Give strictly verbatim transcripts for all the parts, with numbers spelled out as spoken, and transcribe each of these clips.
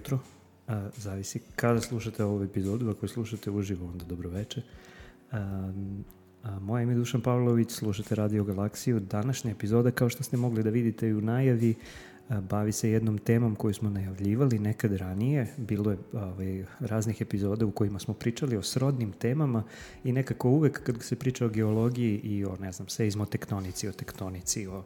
jutro, a, zavisi kada slušate ovu epizodu. Ako je slušate uživo, onda dobro veče. A, a, moje ime je Dušan Pavlović, slušate Radio Galaksiju. Današnja epizoda, kao što ste mogli da vidite i u najavi, a, bavi se jednom temom koju smo najavljivali nekad ranije. Bilo je ovaj, raznih epizoda u kojima smo pričali o srodnim temama i nekako uvek kad se priča o geologiji i o, ne znam, seizmotektonici, o tektonici, o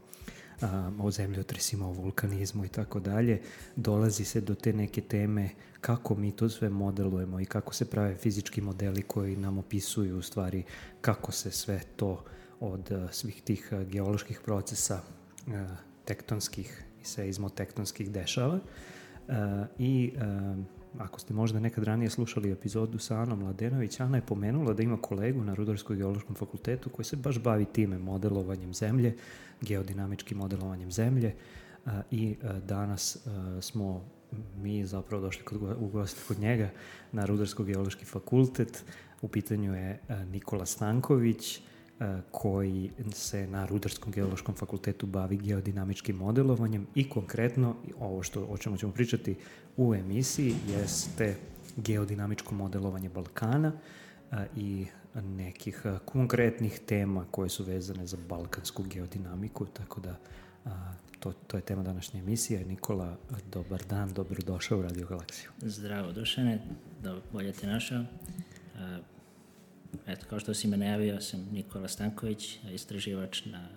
Um, o zemljotresima, o vulkanizmu i tako dalje, dolazi se do te neke teme kako mi to sve modelujemo i kako se prave fizički modeli koji nam opisuju u stvari kako se sve to od uh, svih tih uh, geoloških procesa uh, tektonskih i seizmotektonskih dešava. Uh, I uh, ako ste možda nekad ranije slušali epizodu sa Anom Mladenović, Ana je pomenula da ima kolegu na Rudarsko-geološkom fakultetu koji se baš bavi time, modelovanjem zemlje, geodinamičkim modelovanjem zemlje, a, i a, danas a, smo mi zapravo došli kod, u goste kod njega na Rudarsko-geološki fakultet. U pitanju je a, Nikola Stanković, a, koji se na Rudarskom geološkom fakultetu bavi geodinamičkim modelovanjem i konkretno ovo što, o čemu ćemo pričati u emisiji jeste geodinamičko modelovanje Balkana a, i nekih a, konkretnih tema koje su vezane za balkansku geodinamiku, tako da a, to, to je tema današnje emisije. Nikola, dobar dan, dobrodošao u Radio Galaksiju. Zdravo Dušane, da bolje te našao. A, eto, kao što si me najavio, sam Nikola Stanković, istraživač na,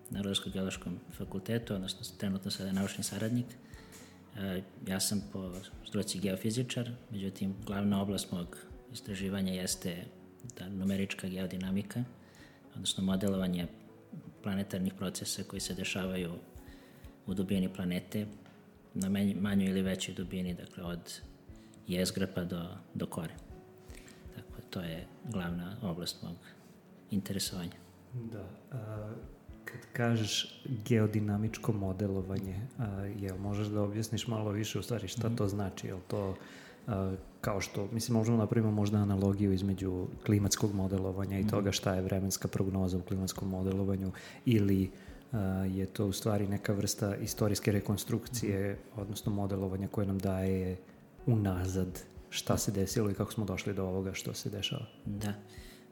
na Rudarsko-geološkom fakultetu, odnosno trenutno sada naučni saradnik. A, ja sam po struci geofizičar, međutim, glavna oblast mog istraživanja jeste da numerička geodinamika, odnosno modelovanje planetarnih procesa koji se dešavaju u dubini planete na manjoj ili većoj dubini, dakle od jezgra pa do, do kore. Tako, to je glavna oblast mog interesovanja. Da, a, kad kažeš geodinamičko modelovanje, a, jel možeš da objasniš malo više u stvari šta mm-hmm. to znači? Jel to a, kao što, mislim, možemo napravimo možda analogiju između klimatskog modelovanja i mm-hmm. toga šta je vremenska prognoza u klimatskom modelovanju, ili a, je to u stvari neka vrsta istorijske rekonstrukcije, mm-hmm. odnosno modelovanja koje nam daje unazad šta se desilo i kako smo došli do ovoga što se dešava. Da.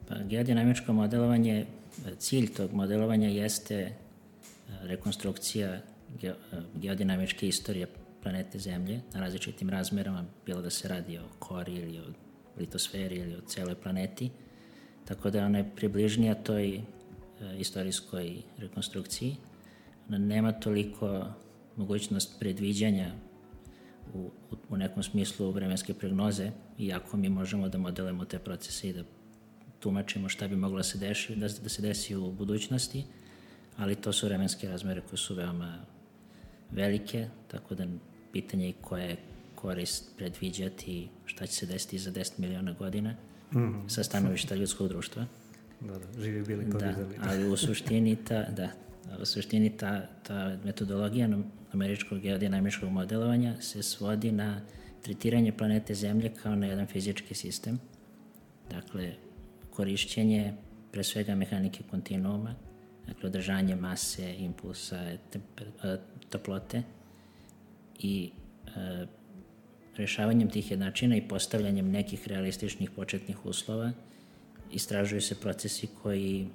Pa geodinamičko modelovanje, cilj tog modelovanja jeste rekonstrukcija ge, geodinamičke istorije planete Zemlje na različitim razmerama, bilo da se radi o kori ili o litosferi ili o celoj planeti, tako da ona je približnija toj e, istorijskoj rekonstrukciji. Ona nema toliko mogućnost predviđanja u, u, u nekom smislu vremenske prognoze, iako mi možemo da modelujemo te procese i da tumačimo šta bi moglo da se desi, da, da se desi u budućnosti, ali to su vremenske razmere koje su veoma velike, tako da pitanje je koja je korist predviđati šta će se desiti za deset miliona godina mm-hmm. sa stanovišta ljudskog društva. Da, da, živi bili pa videli. Da, ali u suštini ta, da, u suštini ta, ta metodologija numeričkog geodinamičkog modelovanja se svodi na tretiranje planete Zemlje kao na jedan fizički sistem. Dakle, korišćenje pre svega mehanike kontinuuma, dakle održanje mase, impulsa, temper, toplote i e, rešavanjem tih jednačina i postavljanjem nekih realističnih početnih uslova istražuju se procesi koji,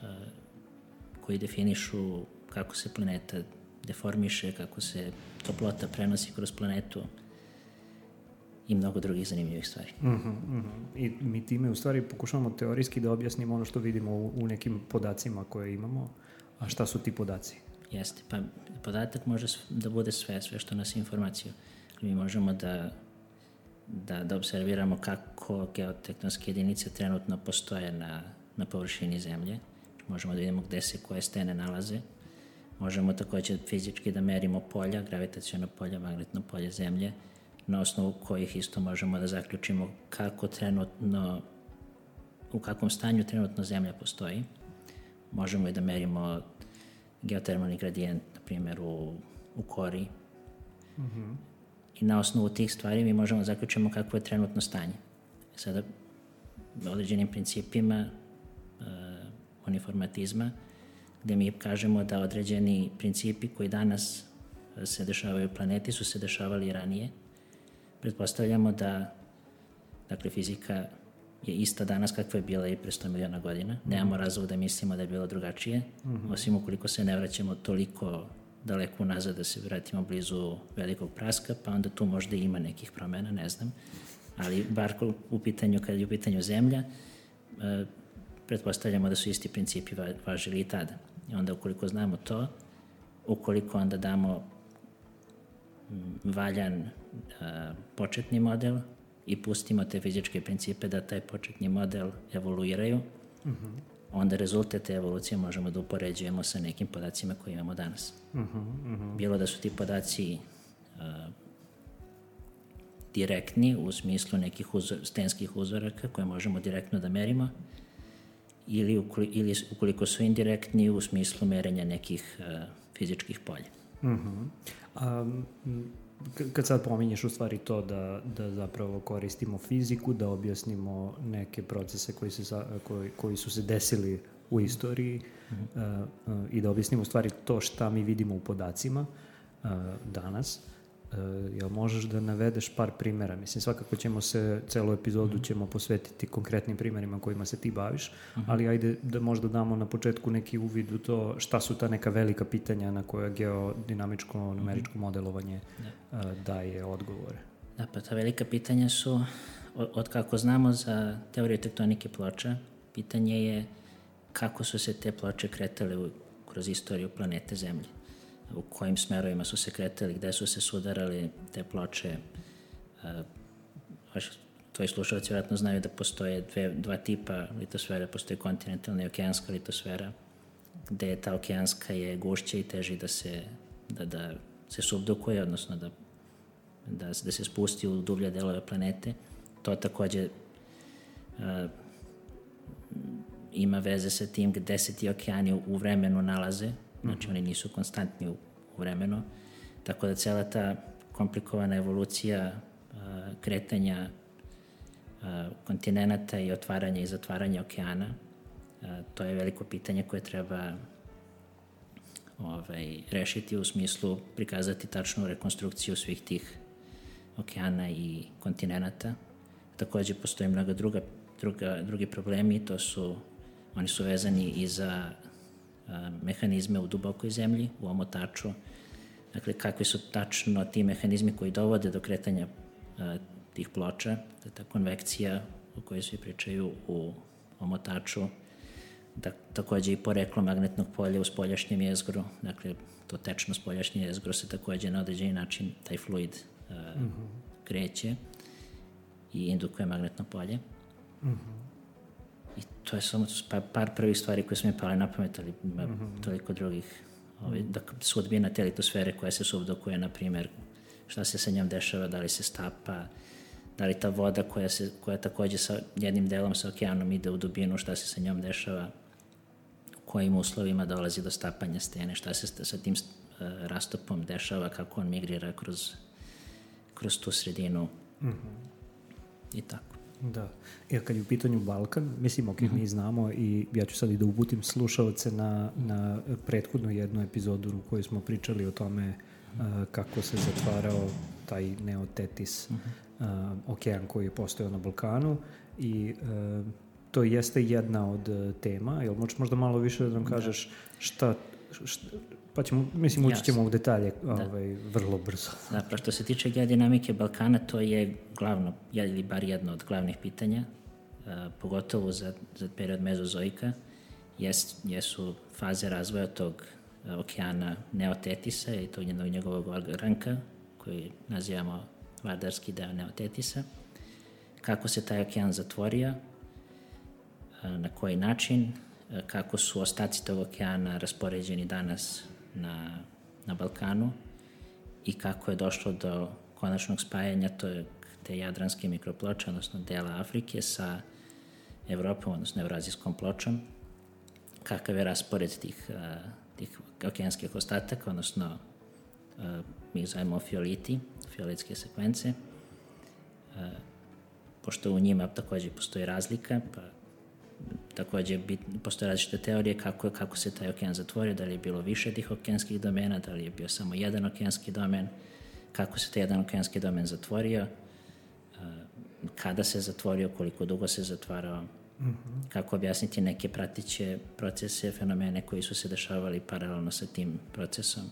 e, koji definišu kako se planeta deformiše, kako se toplota prenosi kroz planetu i mnogo drugih zanimljivih stvari. Mm-hmm, mm-hmm. I mi time u stvari pokušavamo teorijski da objasnimo ono što vidimo u, u nekim podacima koje imamo. A šta su ti podaci? Jeste, pa podatak može da bude sve, sve što nas informaciju. Mi možemo da, da, da observiramo kako geotektonske jedinice trenutno postoje na, na površini Zemlje. Možemo da vidimo gde se koje stene nalaze. Možemo takođe fizički da merimo polja, gravitacijono polje, magnetno polje Zemlje, na osnovu kojih isto možemo da zaključimo kako trenutno, u kakvom stanju trenutno Zemlja postoji. Možemo i da merimo geotermalni gradijent, na primjer, u, u kori. Mm-hmm. I na osnovu tih stvari mi možemo da zaključimo kakvo je trenutno stanje. Sada, određenim principima uh, uniformatizma, gde mi kažemo da određeni principi koji danas se dešavaju u planeti su se dešavali ranije, pretpostavljamo da, dakle, fizika je ista danas kakva je bila i pre sto miliona godina. Mm-hmm. Nemamo razlog da mislimo da je bilo drugačije, mm-hmm. osim ukoliko se ne vraćamo toliko daleko unazad da se vratimo blizu velikog praska, pa onda tu možda ima nekih promena, ne znam. Ali bar u pitanju, kad je u pitanju zemlja, e, pretpostavljamo da su isti principi važili i tada. I onda ukoliko znamo to, ukoliko onda damo valjan a, početni model i pustimo te fizičke principe da taj početni model evoluiraju, mm-hmm. onda rezultat te evolucije možemo da upoređujemo sa nekim podacima koje imamo danas. Mm-hmm. Bilo da su ti podaci a, direktni u smislu nekih uzor, stenskih uzoraka koje možemo direktno da merimo, ili, ukoli, ili ukoliko su indirektni u smislu merenja nekih a, fizičkih polja. Mm-hmm. A, kad sad pominješ u stvari to da, da zapravo koristimo fiziku, da objasnimo neke procese koji, se, koji, koji su se desili u istoriji, mm-hmm. uh, uh, i da objasnimo u stvari to šta mi vidimo u podacima uh, danas, uh, jel možeš da navedeš par primjera? Mislim, svakako ćemo se, celu epizodu mm-hmm. ćemo posvetiti konkretnim primjerima kojima se ti baviš, mm-hmm. ali ajde da možda damo na početku neki uvid u to šta su ta neka velika pitanja na koja geodinamičko numeričko mm-hmm. modelovanje uh, daje odgovore. Da, pa ta velika pitanja su, od, od kako znamo za teoriju tektonike ploča, pitanje je kako su se te ploče kretale u, kroz istoriju planete Zemlje. U kojim smerovima su se kretali, gde su se sudarali te ploče. Vaši tvoji slušalci vjerojatno znaju da postoje dve, dva tipa litosfere, postoji kontinentalna i okeanska litosfera, gde je ta okeanska je gušća i teži da se, da, da se subdukuje, odnosno da, da, da se spusti u dublje delove planete. To takođe a, ima veze sa tim gde se ti okeani u, u vremenu nalaze. Znači, mm-hmm. oni nisu konstantni u, u vremenu, tako da cela ta komplikovana evolucija a, kretanja a, kontinenata i otvaranja i zatvaranja okeana, a, to je veliko pitanje koje treba ovaj, rešiti u smislu prikazati tačnu rekonstrukciju svih tih okeana i kontinenata. Takođe, postoji mnoga druga, druga, drugi problemi, to su, oni su vezani i za mehanizme u dubokoj zemlji, u omotaču. Dakle, kakvi su tačno ti mehanizmi koji dovode do kretanja a, tih ploča, da ta konvekcija o kojoj svi pričaju u omotaču, da, takođe i poreklo magnetnog polja u spoljašnjem jezgru, dakle, to tečno spoljašnje jezgro se takođe na određeni način, taj fluid a, mm-hmm. kreće i indukuje magnetno polje. Mm-hmm. I to je samo par, par prvih stvari koje su mi pale na pamet, ali ima mm-hmm. toliko drugih. Ovaj, da, sudbina te litosfere koja se subdukuje, na primjer, šta se sa njom dešava, da li se stapa, da li ta voda koja, se, koja takođe sa jednim delom sa okeanom ide u dubinu, šta se sa njom dešava, u kojim uslovima dolazi do stapanja stene, šta se sa tim uh, rastopom dešava, kako on migrira kroz, kroz tu sredinu mm-hmm. i tako. Da. Jer kad je u pitanju Balkan, mislim, ok, mi znamo i ja ću sad i da uputim slušalce na, na prethodnu jednu epizodu u kojoj smo pričali o tome uh, kako se zatvarao taj Neotetis, uh, okean koji je postojao na Balkanu i uh, to jeste jedna od uh, tema. Jel možeš možda malo više da nam kažeš šta, šta pa ćemo, mislim, ući ćemo u detalje ovaj, vrlo brzo. Da, pa što se tiče geodinamike Balkana, to je glavno, ili bar jedno od glavnih pitanja, a, pogotovo za, za period mezozoika, jes, jesu faze razvoja tog a, okeana Neotetisa i tog njegovog ogranka, koji nazivamo vardarski deo Neotetisa, kako se taj okean zatvorio, a, na koji način, a, kako su ostaci tog okeana raspoređeni danas na, na Balkanu i kako je došlo do konačnog spajanja to, te jadranske mikroploče, odnosno dela Afrike sa Evropom, odnosno evrazijskom pločom, kakav je raspored tih, a, tih okeanskih ostataka, odnosno a, mi ih zovemo fioliti, fioletske sekvence, a, pošto u njima takođe postoji razlika, pa takođe bit, postoje različite teorije kako, kako se taj okean zatvorio, da li je bilo više tih okeanskih domena, da li je bio samo jedan okeanski domen, kako se taj jedan okeanski domen zatvorio, kada se zatvorio, koliko dugo se zatvarao, mm-hmm. kako objasniti neke pratiće procese, fenomene koji su se dešavali paralelno sa tim procesom.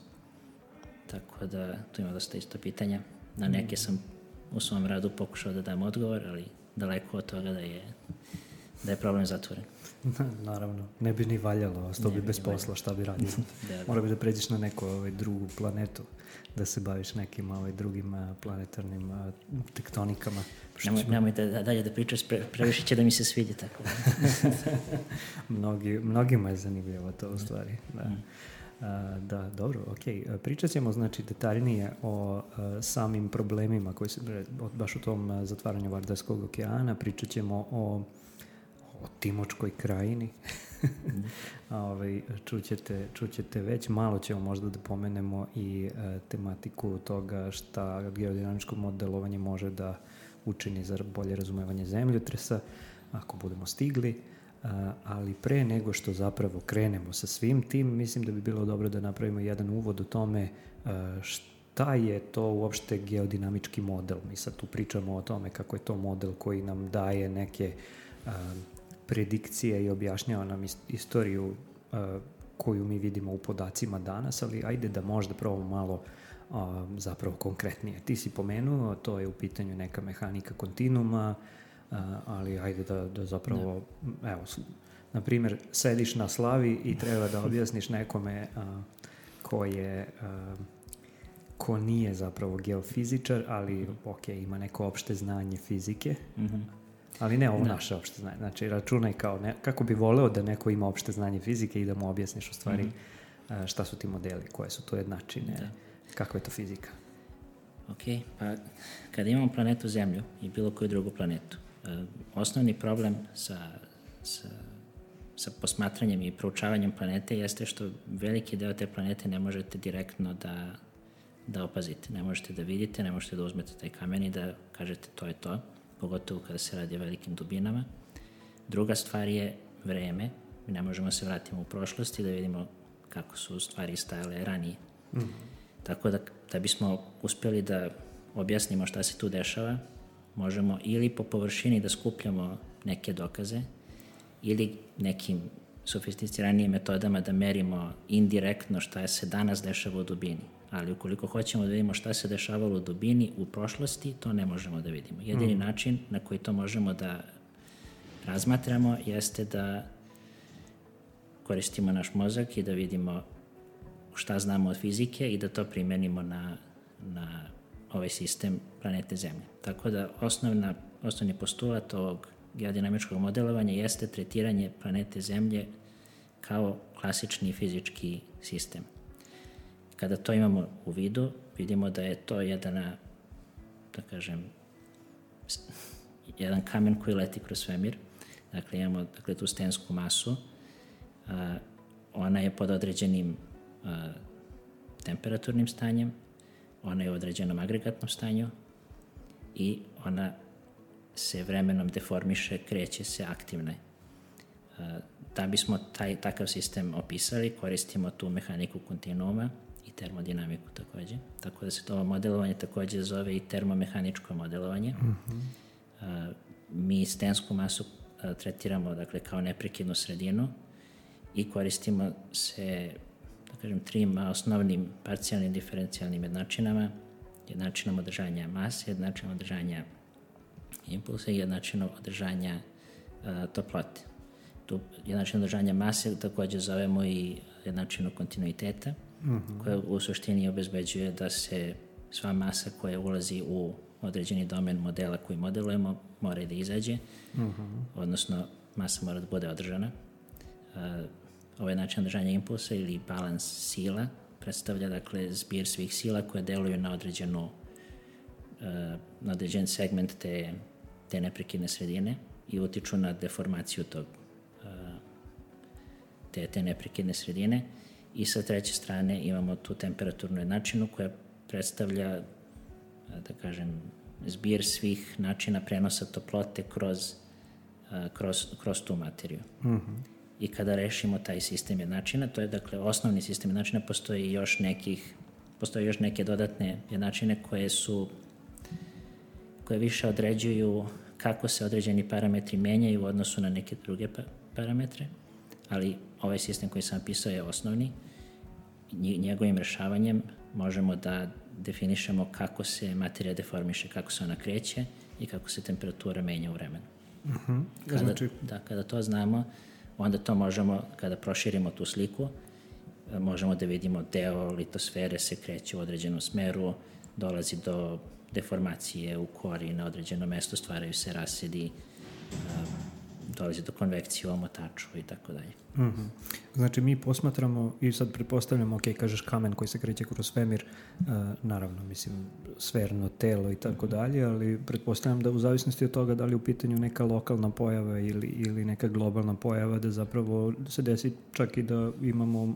Tako da tu ima dosta isto pitanja. Na neke sam u svom radu pokušao da dam odgovor, ali daleko od toga da je, da je problem zatvoren. Naravno, ne bi ni valjalo, ostao bi bez posla, šta bi radio. da, da. Mora bi da pređeš na neku ovaj, drugu planetu, da se baviš nekim ovaj, drugim a, planetarnim a, tektonikama. Nemoj, ćemo... nemoj da, dalje da pričaš, pre, previše će da mi se sviđa tako. Mnogi, mnogima je zanimljivo to u stvari. Da. Mm. A, da, dobro, ok. Pričat ćemo znači detaljnije o a, samim problemima koji se, baš u tom a, zatvaranju Vardarskog okeana, pričat ćemo o o Timočkoj krajini. mm. Ove, čućete, čućete već, malo ćemo možda da pomenemo i e, tematiku toga šta geodinamičko modelovanje može da učini za bolje razumevanje zemljotresa, ako budemo stigli, a, ali pre nego što zapravo krenemo sa svim tim, mislim da bi bilo dobro da napravimo jedan uvod o tome a, šta je to uopšte geodinamički model. Mi sad tu pričamo o tome kako je to model koji nam daje neke a, predikcije i objašnjava nam istoriju uh, koju mi vidimo u podacima danas, ali ajde da možda probamo malo uh, zapravo konkretnije. Ti si pomenuo, to je u pitanju neka mehanika kontinuma, uh, ali ajde da, da zapravo, ne. evo, na primjer, sediš na slavi i treba da objasniš nekome uh, ko je, uh, ko nije zapravo geofizičar, ali ok, ima neko opšte znanje fizike, mm-hmm. ali ne ovo da. Naše opšte znanje. Znači, računaj kao ne, kako bi voleo da neko ima opšte znanje fizike i da mu objasniš u stvari mm-hmm. šta su ti modeli, koje su to jednačine, da. Kakva je to fizika. Ok, pa kada imamo planetu Zemlju i bilo koju drugu planetu, osnovni problem sa, sa, sa posmatranjem i proučavanjem planete jeste što veliki deo te planete ne možete direktno da, da opazite. Ne možete da vidite, ne možete da uzmete taj kamen i da kažete to je to, pogotovo kada se radi o velikim dubinama. Druga stvar je vreme. Mi ne možemo se vratiti u prošlost i da vidimo kako su stvari stajale ranije. Mm. Tako da, da bismo uspjeli da objasnimo šta se tu dešava, možemo ili po površini da skupljamo neke dokaze ili nekim sofisticiranijim metodama da merimo indirektno šta se danas dešava u dubini. Ali ukoliko hoćemo da vidimo šta se dešavalo u dubini u prošlosti, to ne možemo da vidimo. Jedini mm. način na koji to možemo da razmatramo jeste da koristimo naš mozak i da vidimo šta znamo od fizike i da to primenimo na, na ovaj sistem planete Zemlje. Tako da osnovna, osnovni postulat ovog geodinamičkog modelovanja jeste tretiranje planete Zemlje kao klasični fizički sistem. Kada to imamo u vidu, vidimo da je to jedna, da kažem, jedan kamen koji leti kroz svemir. Dakle, imamo dakle, tu stensku masu. A, ona je pod određenim a, temperaturnim stanjem, ona je u određenom agregatnom stanju i ona se vremenom deformiše, kreće se, aktivna je. Da bismo taj, takav sistem opisali, koristimo tu mehaniku kontinuuma i termodinamiku takođe. Tako da se to modelovanje takođe zove i termomehaničko modelovanje. Mm-hmm. A, mi stensku masu a, tretiramo dakle, kao neprekidnu sredinu i koristimo se, da kažem, trim osnovnim parcijalnim diferencijalnim jednačinama, jednačinom održanja mase, jednačinom održanja impulsa i jednačinom održanja a, toplote. Tu jednačinu održanja mase takođe zovemo i jednačinu kontinuiteta, mm-hmm. koja u suštini obezbeđuje da se sva masa koja ulazi u određeni domen modela koji modelujemo mora da izađe, mm-hmm. odnosno masa mora da bude održana. Uh, ovaj način održanja impulsa ili balans sila predstavlja dakle zbir svih sila koje deluju na određenu uh, na određen segment te, te neprekidne sredine i utiču na deformaciju tog te, te neprekidne sredine i sa treće strane imamo tu temperaturnu jednačinu koja predstavlja, da kažem, zbir svih načina prenosa toplote kroz, kroz, kroz tu materiju. Mm-hmm. I kada rešimo taj sistem jednačina, to je dakle osnovni sistem jednačina, postoji još nekih, postoji još neke dodatne jednačine koje su koje više određuju kako se određeni parametri menjaju u odnosu na neke druge pa- parametre, ali ovaj sistem koji sam pisao je osnovni. Njegovim rešavanjem možemo da definišemo kako se materija deformiše, kako se ona kreće i kako se temperatura menja u vremenu. Uh-huh. Kada, znači... da, kada to znamo, onda to možemo, kada proširimo tu sliku, možemo da vidimo deo litosfere se kreće u određenom smeru, dolazi do deformacije u kori na određeno mesto, stvaraju se rasedi, dolazi do konvekcije u omotaču i tako dalje. Mm-hmm. Znači mi posmatramo i sad pretpostavljamo, ok, kažeš kamen koji se kreće kroz svemir, uh, naravno, mislim, sferno telo i tako dalje, ali pretpostavljam da u zavisnosti od toga da li u pitanju neka lokalna pojava ili, ili neka globalna pojava, da zapravo se desi čak i da imamo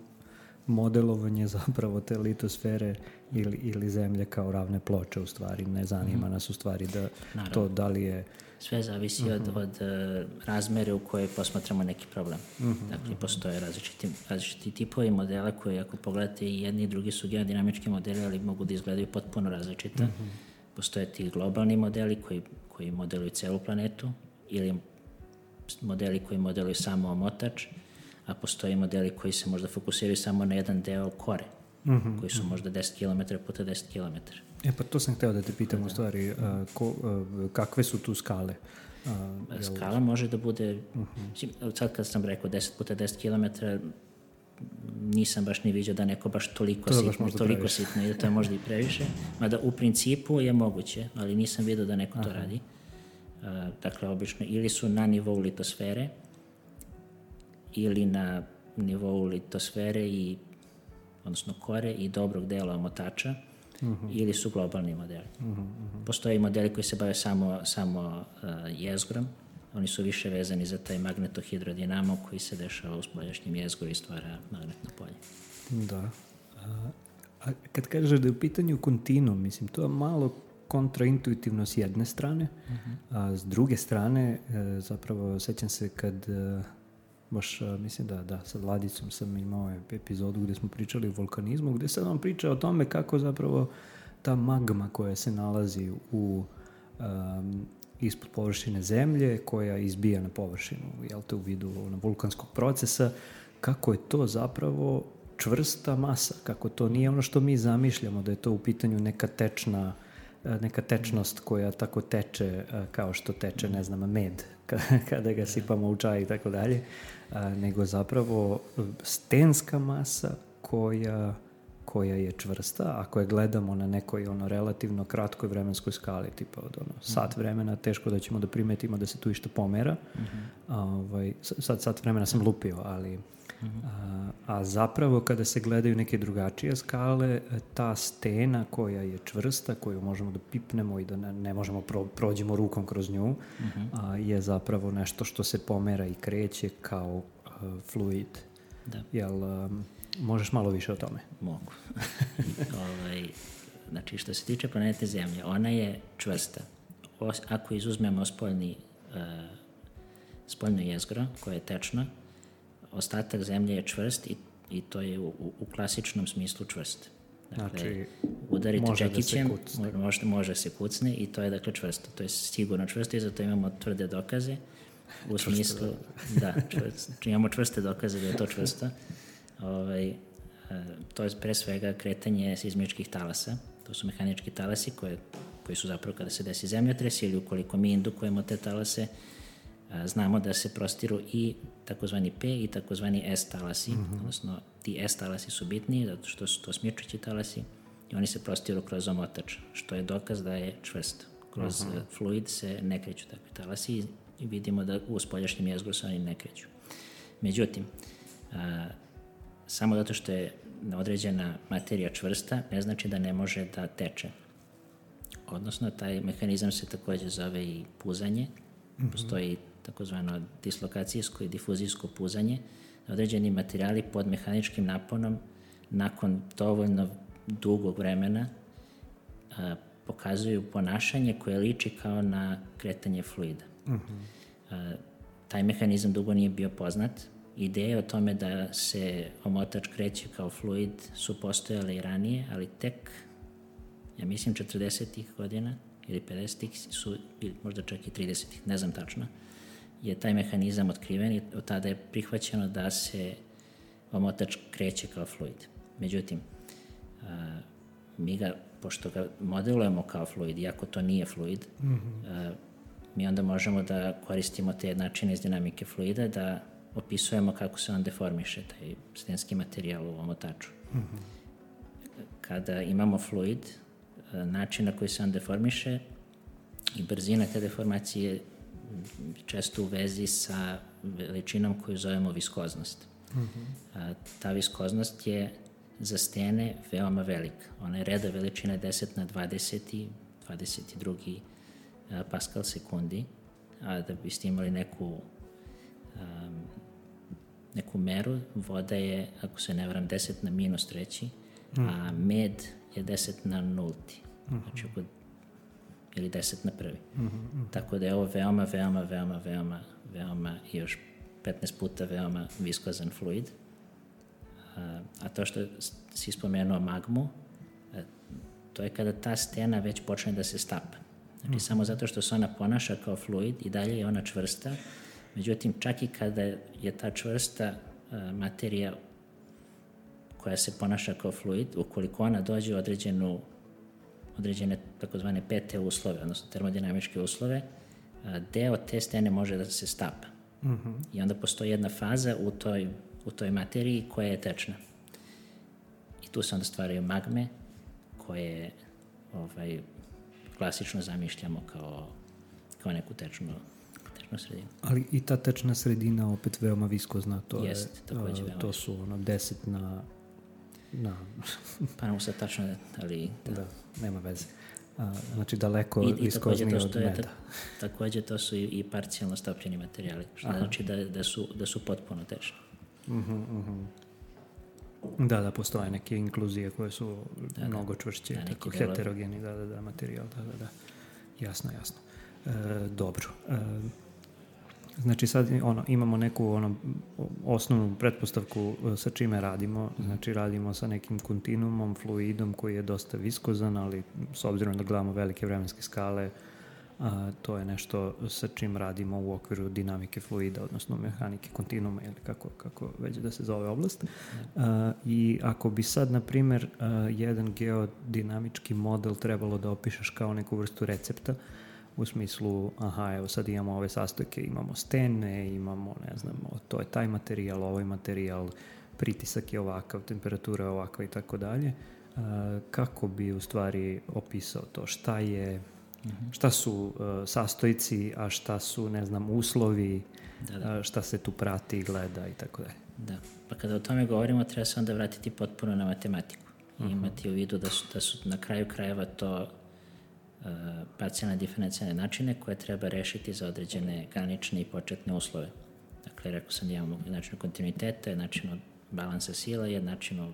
modelovanje zapravo te litosfere ili, ili zemlje kao ravne ploče u stvari. Ne zanima mm-hmm. nas u stvari da naravno. To da li je... Sve zavisi uh-huh. od, od uh, razmere u kojoj posmatramo neki problem. Uh-huh. Dakle, postoje različiti, različiti tipovi modela koji, ako pogledate, i jedni i drugi su geodinamički modeli, ali mogu da izgledaju potpuno različito. Uh-huh. Postoje ti globalni modeli koji, koji modeluju celu planetu ili modeli koji modeluju samo omotač, a postoje modeli koji se možda fokusiraju samo na jedan deo kore, uh-huh. koji su možda deset kilometara puta deset kilometara. E pa to sam hteo da te pitam u stvari, a, ko, a, kakve su tu skale? A, Skala može da bude, uh-huh. sad kad sam rekao deset puta deset kilometara, nisam baš ni vidio da neko baš toliko to sitno, baš toliko sitno i da to je možda i previše, mada u principu je moguće, ali nisam vidio da neko Aha. to radi. A, dakle, obično ili su na nivou litosfere ili na nivou litosfere i, odnosno kore i dobrog dela omotača, Uh-huh. ili su globalni modeli. Uh-huh, uh-huh. Postoje modeli koji se bave samo, samo uh, jezgrom. Oni su više vezani za taj magnetohidrodinamo koji se dešava u spoljašnjem jezgru i stvara magnetno polje. Da. A, a kad kažeš da je u pitanju kontinuum, mislim, to je malo kontraintuitivno s jedne strane, uh-huh. a s druge strane, e, zapravo, sećam se kad... E, baš, mislim da, da, sa Vladicom sam imao epizodu gde smo pričali o vulkanizmu, gde sam vam pričao o tome kako zapravo ta magma koja se nalazi u, um, ispod površine zemlje, koja izbija na površinu, jel te, u vidu na vulkanskog procesa, kako je to zapravo čvrsta masa, kako to nije ono što mi zamišljamo, da je to u pitanju neka tečna neka tečnost koja tako teče kao što teče, ne znam, med kada ga sipamo u čaj i tako dalje, nego zapravo stenska masa koja, koja je čvrsta. Ako je gledamo na nekoj ono relativno kratkoj vremenskoj skali, tipa od ono, sat vremena, teško da ćemo da primetimo da se tu išta pomera. Uh-huh. A, ovaj, sad sat vremena sam lupio, ali Uh-huh. A, a zapravo kada se gledaju neke drugačije skale, ta stena koja je čvrsta, koju možemo da pipnemo i da ne, ne možemo pro, prođemo rukom kroz nju, uh-huh. a, je zapravo nešto što se pomera i kreće kao a, fluid. Da. Jel, a, možeš malo više o tome? Mogu. ovaj, znači, što se tiče planete Zemlje, ona je čvrsta. O, ako izuzmemo spoljni, uh, spoljno jezgro, koje je tečno, ostatak zemlje je čvrst i, i to je u, u klasičnom smislu čvrst. Dakle, znači, udarite čekićem, da može, može se kucne i to je dakle čvrsto. To je sigurno čvrsto i zato imamo tvrde dokaze u čvrsto, smislu, da, čvrst, imamo čvrste dokaze da je to čvrsto. Ovaj, to je pre svega kretanje seizmičkih talasa. To su mehanički talasi koje, koji su zapravo kada se desi zemljotres ili ukoliko mi indukujemo te talase, znamo da se prostiru i takozvani P i takozvani S talasi, uh-huh. odnosno ti S talasi su bitniji zato što su to smjerčući talasi i oni se prostiru kroz omotač, što je dokaz da je čvrsto. Kroz uh-huh. fluid se ne kreću takvi talasi i vidimo da u spoljašnjem jezgru se oni ne kreću. Međutim, a, samo zato što je određena materija čvrsta, ne znači da ne može da teče. Odnosno, taj mehanizam se takođe zove i puzanje. Uh-huh. Postoji takozvano dislokacijsko i difuzijsko puzanje. Određeni materijali pod mehaničkim naponom nakon dovoljno dugog vremena a, pokazuju ponašanje koje liči kao na kretanje fluida. Uh-huh. a, taj mehanizam dugo nije bio poznat. Ideje o tome da se omotač kreće kao fluid su postojale i ranije, ali tek, ja mislim, četrdesetih godina ili pedesetih su, ili možda čak i tridesetih, ne znam tačno, je taj mehanizam otkriven i od tada je prihvaćeno da se omotač kreće kao fluid. Međutim, a, mi ga, pošto ga modelujemo kao fluid, iako to nije fluid, mm-hmm. a, mi onda možemo da koristimo te jednačine iz dinamike fluida da opisujemo kako se on deformiše, taj stenski materijal u omotaču. Mm-hmm. Kada imamo fluid, način na koji se on deformiše i brzina te deformacije često u vezi sa veličinom koju zovemo viskoznost. Mm-hmm. A, ta viskoznost je za stene veoma velika. Ona je reda veličine deset na dvadeset, dvadeset dva a, paskal sekundi, a da biste imali neku a, neku meru, voda je, ako se ne varam, deset na minus treći, mm. a med je deset na nulti. Mm-hmm. Znači, oko, ili deset na prvi. Mm-hmm. Tako da je ovo veoma, veoma, veoma, veoma, veoma i još petnaest puta veoma viskozan fluid. A, a to što si spomenuo magmu, a, to je kada ta stena već počne da se stapa. Znači, mm. samo zato što se ona ponaša kao fluid i dalje je ona čvrsta, međutim, čak i kada je ta čvrsta a, materija koja se ponaša kao fluid, ukoliko ona dođe u određenu, određene takozvane P T uslove, odnosno termodinamičke uslove, a, deo te stene može da se stapa. Mm-hmm. I onda postoji jedna faza u toj, u toj materiji koja je tečna. I tu se onda stvaraju magme koje ovaj, klasično zamišljamo kao, kao neku tečnu, tečnu sredinu. Ali i ta tečna sredina opet veoma viskozna. To, Jest, je, takođe, uh, to su ono deset na... na pa nam se tačno, ali... Da, da nema veze. A, znači daleko I, viskozniji od je, meda. Ta, takođe to su i, i parcijalno stopljeni materijali, što Aha. znači da, da, su, da su potpuno tečni. Uh-huh, uh-huh. Da, da, postoje neke inkluzije koje su da, mnogo čvršće, da, tako heterogeni, da, da, da, materijal, da, da, da. Jasno, jasno. E, dobro. E, znači sad ono, imamo neku ono, osnovnu pretpostavku sa čime radimo. Znači radimo sa nekim kontinuumom, fluidom koji je dosta viskozan, ali s obzirom da gledamo velike vremenske skale, a, to je nešto sa čim radimo u okviru dinamike fluida, odnosno mehanike kontinuuma ili kako, kako već da se zove oblast. A, I ako bi sad, na primjer, a, jedan geodinamički model trebalo da opišeš kao neku vrstu recepta, u smislu, aha, evo sad imamo ove sastojke, imamo stene, imamo, ne znam, to je taj materijal, ovaj materijal, pritisak je ovakav, temperatura je ovakva i tako dalje. Kako bi u stvari opisao to? Šta je, mm-hmm. šta su uh, sastojci, a šta su, ne znam, uslovi, da, da. šta se tu prati i gleda i tako dalje. Da, pa kada o tome govorimo, treba se onda vratiti potpuno na matematiku i uh-huh. imati u vidu da su, da su na kraju krajeva to Uh, parcijalne diferencijalne načine koje treba rešiti za određene granične i početne uslove. Dakle, rekao sam da imamo jednačinu kontinuiteta, jednačinu balansa sila i jednačinu uh,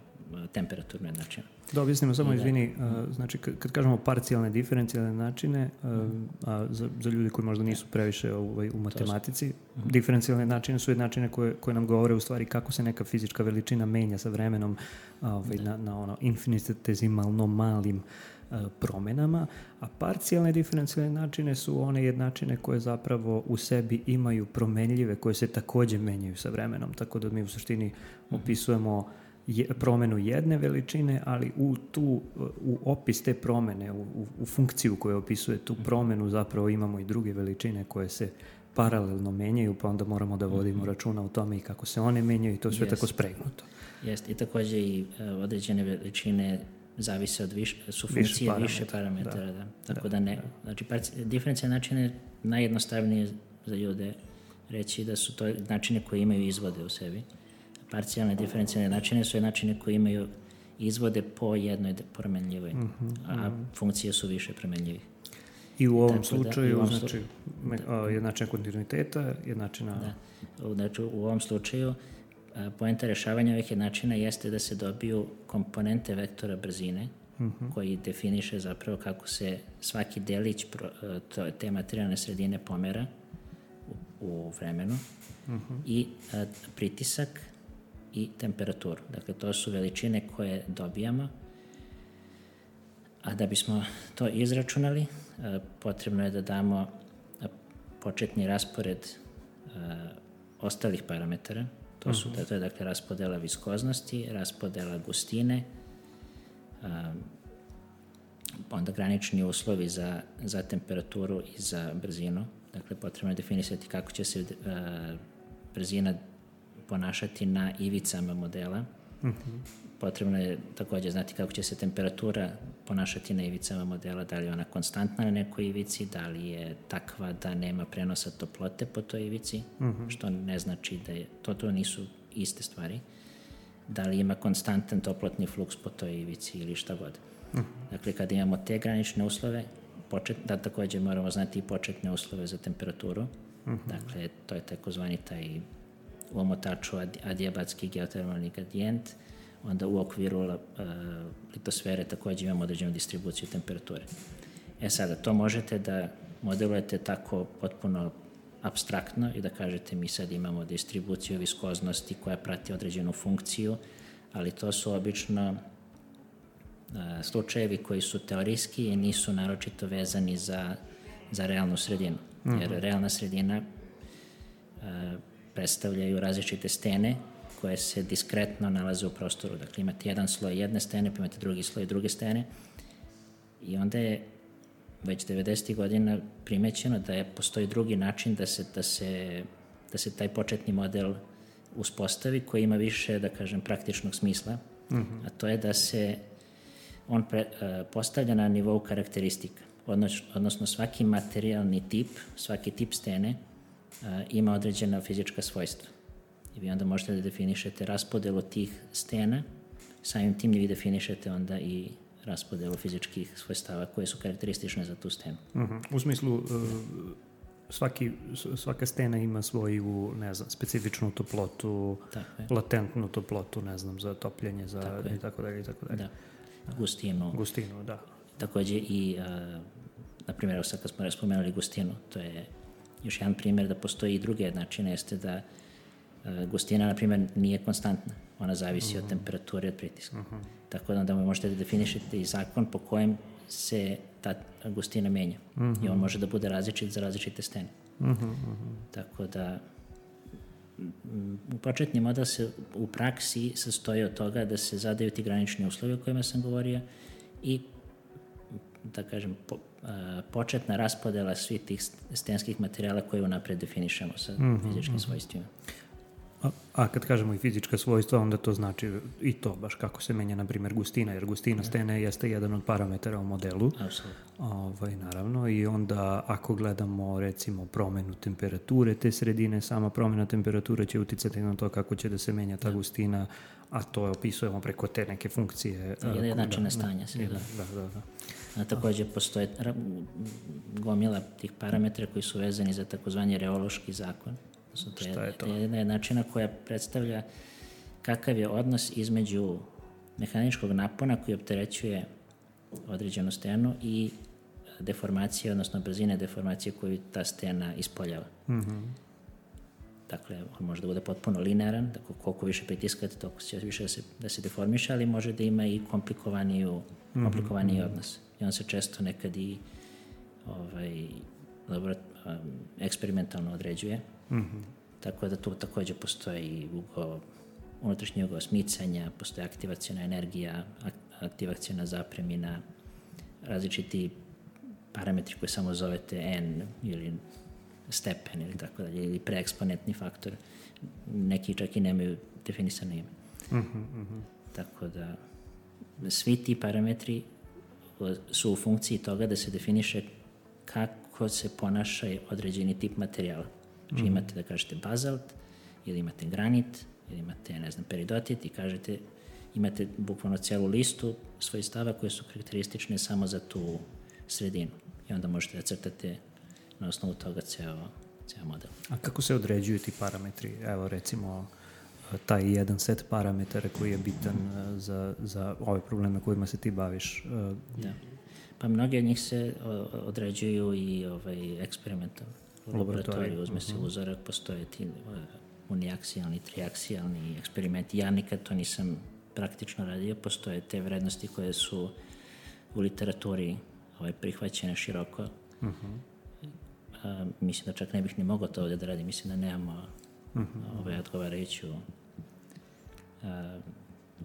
temperaturne načine. Da objasnimo samo, I izvini, da, uh, znači kad, kad kažemo parcijalne diferencijalne načine, uh, mm. a za, za ljudi koji možda nisu previše u, u matematici, mm. diferencijalne načine su jednačine koje, koje nam govore u stvari kako se neka fizička veličina menja sa vremenom ovaj, na, na ono infinitezimalno malim promenama, a parcijalne diferencijalne načine su one jednačine koje zapravo u sebi imaju promenljive koje se takođe menjaju sa vremenom, tako da mi u suštini opisujemo je, promenu jedne veličine, ali u tu u opis te promene, u, u, u funkciju koja opisuje tu promenu zapravo imamo i druge veličine koje se paralelno menjaju, pa onda moramo da vodimo računa o tome i kako se one menjaju i to sve yes. tako spregnuto. Jeste, i takođe i uh, određene veličine zavise od više, su funkcije više parametara, više parametara da. Da. Tako da, da ne, da. Znači diferencijalne načine najjednostavnije za ljude reći da su to načine koje imaju izvode u sebi. Parcijalne diferencijalne načine su načine koje imaju izvode po jednoj promenljivoj, mm-hmm, a mm-hmm. funkcije su više promenljivih. I u ovom tako da, slučaju, u ovom znači, da, jednačina kontinuiteta, jednačina... Da, znači u ovom slučaju poenta rešavanja ovih jednačina jeste da se dobiju komponente vektora brzine, uh-huh. koji definiše zapravo kako se svaki delić pro, to, te materijalne sredine pomera u, u vremenu uh-huh. i a, pritisak i temperaturu. Dakle, to su veličine koje dobijamo, A da bismo to izračunali, potrebno je da damo početni raspored ostalih parametara. To su, to je dakle raspodela viskoznosti, raspodela gustine, onda granični uslovi za, za temperaturu i za brzinu. Dakle, potrebno je definisati kako će se brzina ponašati na ivicama modela. Mm-hmm. Potrebno je također znati kako će se temperatura ponašati na ivicama modela, da li je ona konstantna na nekoj ivici, da li je takva da nema prenosa toplote po toj ivici, mm-hmm. što ne znači da je, to, to nisu iste stvari, da li ima konstantan toplotni fluks po toj ivici ili šta god. Mm-hmm. Dakle, kada imamo te granične uslove, počet, da također moramo znati i početne uslove za temperaturu, mm-hmm. dakle, to je takozvani taj u omotaču adiabatski geotermalni gradijent, onda u okviru uh, litosfere također imamo određenu distribuciju temperature. E sada, to možete da modelujete tako potpuno apstraktno i da kažete mi sad imamo distribuciju viskoznosti koja prati određenu funkciju, ali to su obično uh, slučajevi koji su teorijski i nisu naročito vezani za, za realnu sredinu. Mm-hmm. Jer realna sredina uh, predstavljaju različite stene koje se diskretno nalaze u prostoru. Dakle, imate jedan sloj jedne stene, pa imate drugi sloj druge stene. I onda je već devedesetih godina primećeno da je, postoji drugi način da se, da, se, da se taj početni model uspostavi koji ima više, da kažem, praktičnog smisla, mm-hmm. a to je da se on pre, uh, postavlja na nivou karakteristika. Odnos, odnosno svaki materijalni tip, svaki tip stene uh, ima određena fizička svojstva. I vi onda možete da definišete raspodelu tih stena, samim tim vi definišete onda i raspodelu fizičkih svojstava koje su karakteristične za tu stenu. Uh-huh. U smislu, svaki, svaka stena ima svoju, ne znam, specifičnu toplotu, latentnu toplotu, ne znam, za topljenje, za tako i tako dalje, i tako dalje. Da, gustinu. Gustinu, da. Također i, na primjer, sad kad smo spomenuli gustinu, to je još jedan primjer da postoji i druge načine, jeste da gustina, na primjer, nije konstantna. Ona zavisi uh-huh. od temperature i od pritiska. Uh-huh. Tako da onda možete da definišete i zakon po kojem se ta gustina menja. Uh-huh. I on može da bude različit za različite stene. Uh-huh. Tako da početni model se u praksi sastoji od toga da se zadaju ti granični uslovi o kojima sam govorio i da kažem po, a, početna raspodela svih tih stenskih materijala koje unapred definišemo sa uh-huh. fizičkim svojstvima. A, a kad kažemo i fizička svojstva, onda to znači i to baš kako se menja, na primjer, gustina, jer gustina stene jeste jedan od parametara u modelu. Apsolutno. Ovaj, naravno, i onda ako gledamo, recimo, promenu temperature te sredine, sama promjena temperature će uticati na to kako će da se menja ta gustina, a to opisujemo preko te neke funkcije. Jednačina stanja se. Da, da, da. da. A također postoje gomila tih parametra koji su vezani za takozvani reološki zakon. To je, je to? To je jedna jednačina koja predstavlja kakav je odnos između mehaničkog napona koji opterećuje određenu stenu i deformacije, odnosno brzine deformacije koju ta stena ispoljava. Mm-hmm. Dakle, on može da bude potpuno linearan, dakle, koliko više pritiskate, toliko će više da se, da se deformiše, ali može da ima i komplikovaniju, komplikovaniji mm-hmm. odnos. I on se često nekad i ovaj, laborat, um, eksperimentalno određuje. Mm-hmm. Tako da tu također postoji ugo, unutrašnji ugao smicanja, postoji aktivacijona energija, aktivacijona zapremina, različiti parametri koje samo zovete n ili stepen ili tako dalje, ili preeksponentni faktor. Neki čak i nemaju definisano ime. Mm-hmm. Tako da svi ti parametri su u funkciji toga da se definiše kako se ponaša određeni tip materijala. Znači mm-hmm. imate, da kažete, bazalt, ili imate granit, ili imate, ne znam, peridotit i kažete, imate bukvalno celu listu svojstava koje su karakteristične samo za tu sredinu. I onda možete da crtate na osnovu toga ceo, ceo model. A kako se određuju ti parametri? Evo, recimo, taj jedan set parametara koji je bitan mm-hmm. za, za ove probleme kojima se ti baviš. Da. Pa mnogi od njih se određuju i ovaj, eksperimentalno. U laboratoriju uzme se uh-huh. uzorak, postoje ti uh, uniaksijalni, triaksijalni eksperimenti. Ja nikad to nisam praktično radio, postoje te vrednosti koje su u literaturi ovaj, prihvaćene široko. Uh-huh. A, mislim da čak ne bih ni mogao to ovdje da radim. Mislim da nemamo uh-huh. ovaj, odgovarajuću a,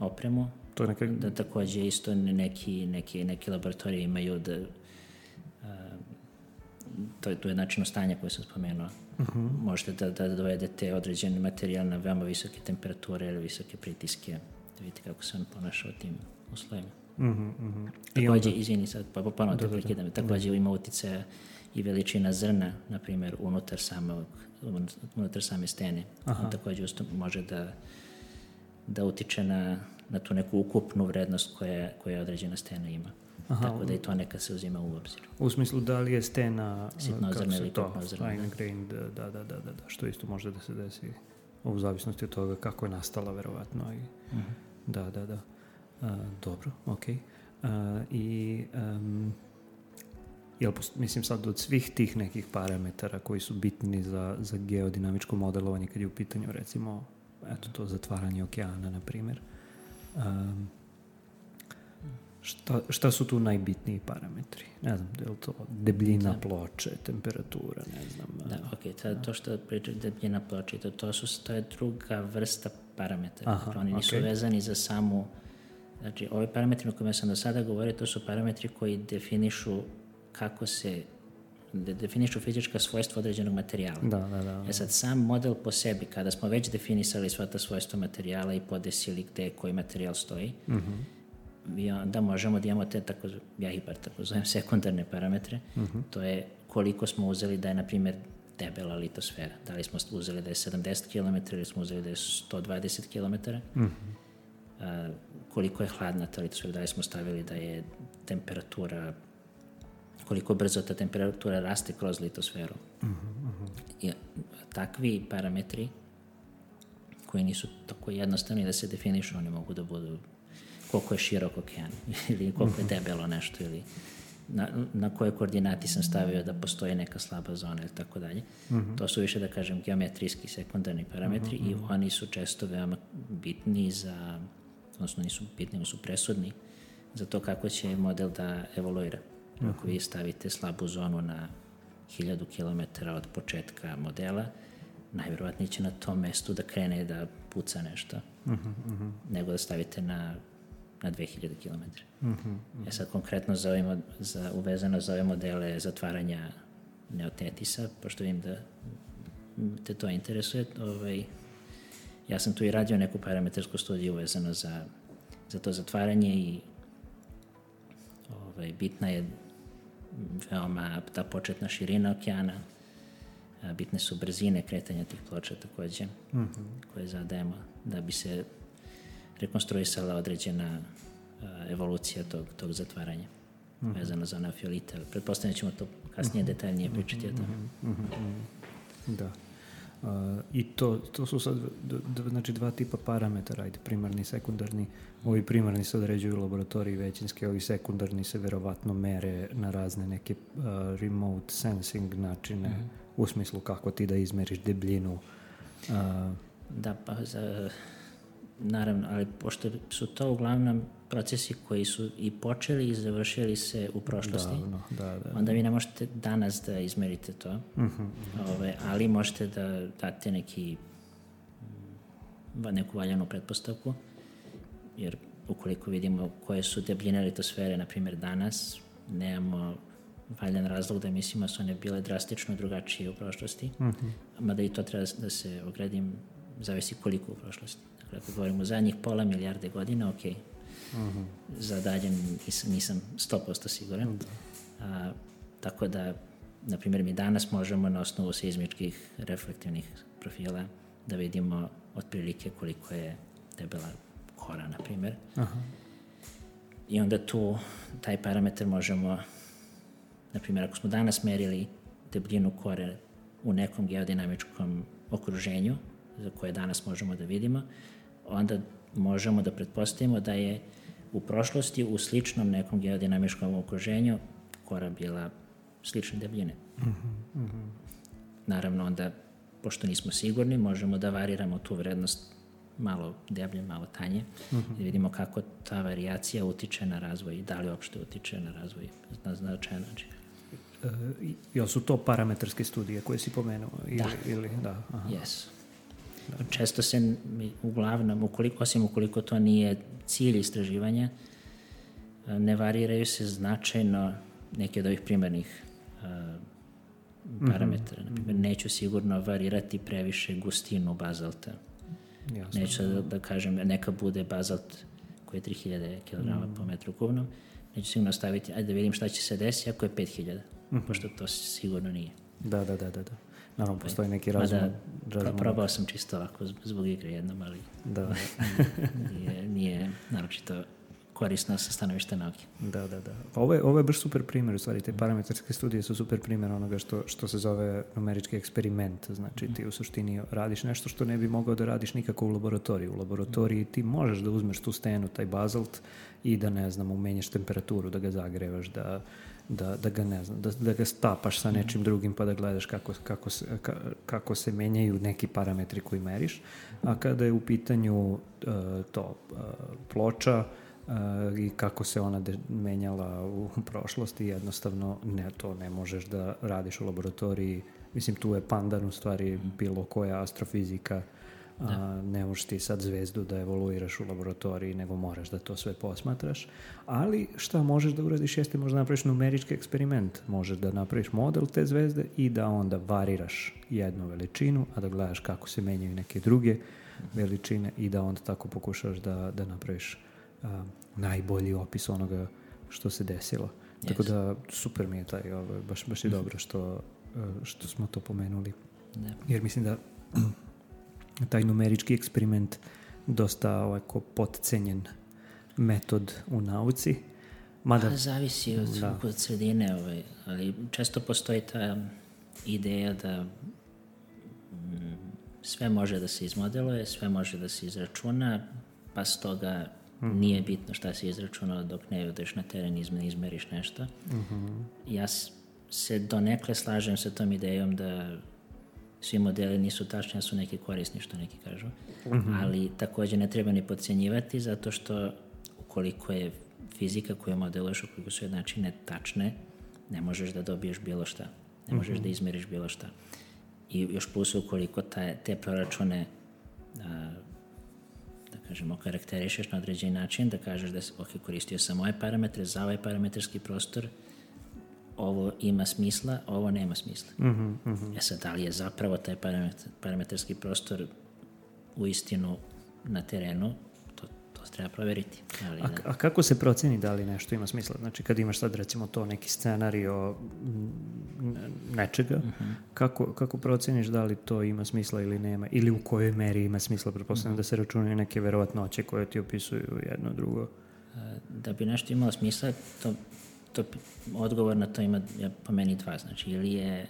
opremu. To je neka... Da također isto neki, neki, neki laboratorije imaju da a, to je, to je način stanja koje sam spomenuo. Uh-huh. Možete da, da dovedete određen materijal na veoma visoke temperature ili visoke pritiske, da vidite kako se on ponaša u tim uslovima. Uh-huh, uh-huh. Također, onda... izvini sad, pa ponovno te prekidam, također ima utjecaja i veličina zrna, na primjer, unutar, samog, unutar same stene. Aha. On također usto može da, da utiče na, na tu neku ukupnu vrednost koja, koja određena stena ima. Aha, tako da i to neka se uzima u obzir. U smislu da li je stena sitnozrna ili krupnozrna. Fine grained, da, da, da, da, što isto može da se desi u zavisnosti od toga kako je nastala verovatno. I, uh-huh. Da, da, da. Uh, dobro, ok. Uh, I um, jel, mislim sad od svih tih nekih parametara koji su bitni za, za geodinamičko modelovanje kad je u pitanju recimo eto to zatvaranje okeana na primjer. Um, Šta, šta su tu najbitniji parametri? Ne znam, je li to debljina da. ploče, temperatura, ne znam. Da, ok, to, to što pričam debljina ploče, to, to, su, to je druga vrsta parametara. Aha, oni nisu okay. vezani za samu, znači ove parametri o kojima sam do sada govorio, to su parametri koji definišu kako se, de, definišu fizička svojstva određenog materijala. Da, da, da, da. E sad, sam model po sebi, kada smo već definisali sva ta svojstva materijala i podesili gde koji materijal stoji, uh-huh. i onda možemo da imamo te, tako, ja ih bar tako zovem, sekundarne parametre. Uh-huh. To je koliko smo uzeli da je, na primjer, debela litosfera. Da li smo uzeli da je sedamdeset kilometara ili smo uzeli da je sto dvadeset kilometara. Uh-huh. A, koliko je hladna ta litosfera, da li smo stavili da je temperatura, koliko brzo ta temperatura raste kroz litosferu. Uh-huh. I takvi parametri koji nisu tako jednostavni da se definišu, oni mogu da budu koliko je širok okean ili koliko je debelo nešto ili na, na koje koordinati sam stavio da postoji neka slaba zona ili tako dalje. Uh-huh. To su više, da kažem, geometrijski sekundarni parametri uh-huh. i oni su često veoma bitni za, odnosno nisu bitni, oni su presudni za to kako će model da evoluira. Uh-huh. Ako vi stavite slabu zonu na hiljadu kilometara od početka modela, najvjerovatnije će na tom mestu da krene da puca nešto, uh-huh, uh-huh. nego da stavite na na dve hiljade kilometara. Uh-huh, uh-huh. E sad konkretno za ovim, za, uvezano za ove modele zatvaranja neotetisa, pošto vidim da te to interesuje, ovaj, ja sam tu i radio neku parametrsku studiju uvezano za, za to zatvaranje i ovaj, bitna je veoma ta početna širina okeana, a, bitne su brzine kretanja tih ploča također, uh-huh. koje zadajemo da bi se rekonstruisala određena uh, evolucija tog, tog zatvaranja uh-huh. vezano za neofilite. Pretpostavljam ćemo to kasnije uh-huh. detaljnije pričati uh-huh. o tome. Uh-huh. Da. Uh, I to, to su sad d- d- znači dva tipa parametara, ajde, primarni i sekundarni. Ovi primarni se određuju u laboratoriji većinske, ovi sekundarni se verovatno mere na razne neke uh, remote sensing načine, uh-huh. u smislu kako ti da izmeriš debljinu. Uh, da, pa za... Naravno, ali pošto su to uglavnom procesi koji su i počeli i završili se u prošlosti, da, da, da. onda vi ne možete danas da izmerite to, uh-huh, uh-huh. Ove, ali možete da date neki, neku valjanu pretpostavku, jer ukoliko vidimo koje su debljine litosfere, na primjer danas, nemamo valjan razlog da mislimo da su one bile drastično drugačije u prošlosti, uh-huh. mada i to treba da se ogradim, zavisi koliko u prošlosti. Ako govorimo zadnjih pola milijarde godina, ok, uh-huh. za dalje nisam sto posto siguran. Uh-huh. A, tako da, na primjer, mi danas možemo na osnovu seizmičkih reflektivnih profila da vidimo otprilike koliko je debela kora, na primjer. Uh-huh. I onda tu taj parametar možemo, na primjer, ako smo danas merili debljinu kore u nekom geodinamičkom okruženju, za koje danas možemo da vidimo, onda možemo da pretpostavimo da je u prošlosti u sličnom nekom geodinamičkom okruženju kora bila slične debljine. Uh-huh. Naravno, onda, pošto nismo sigurni, možemo da variramo tu vrednost malo deblje, malo tanje, uh-huh. i vidimo kako ta varijacija utiče na razvoj i da li uopšte utiče na razvoj na značajan način. E, jel su to parametarske studije koje si pomenuo? Ili, da. Ili, da, aha. Yes. Da. Često se uglavnom, ukoliko, osim ukoliko to nije cilj istraživanja, ne variraju se značajno neke od ovih primarnih uh, parametara. Mm-hmm. Naprimjer, neću sigurno varirati previše gustinu bazalta. Jasno. Neću da, da kažem, neka bude bazalt koji je tri hiljade kilograma mm. po metru kubnom. Neću sigurno staviti, ajde da vidim šta će se desiti ako je pet hiljada, mm-hmm. pošto to sigurno nije. Da, da, da, da. da. Naravno, postoji neki razum. Mada, probao sam čisto ovako zbog igre jednom, ali da. nije, nije naročito korisno sa stanovišta nauke. Da, da, da. Ovo je, ovo je baš super primjer, u stvari, te parametarske studije su super primjer onoga što, što se zove numerički eksperiment. Znači, ti u suštini radiš nešto što ne bi mogao da radiš nikako u laboratoriju. U laboratoriji ti možeš da uzmeš tu stenu, taj bazalt, i da, ne znam, umenješ temperaturu, da ga zagrevaš, da, da, da ga, ne znam, da, da ga stapaš sa nečim drugim pa da gledaš kako, kako, se, ka, kako se menjaju neki parametri koji meriš. A kada je u pitanju uh, to uh, ploča, Uh, i kako se ona de- menjala u prošlosti, jednostavno ne, to ne možeš da radiš u laboratoriji. Mislim, tu je pandan u stvari bilo koja astrofizika. Uh, ne možeš ti sad zvezdu da evoluiraš u laboratoriji, nego moraš da to sve posmatraš. Ali šta možeš da uradiš jeste možda napraviš numerički eksperiment. Možeš da napraviš model te zvezde i da onda variraš jednu veličinu, a da gledaš kako se menjaju neke druge veličine i da onda tako pokušaš da, da napraviš Uh, najbolji opis onoga što se desilo. Yes. Tako da super mi je taj, ovo, baš, baš je mm. dobro što, uh, što smo to pomenuli. Yeah. Jer mislim da taj numerički eksperiment dosta ovako potcenjen metod u nauci. Mada, pa, zavisi od, da. od sredine, ovaj, ali često postoji ta ideja da mm, sve može da se izmodeluje, sve može da se izračuna, pa stoga Mm-hmm. nije bitno šta si izračunao dok ne odeš na teren i izmeriš nešto. Mm-hmm. Ja se donekle slažem sa tom idejom da svi modeli nisu tačni, da su neki korisni, što neki kažu. Mm-hmm. Ali također ne treba ni podcenjivati, zato što ukoliko je fizika koju modeluješ, ukoliko su jednačine tačne, ne možeš da dobiješ bilo šta. Ne možeš mm-hmm. da izmeriš bilo šta. I još plus ukoliko ta, te proračune a, da kažemo, karakterišeš na određeni način, da kažeš da ok, koristio sam ove parametre za ovaj parametarski prostor, ovo ima smisla, ovo nema smisla. Mm-hmm, mm-hmm. E sad, da li je zapravo taj parametar, parametarski prostor u istinu na terenu, to, to treba proveriti. Ali, a, da. a kako se proceni da li nešto ima smisla? Znači, kad imaš sad, recimo, to neki scenario nečega, uh-huh. kako, kako proceniš da li to ima smisla ili nema? Ili u kojoj meri ima smisla? Pretpostavljam uh-huh. da se računaju neke verovatnoće koje ti opisuju jedno drugo. Da bi nešto imalo smisla, to, to odgovor na to ima ja, po meni dva. Znači, ili je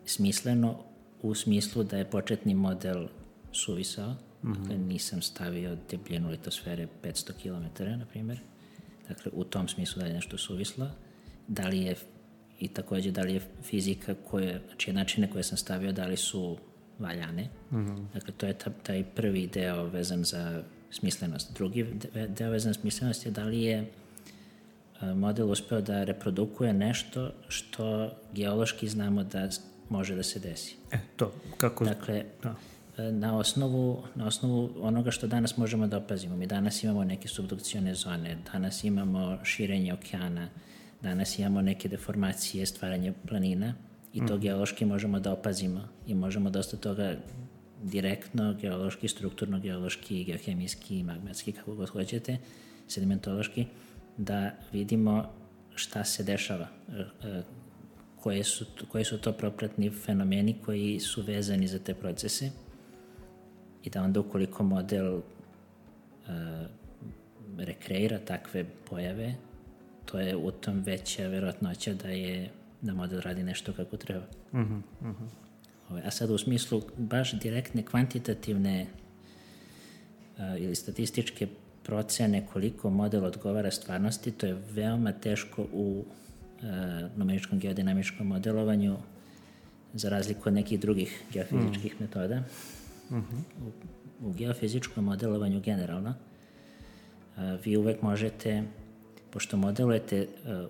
smisleno u smislu da je početni model suvisao, mm-hmm. dakle nisam stavio debljinu litosfere petsto kilometara, na primjer. Dakle, u tom smislu da je nešto suvislo. Da li je, i također, da li je fizika koje, znači načine koje sam stavio, da li su valjane. Mm-hmm. Dakle, to je ta, taj prvi deo vezan za smislenost. Drugi deo vezan za smislenost je da li je model uspeo da reprodukuje nešto što geološki znamo da može da se desi. E, to, kako... Dakle, da. Na osnovu, na osnovu onoga što danas možemo da opazimo. Mi danas imamo neke subdukcione zone, danas imamo širenje okeana, danas imamo neke deformacije, stvaranje planina i to mm. geološki možemo da opazimo i možemo dosta toga direktno, geološki, strukturno, geološki, geohemijski, magmatski, kako god hoćete, sedimentološki, da vidimo šta se dešava, koje su, koji su to propratni fenomeni koji su vezani za te procese i da onda ukoliko model uh, rekreira takve pojave, to je u tom veća verovatnoća da je da model radi nešto kako treba. Uh-huh, uh-huh. A sad u smislu baš direktne kvantitativne uh, ili statističke procene koliko model odgovara stvarnosti, to je veoma teško u uh, numeričkom geodinamičkom modelovanju za razliku od nekih drugih geofizičkih mm. metoda. Uh-huh. U, u geofizičkom modelovanju generalno a, vi uvek možete, pošto modelujete a,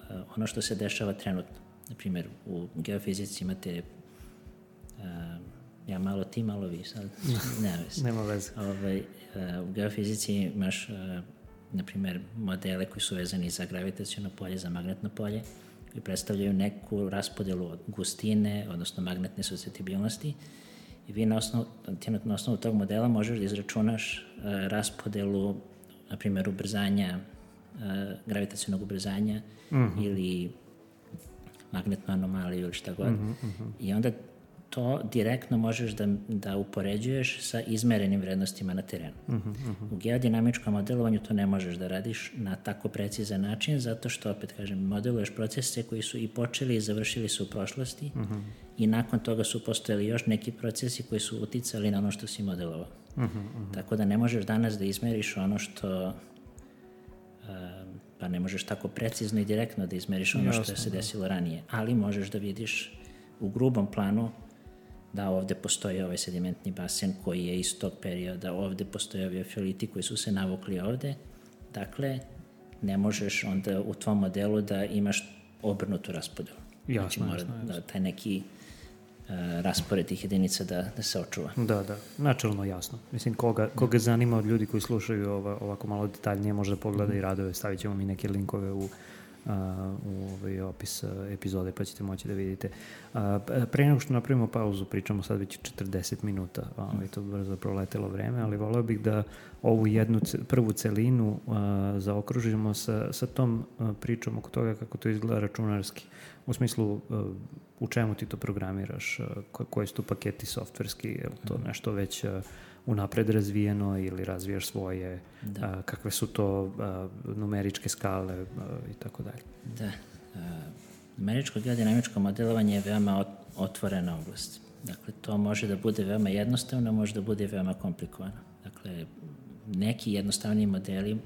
a, ono što se dešava trenutno. Na primjer, u geofizici imate a, ja malo ti, malo vi sad. Nema veze. Nema veze. Ovaj, a, u geofizici imaš a, na primjer modele koji su vezani za gravitaciono polje, za magnetno polje, koji predstavljaju neku raspodelu od gustine, odnosno magnetne suscetibilnosti, i vi na osnovu, na osnovu tog modela možeš da izračunaš uh, raspodelu, na primjer, ubrzanja, uh, gravitacionog ubrzanja uh-huh. ili magnetnu anomaliju ili šta god. Uh-huh, uh-huh. I onda to direktno možeš da, da upoređuješ sa izmerenim vrednostima na terenu. Uh-huh, uh-huh. U geodinamičkom modelovanju to ne možeš da radiš na tako precizan način, zato što, opet kažem, modeluješ procese koji su i počeli i završili su u prošlosti uh-huh. i nakon toga su postojali još neki procesi koji su uticali na ono što si modelovao. Uh-huh, uh-huh. Tako da ne možeš danas da izmeriš ono što... Uh, pa ne možeš tako precizno i direktno da izmeriš ono Jasno, što se desilo da. ranije, ali možeš da vidiš u grubom planu da ovde postoji ovaj sedimentni basen koji je iz tog perioda, ovde postoje ovi eofiliti koji su se navukli ovde. Dakle, ne možeš onda u tvom modelu da imaš obrnutu raspodelu. Jasno, znači, mora jasno, jasno. da taj neki uh, raspored tih jedinica da, da se očuva. Da, da, načelno jasno. Mislim, koga, koga zanima od ljudi koji slušaju ova, ovako malo detaljnije, može da pogleda mm. i radove, stavit ćemo mi neke linkove u Uh, u ovaj opis uh, epizode, pa ćete moći da vidite. Uh, pre nego što napravimo pauzu, pričamo sad već četrdeset minuta, ovaj, to brzo proletelo vreme, ali voleo bih da ovu jednu prvu celinu uh, zaokružimo sa, sa tom uh, pričom oko toga kako to izgleda računarski. U smislu, uh, u čemu ti to programiraš, uh, ko, koji su tu paketi softverski, je li to nešto već uh, unapred razvijeno ili razvijaš svoje, da. a, kakve su to a, numeričke skale a, i tako dalje. Da. A, numeričko geodinamičko modelovanje je veoma otvorena oblast. Dakle, to može da bude veoma jednostavno, može da bude veoma komplikovano. Dakle, neki jednostavni modeli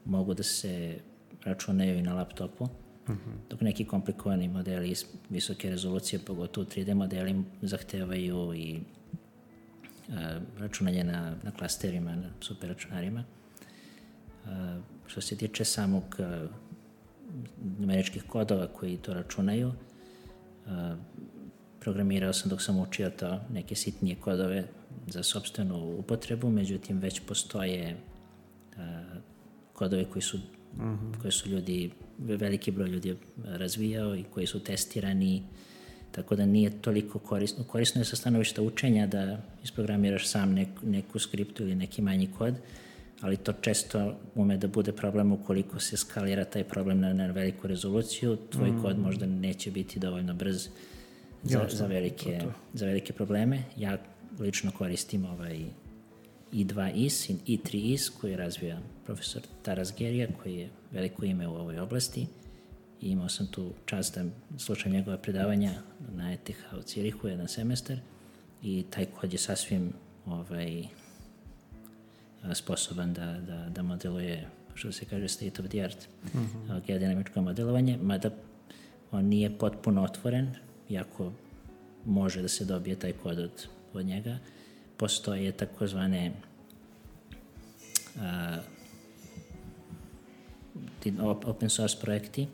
mogu da se računaju i na laptopu, uh-huh. dok neki komplikovani modeli iz visoke rezolucije, pogotovo tri D modeli, zahtevaju i računanje na, na klasterima, na superračunarima. Što se tiče samog numeričkih kodova koji to računaju, programirao sam dok sam učio to neke sitnije kodove za sopstvenu upotrebu, međutim već postoje kodove koji su, uh-huh. koji su ljudi, veliki broj ljudi razvijao i koji su testirani, tako da nije toliko korisno. Korisno je sa stanovišta učenja da isprogramiraš sam nek, neku skriptu ili neki manji kod, ali to često ume da bude problem ukoliko se skalira taj problem na, na veliku rezoluciju. Tvoj mm. kod možda neće biti dovoljno brz za, za, velike, za velike probleme. Ja lično koristim ovaj i dva I S i tri I S koji razvija profesor Taras Gerija, koji je veliko ime u ovoj oblasti. I imao sam tu čast da slušam njegove predavanja na E T H u Cirihu jedan semestar i taj kod je sasvim ovaj, sposoban da, da, da modeluje, što se kaže, state of the art uh-huh. geodinamičko modelovanje, mada on nije potpuno otvoren, iako može da se dobije taj kod od, od njega. Postoje takozvane uh, open source projekti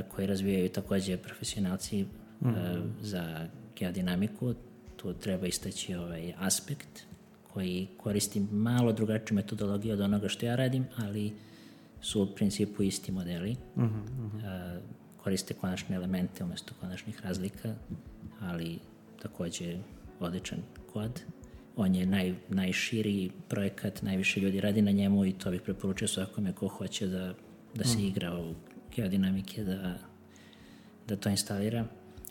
koji razvijaju takođe profesionalci mm. uh, za geodinamiku. Tu treba istaći ovaj aspekt koji koristi malo drugačiju metodologiju od onoga što ja radim, ali su u principu isti modeli. Mm-hmm. Uh, koriste konačne elemente umesto konačnih razlika, ali takođe odličan kod. On je naj, najširi projekat, najviše ljudi radi na njemu i to bih preporučio svakome ko hoće da, da se mm. igra u geodinamike, da, da to instalira.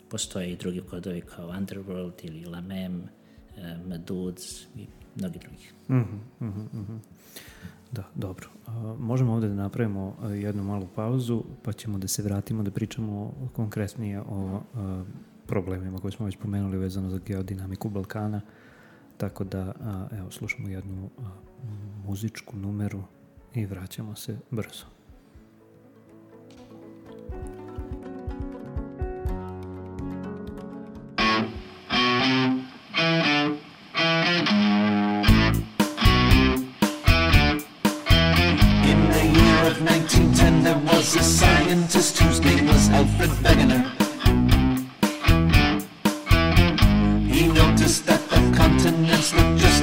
Postoje i drugi kodovi kao Underworld ili Lamem, uh, Maduds i mnogi drugih. Mm-hmm, mm-hmm. Da, dobro. Uh, možemo ovde da napravimo uh, jednu malu pauzu, pa ćemo da se vratimo da pričamo konkretnije o uh, problemima koje smo već pomenuli vezano za geodinamiku Balkana. Tako da, uh, evo, slušamo jednu uh, muzičku numeru i vraćamo se brzo.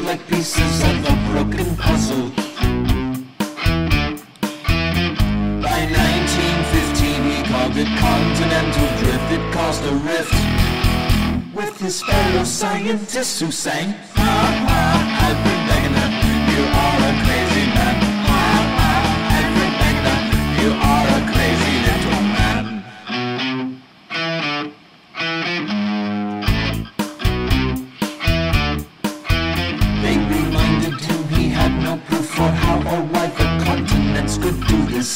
like pieces of a broken puzzle. By nineteen fifteen he called it continental drift. It caused a rift with his fellow scientists who sang, ha ha, Alfred Wegener, you are a crazy man. Ha ha, Alfred Wegener, you are a crazy little man. They reminded him he had no proof for how or why the continents could do this.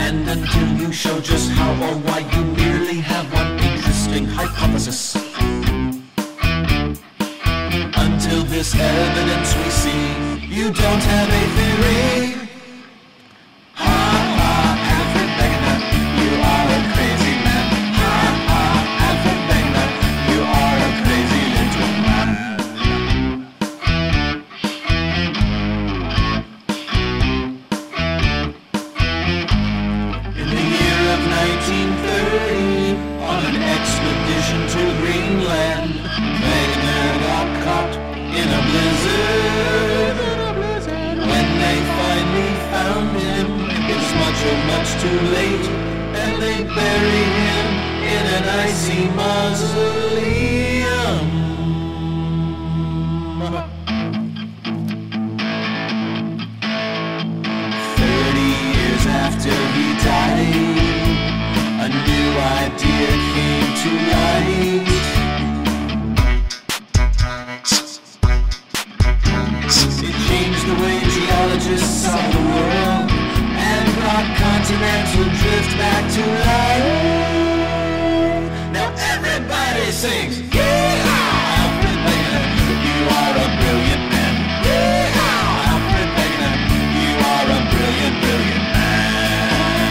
And until you show just how or why, you merely have one interesting hypothesis. Until this evidence we see, you don't have a theory. Ha ha, Alfred Wegener, you are a crazy man. Ha ha, Alfred Wegener, you are a crazy little man. In the year of nineteen thirty, on an expedition to Greenland, Wegener got caught in a blizzard. When they finally found him, it was much, oh, much too late, and they buried him in an icy mausoleum. Thirty years after he died, a new idea came to light. It changed the way geologists saw the world and brought continental drift back to life. Now everybody sings, yeehaw! Alfred Wegener, you are a brilliant man. Yeehaw! Alfred Wegener, you are a brilliant, brilliant man.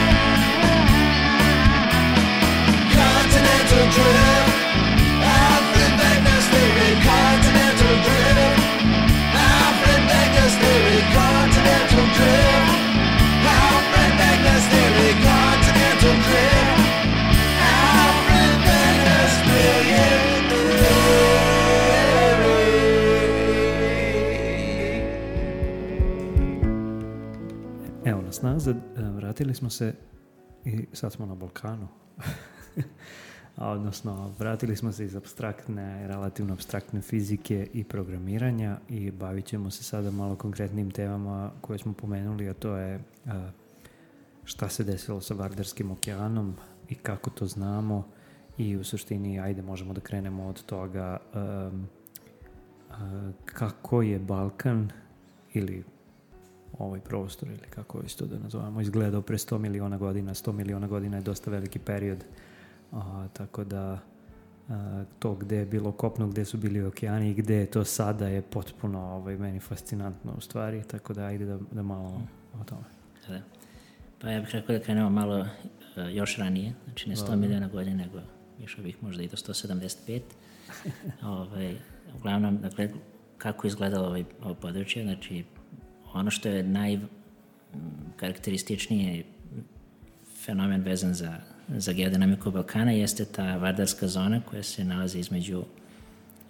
Continental drift, Alfred Wegener's theory, continental drift. Alfred Wegener's theory, continental drift. Alfred Wegener's theory, continental drift. Alfred Wegener's brilliant theory. Evo nas nazad, vratili smo se i sad smo na Balkanu. A odnosno, vratili smo se iz apstraktne, relativno apstraktne fizike i programiranja i bavit ćemo se sada malo konkretnim temama koje smo pomenuli, a to je a, šta se desilo sa Vardarskim okeanom i kako to znamo i u suštini, ajde, možemo da krenemo od toga a, a, kako je Balkan ili ovaj prostor, ili kako isto da nazovemo, izgledao pre sto miliona godina. sto miliona godina je dosta veliki period. A, tako da a, to gde je bilo kopno, gde su bili okeani i gde je to sada je potpuno ovaj, meni fascinantno u stvari, tako da ajde da, da malo o tome. Da. Pa ja bih rekao da krenemo malo uh, još ranije, znači ne sto miliona godina, nego išao bih možda i do sto sedamdeset pet. ovaj, uglavnom, dakle, kako izgledalo ovaj, ovo područje, znači ono što je najkarakterističniji fenomen vezan za za geodinamiku Balkana jeste ta Vardarska zona koja se nalazi između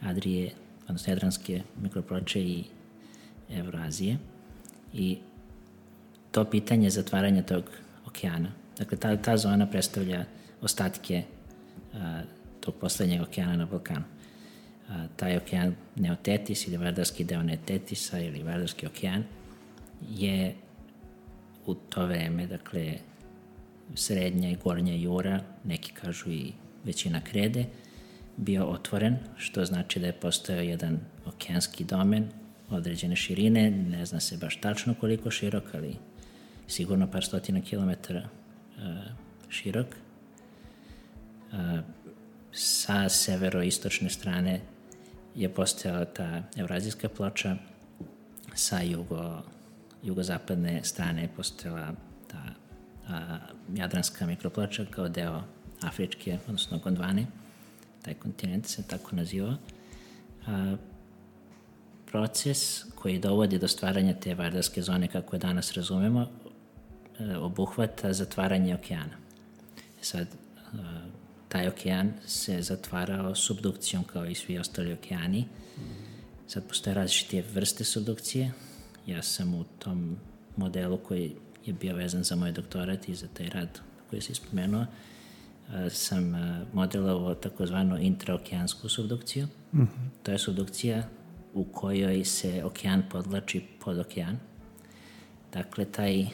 Adrije, odnosno Jadranske mikroploče i Evroazije. I to pitanje zatvaranja tog okeana, dakle ta, ta zona predstavlja ostatke a, tog poslednjeg okeana na Balkanu. A, taj okean Neotetis ili Vardarski deo Neotetisa ili Vardarski okean je u to vreme, dakle, srednja i gornja Jura, neki kažu i većina krede, bio otvoren, što znači da je postojao jedan okeanski domen određene širine, ne zna se baš tačno koliko širok, ali sigurno par stotina kilometara uh, širok. Uh, sa severoistočne strane je postojala ta Evrazijska ploča, sa jugo, jugozapadne strane je postojala ta a, Jadranska mikroploča kao deo Afričke, odnosno Gondvane, taj kontinent se tako naziva. A, proces koji dovodi do stvaranja te Vardarske zone kako je danas razumemo, a, obuhvata zatvaranje okeana. Sad, a, taj okean se zatvarao subdukcijom kao i svi ostali okeani. Sad postoje različite vrste subdukcije. Ja sam u tom modelu koji je bio vezan za moj doktorat i za taj rad koji si spomenuo, sam modelovao takozvanu intraokeansku subdukciju. Mm-hmm. To je subdukcija u kojoj se okean podvlači pod okean. Dakle, taj uh,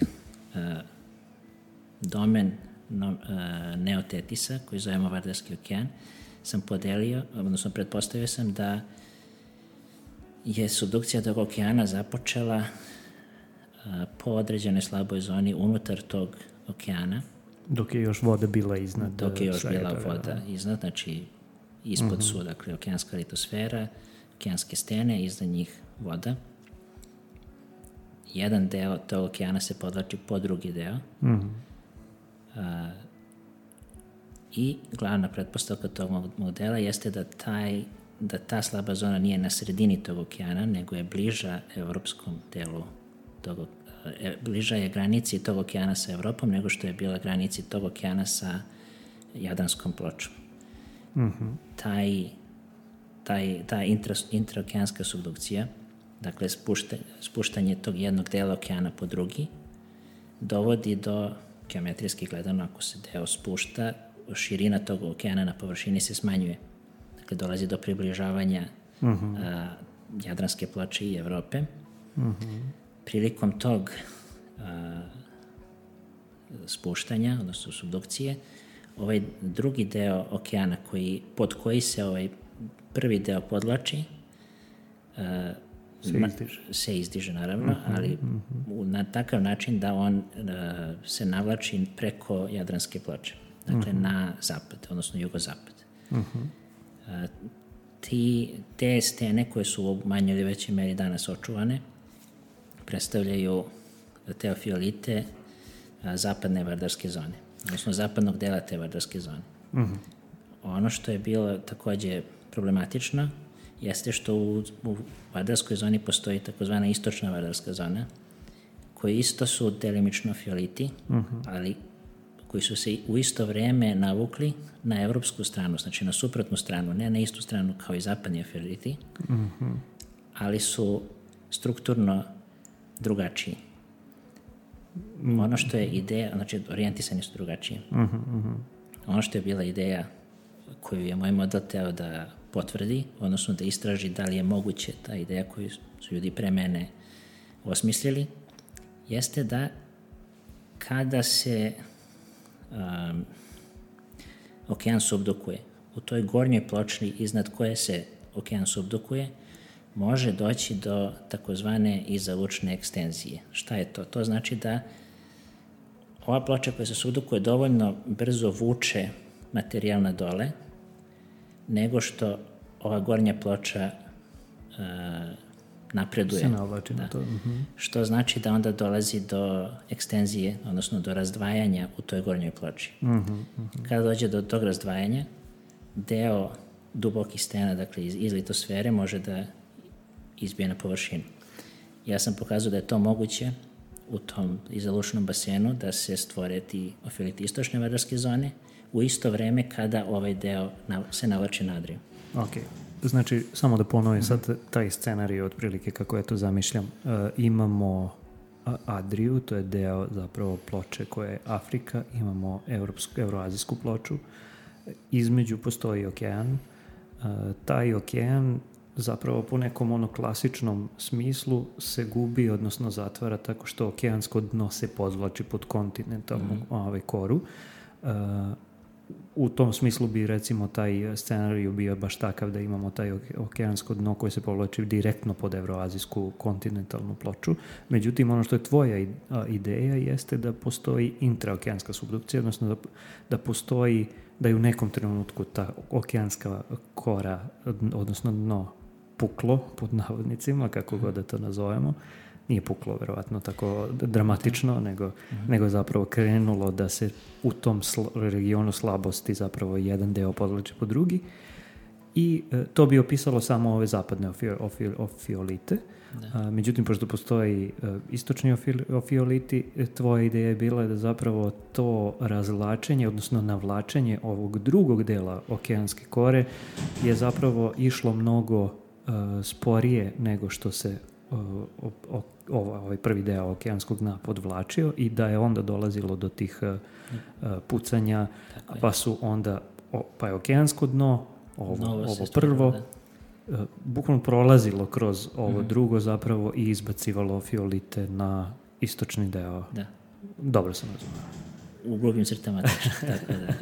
domen no, uh, neotetisa, koji zovemo Vardarski okean, sam podelio, odnosno pretpostavio sam da je subdukcija tog okeana započela uh, po određenoj slaboj zoni unutar tog okeana. Dok je još voda bila iznad. Dok je još bila voda iznad, znači ispod uh-huh. su, dakle, okeanska litosfera, okeanske stene, iznad njih voda. Jedan deo tog okeana se podvlači po drugi deo. Uh-huh. A, i glavna pretpostavka tog modela jeste da, taj, da ta slaba zona nije na sredini tog okeana, nego je bliža evropskom delu tog okeana. Bliža je granici tog okeana sa Evropom nego što je bila granici tog okeana sa Jadranskom pločom. Mm-hmm. Taj, taj, ta intra, intraokeanska subdukcija, dakle spušta, spuštanje tog jednog dela okeana po drugi, dovodi do, geometrijski gledano, ako se deo spušta, širina tog okeana na površini se smanjuje. Dakle, dolazi do približavanja mm-hmm. a, Jadranske ploče i Evrope. Mm-hmm. Prilikom tog a, spuštanja, odnosno subdukcije, ovaj drugi deo okeana koji, pod koji se ovaj prvi deo podvlači a, se, na, izdiže. se izdiže naravno, uh-huh, ali uh-huh. na takav način da on a, se navlači preko Jadranske ploče, dakle uh-huh. na zapad, odnosno jugozapad. Uh-huh. A, ti, te stene koje su u manjoj ili većoj meri danas očuvane predstavljaju teofiolite a, zapadne vardarske zone, odnosno zapadnog dela te vardarske zone. Mm-hmm. Ono što je bilo takođe problematično jeste što u, u vardarskoj zoni postoji takozvana istočna vardarska zona, koji isto su delimično fioliti, mm-hmm. ali koji su se u isto vreme navukli na evropsku stranu, znači na suprotnu stranu, ne na istu stranu kao i zapadni fioliti, mm-hmm. ali su strukturno drugačiji. Mm. Ono što je ideja, znači orijentisani su drugačiji. Mm-hmm, mm-hmm. Ono što je bila ideja koju je moj model teo da potvrdi, odnosno da istraži da li je moguće ta ideja koju su ljudi pre mene osmislili, jeste da kada se um, okean subdukuje, u toj gornjoj pločni iznad koje se okean subdukuje, može doći do takozvane izalučne ekstenzije. Šta je to? To znači da ova ploča koja se subdukuje dovoljno brzo vuče materijal na dole, nego što ova gornja ploča uh, napreduje. Se navlači na to. Uh-huh. Što znači da onda dolazi do ekstenzije, odnosno do razdvajanja u toj gornjoj ploči. Uh-huh, uh-huh. Kada dođe do tog razdvajanja, deo dubokih stena, dakle iz, iz litosfere, može da izbije na površinu. Ja sam pokazao da je to moguće u tom izalučnom basenu, da se stvore ti ofioliti istočne vardarske zone u isto vreme kada ovaj deo se navlači na Adriju. Ok, znači samo da ponovim mm-hmm. sad taj scenarij otprilike kako ja to zamišljam. Uh, imamo Adriju, to je deo zapravo ploče koja je Afrika, imamo evropsku, evroazijsku ploču, između postoji okean, uh, taj okean zapravo po nekom ono klasičnom smislu se gubi, odnosno zatvara tako što okeansko dno se podvlači pod kontinentalnu mm-hmm. ovaj koru. Uh, u tom smislu bi recimo taj scenarij bio baš takav da imamo taj okeansko dno koje se povlači direktno pod evroazijsku kontinentalnu ploču. Međutim, ono što je tvoja ideja jeste da postoji intraokeanska subdukcija, odnosno da, da postoji, da je u nekom trenutku ta okeanska kora, odnosno dno, puklo, pod navodnicima, kako god da to nazovemo. Nije puklo, verovatno, tako dramatično, nego, mm-hmm. nego zapravo krenulo da se u tom sl- regionu slabosti zapravo jedan deo podvlači po drugi. I e, to bi opisalo samo ove zapadne ofio, ofio, ofiolite, A, međutim, pošto postoji a, istočni ofil- ofioliti, tvoja ideja je bila da zapravo to razvlačenje, odnosno navlačenje ovog drugog dela okeanske kore je zapravo išlo mnogo a, sporije nego što se a, o, o, ovaj prvi deo okeanskog dna podvlačio i da je onda dolazilo do tih a, a, pucanja, pa su onda, o, pa je okeansko dno, ovo, ovo prvo, da. bukvalno prolazilo kroz ovo mm-hmm. drugo zapravo i izbacivalo fiolite na istočni deo. Da. Dobro sam razumio. U grubim crtama, tako da.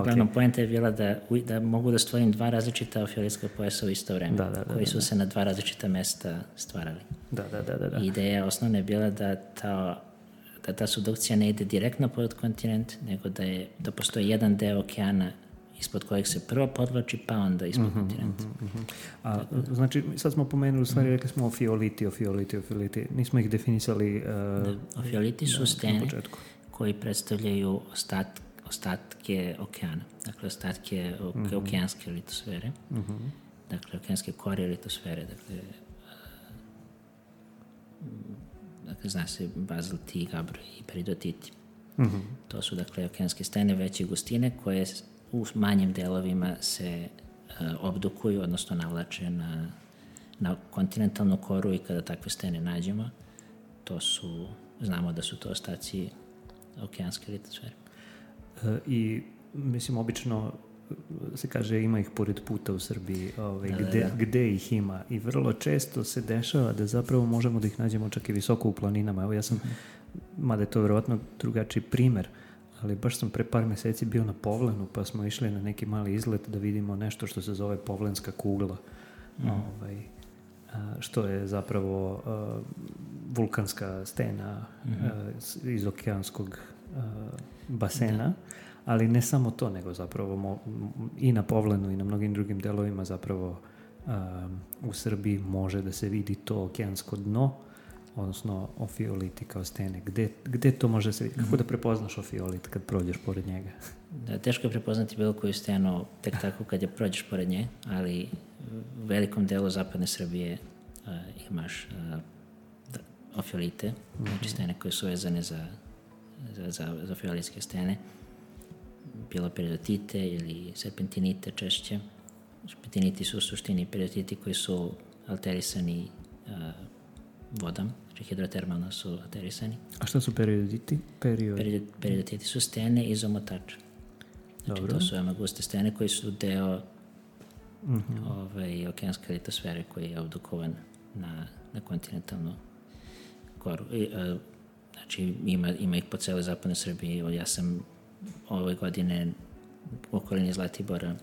Uglavnom, okay. Poenta je bila da, da mogu da stvorim dva različita ofiolitska pojasa u isto vreme, da, da, da, koji su da, da. se na dva različita mesta stvarali. Da, da, da, da, da. I ideja osnovna je bila da ta, da ta subdukcija ne ide direktno pod kontinent, nego da, je, da postoji jedan deo okeana ispod kojeg se prvo podvlači, pa onda ispod mm-hmm, kontinenta. Mm-hmm. A, znači, sad smo pomenuli, u stvari rekli smo ofioliti, ofioliti, ofioliti. Nismo ih definisali uh, da. Ofioliti su da, stene koji predstavljaju ostat, ostatke okeana. Dakle, ostatke o, mm-hmm. okeanske litosfere. Mm-hmm. Dakle, okeanske kore litosfere. Dakle, uh, dakle zna se bazalti, gabro i peridotiti. Mm-hmm. To su, dakle, okeanske stene veće gustine koje u manjim delovima se uh, obdukuju, odnosno navlače na, na kontinentalnu koru i kada takve stene nađemo, to su, znamo da su to ostaci okeanske litosfere. E, I, mislim, obično se kaže ima ih pored puta u Srbiji, ovaj, da, gde, da, da. gde ih ima i vrlo često se dešava da zapravo možemo da ih nađemo čak i visoko u planinama. Evo ja sam, mm-hmm. mada je to verovatno drugačiji primer, ali baš sam pre par meseci bio na Povlenu, pa smo išli na neki mali izlet da vidimo nešto što se zove Povlenska kugla, mm. ovaj, a, što je zapravo a, vulkanska stena mm-hmm. a, iz okeanskog a, basena, da. Ali ne samo to, nego zapravo mo, i na Povlenu i na mnogim drugim delovima zapravo a, u Srbiji može da se vidi to okeansko dno, odnosno ofioliti kao stene. Gde, gde to može se vidjeti? Kako da prepoznaš ofiolit kad prođeš pored njega? Da, teško je prepoznati bilo koju stenu tek tako kad je prođeš pored nje, ali u velikom delu zapadne Srbije uh, imaš uh, da, ofiolite, mm-hmm. znači stene koje su vezane za, za, za, za ofiolitske stene, bilo peridotite ili serpentinite češće. Serpentiniti su u suštini peridotiti koji su alterisani uh, vodom, znači hidrotermalno su alterisani. A šta su peridotiti? Period... Perid, peridotiti su stene iz omotača. Znači Dobro. To su veoma guste stene koji su deo mm-hmm. ovaj, okeanske litosfere koji je obdukovan na, na kontinentalnu koru. I, a, znači ima, ima ih po celoj zapadnoj Srbiji. Ja sam ove godine u okolini Zlatibora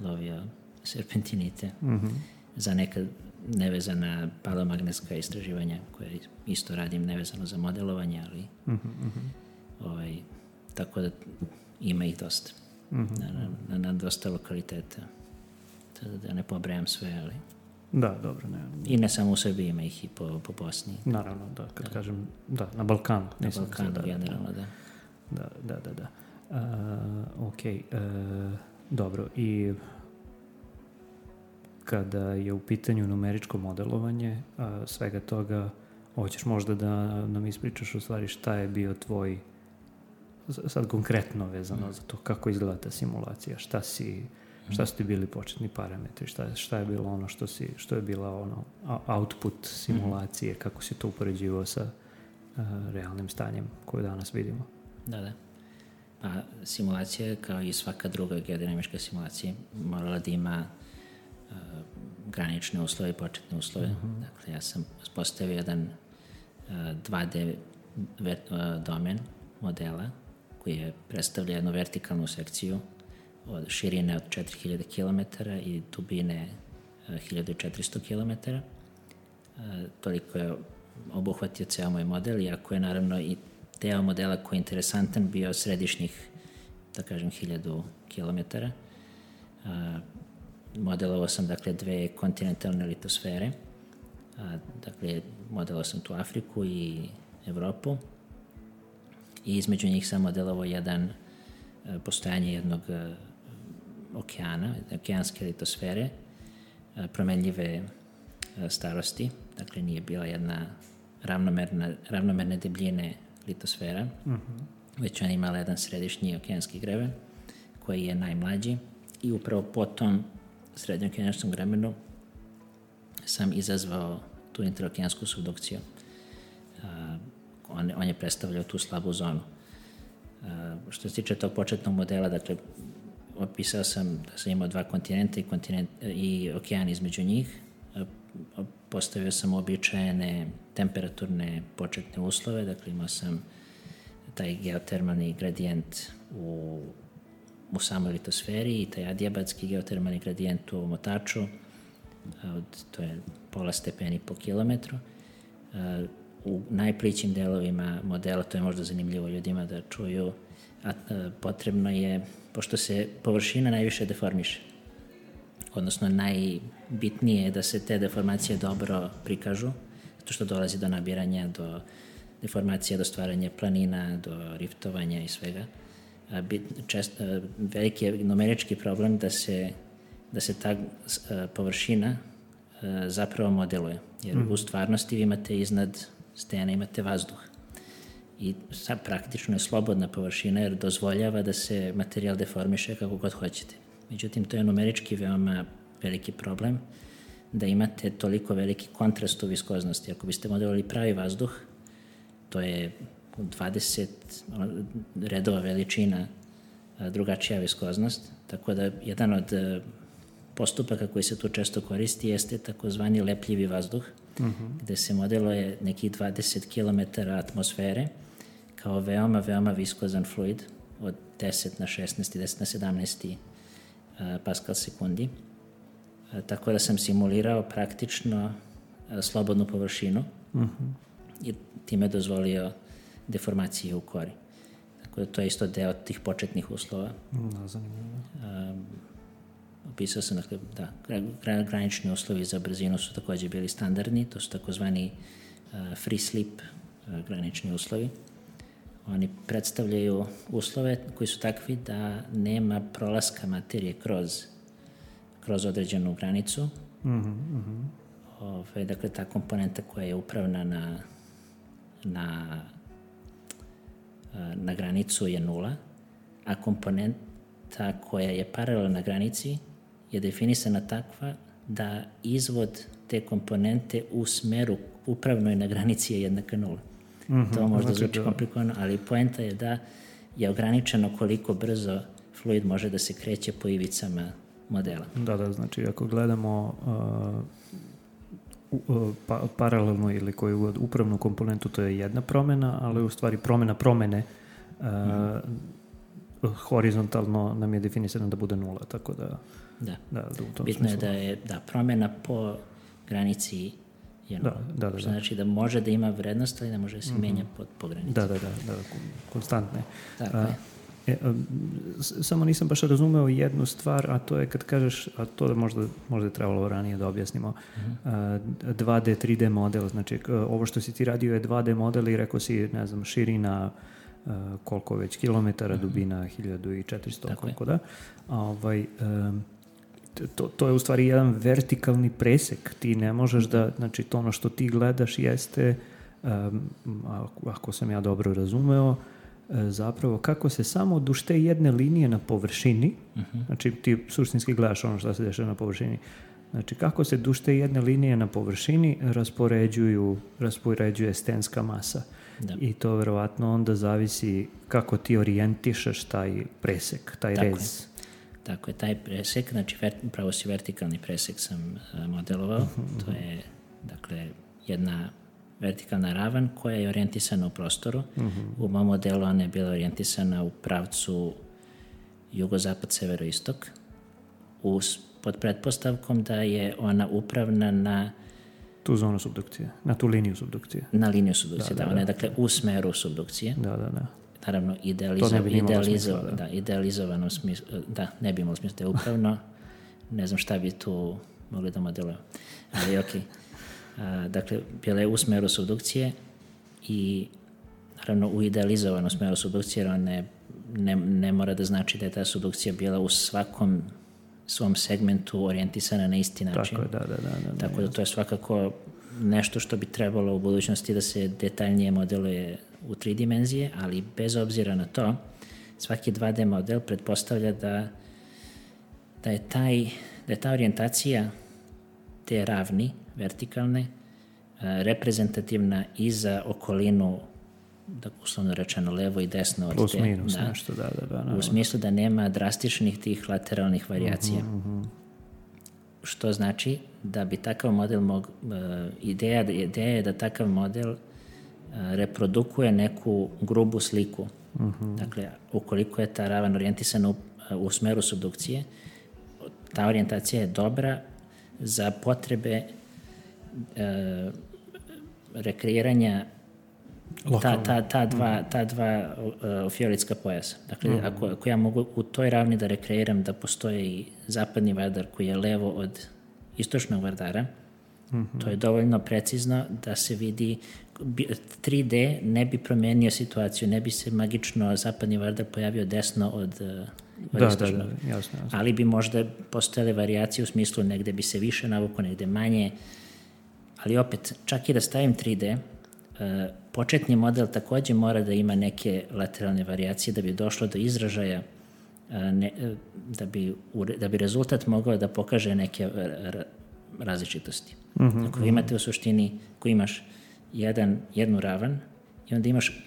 lovio serpentinite mm-hmm. za neka nevezana paleomagnetska istraživanja koje isto radim nevezano za modelovanje, ali mm-hmm. ovaj, tako da ima ih dosta mm-hmm. na, na, na dosta lokaliteta, da ne pobrajam sve, ali da, dobro, ne. I ne samo u Srbiji, ima ih i po, po Bosni. Naravno, da, kad da. kažem, da, na Balkanu. Na Balkanu, da, generalno, da. Da, da, da, da. Uh, ok, uh, dobro, i kada je u pitanju numeričko modelovanje a, svega toga, hoćeš možda da nam ispričaš u stvari šta je bio tvoj, sad konkretno vezano mm. za to kako izgleda ta simulacija, šta si, šta su ti bili početni parametri, šta, šta je bilo ono što si, što je bila ono output simulacije, mm. kako si to upoređivao sa a, realnim stanjem koje danas vidimo. Da, da. Pa simulacija, kao i svaka druga geodinamička simulacija, morala da ima uh, granične uslove i početne uslove. Mm-hmm. Dakle, ja sam postavio jedan uh, dva D ver, uh, domen modela koji je predstavlja jednu vertikalnu sekciju od širine od četiri hiljade kilometara i dubine uh, hiljadu četiristo kilometara. Uh, toliko je obuhvatio ceo moj model, iako je naravno i deo modela koji je interesantan bio središnjih, da kažem, hiljadu kilometara. Uh, modelovao sam, dakle, dve kontinentalne litosfere. Uh, dakle, modelovao sam tu Afriku i Evropu. I između njih sam modelovao jedan, uh, postojanje jednog uh, okeana, okeanske litosfere, uh, promenljive uh, starosti. dakle nije bila jedna ravnomerna, ravnomerne debljine litosfera, uh-huh. već ona imala jedan središnji okeanski greben koji je najmlađi i upravo po tom srednjookeanskom grebenu sam izazvao tu interokeansku subdukciju. Uh, on, on je predstavljao tu slabu zonu. Uh, što se tiče tog početnog modela, dakle, opisao sam da sam imao dva kontinenta i, kontinent, i okean između njih. Uh, postavio sam običajene temperaturne početne uslove, dakle imao sam taj geotermalni gradijent u, u samoj litosferi i taj adiabatski geotermalni gradijent u omotaču, od, to je pola stepeni po kilometru. Uh, u najplićim delovima modela, to je možda zanimljivo ljudima da čuju, a, a, potrebno je, pošto se površina najviše deformiše, odnosno najbitnije je da se te deformacije dobro prikažu, zato što dolazi do nabiranja, do deformacija, do stvaranja planina, do riftovanja i svega. A, bit, čest, a, veliki je numerički problem da se, da se ta a, površina a, zapravo modeluje, jer mm. u stvarnosti vi imate iznad stene, imate vazduh. I sad praktično je slobodna površina jer dozvoljava da se materijal deformiše kako god hoćete. Međutim, to je numerički veoma veliki problem da imate toliko veliki kontrast u viskoznosti. Ako biste modelovali pravi vazduh, to je dvadeset redova veličina drugačija viskoznost, tako da jedan od postupaka koji se tu često koristi jeste takozvani lepljivi vazduh, uh-huh. gde se modeluje nekih dvadeset kilometara atmosfere kao veoma, veoma viskozan fluid od deset na šesnaest i deset na sedamnaest uh, paskal sekundi. Uh, tako da sam simulirao praktično uh, slobodnu površinu uh-huh. i time dozvolio deformacije u kori. Tako da to je isto deo tih početnih uslova. No, zanimljivo. Um, Opisao sam, dakle, da, granični uslovi za brzinu su takođe bili standardni, to su takozvani uh, free slip uh, granični uslovi. Oni predstavljaju uslove koji su takvi da nema prolaska materije kroz, kroz određenu granicu. Mm-hmm. Ove, dakle, ta komponenta koja je upravna na, na, na granicu je nula, a komponenta koja je paralelna na granici je definisana takva da izvod te komponente u smeru upravnoj na granici je jednaka nula. Mm-hmm, to možda znači zvuči da... komplikovano, ali poenta je da je ograničeno koliko brzo fluid može da se kreće po ivicama modela. Da, da, znači ako gledamo uh, uh, pa, paralelno ili koju god upravnu komponentu, to je jedna promena, ali u stvari promena promene uh, mm. horizontalno nam je definisano da bude nula, tako da... Da, da, da u tom bitno smislu. je da je da, promena po granici je nula. Da, da, da, što znači da može da ima vrednost, ali ne može da se mm-hmm. menja po, po granici. Da, da, da, da, konstantne. Tako a, je. E, a, samo nisam baš razumeo jednu stvar, a to je kad kažeš, a to da možda, možda je trebalo ranije da objasnimo, mm-hmm. a, dva D, tri D model, znači ovo što si ti radio je dva D model i rekao si, ne znam, širina Uh, koliko već kilometara, mm-hmm. dubina hiljadu i četiristo, tako koliko je. Da. A, ovaj, um, to, to je u stvari jedan vertikalni presek. Ti ne možeš da, znači to ono što ti gledaš jeste, um, ako sam ja dobro razumeo, uh, zapravo kako se samo duž te jedne linije na površini, mm-hmm. znači ti suštinski gledaš ono što se dešava na površini, znači kako se duž te jedne linije na površini raspoređuju, raspoređuje stenska masa. Da. I to verovatno onda zavisi kako ti orijentišeš taj presek, taj Tako rez. Je. Tako je, taj presek, znači ver, upravo si vertikalni presek sam uh, modelovao, uh-huh. to je dakle jedna vertikalna ravan koja je orijentisana u prostoru. Uh-huh. U mom modelu ona je bila orijentisana u pravcu jugozapad, severoistok, uz, pod pretpostavkom da je ona upravna na tu zonu subdukcije, na tu liniju subdukcije. Na liniju subdukcije, da, da, da ona je dakle u smeru subdukcije. Da, da, da. Naravno, idealizo, idealizo, smisla, da. Da, idealizovanom smislu, da, ne bi imalo smisla da je upravno, ne znam šta bi tu mogli da modelujemo, ali okej. Okay. Dakle, bila je u smeru subdukcije i naravno u idealizovanom smeru subdukcije, jer on ne, ne, ne mora da znači da je ta subdukcija bila u svakom svom segmentu orijentisana na isti način. Tako je, da, da, da. da Tako da to je svakako nešto što bi trebalo u budućnosti da se detaljnije modeluje u tri dimenzije, ali bez obzira na to, svaki dva D model pretpostavlja da, da, je, taj, da je ta orijentacija te ravni, vertikalne, reprezentativna i za okolinu, da uslovno rečeno levo i desno od plus te. minus Da, nešto, da, da, da. u smislu da nema drastičnih tih lateralnih varijacija. Uh-huh, uh-huh. Što znači da bi takav model mog, uh, ideja, ideja je da takav model uh, reprodukuje neku grubu sliku. Uh-huh. Dakle, ukoliko je ta ravan orijentisana u, uh, u smeru subdukcije, ta orijentacija je dobra za potrebe uh, rekreiranja ta, ta, ta dva, ta dva uh, fiolitska pojasa. Dakle, mm. ako, ako ja mogu u toj ravni da rekreiram da postoje i zapadni Vardar koji je levo od istočnog Vardara, mm-hmm. to je dovoljno precizno da se vidi tri D ne bi promenio situaciju, ne bi se magično zapadni Vardar pojavio desno od, od da, istočnog. Da, da, jasno, jasno. Ali bi možda postojale varijacije u smislu negde bi se više navuko, negde manje. Ali opet, čak i da stavim tri D, uh, početni model takođe mora da ima neke lateralne varijacije da bi došlo do izražaja, uh, ne, uh, da, bi, da bi rezultat mogao da pokaže neke r- različitosti. Mm-hmm, ako vi imate u suštini, ako imaš jedan, jednu ravan i onda imaš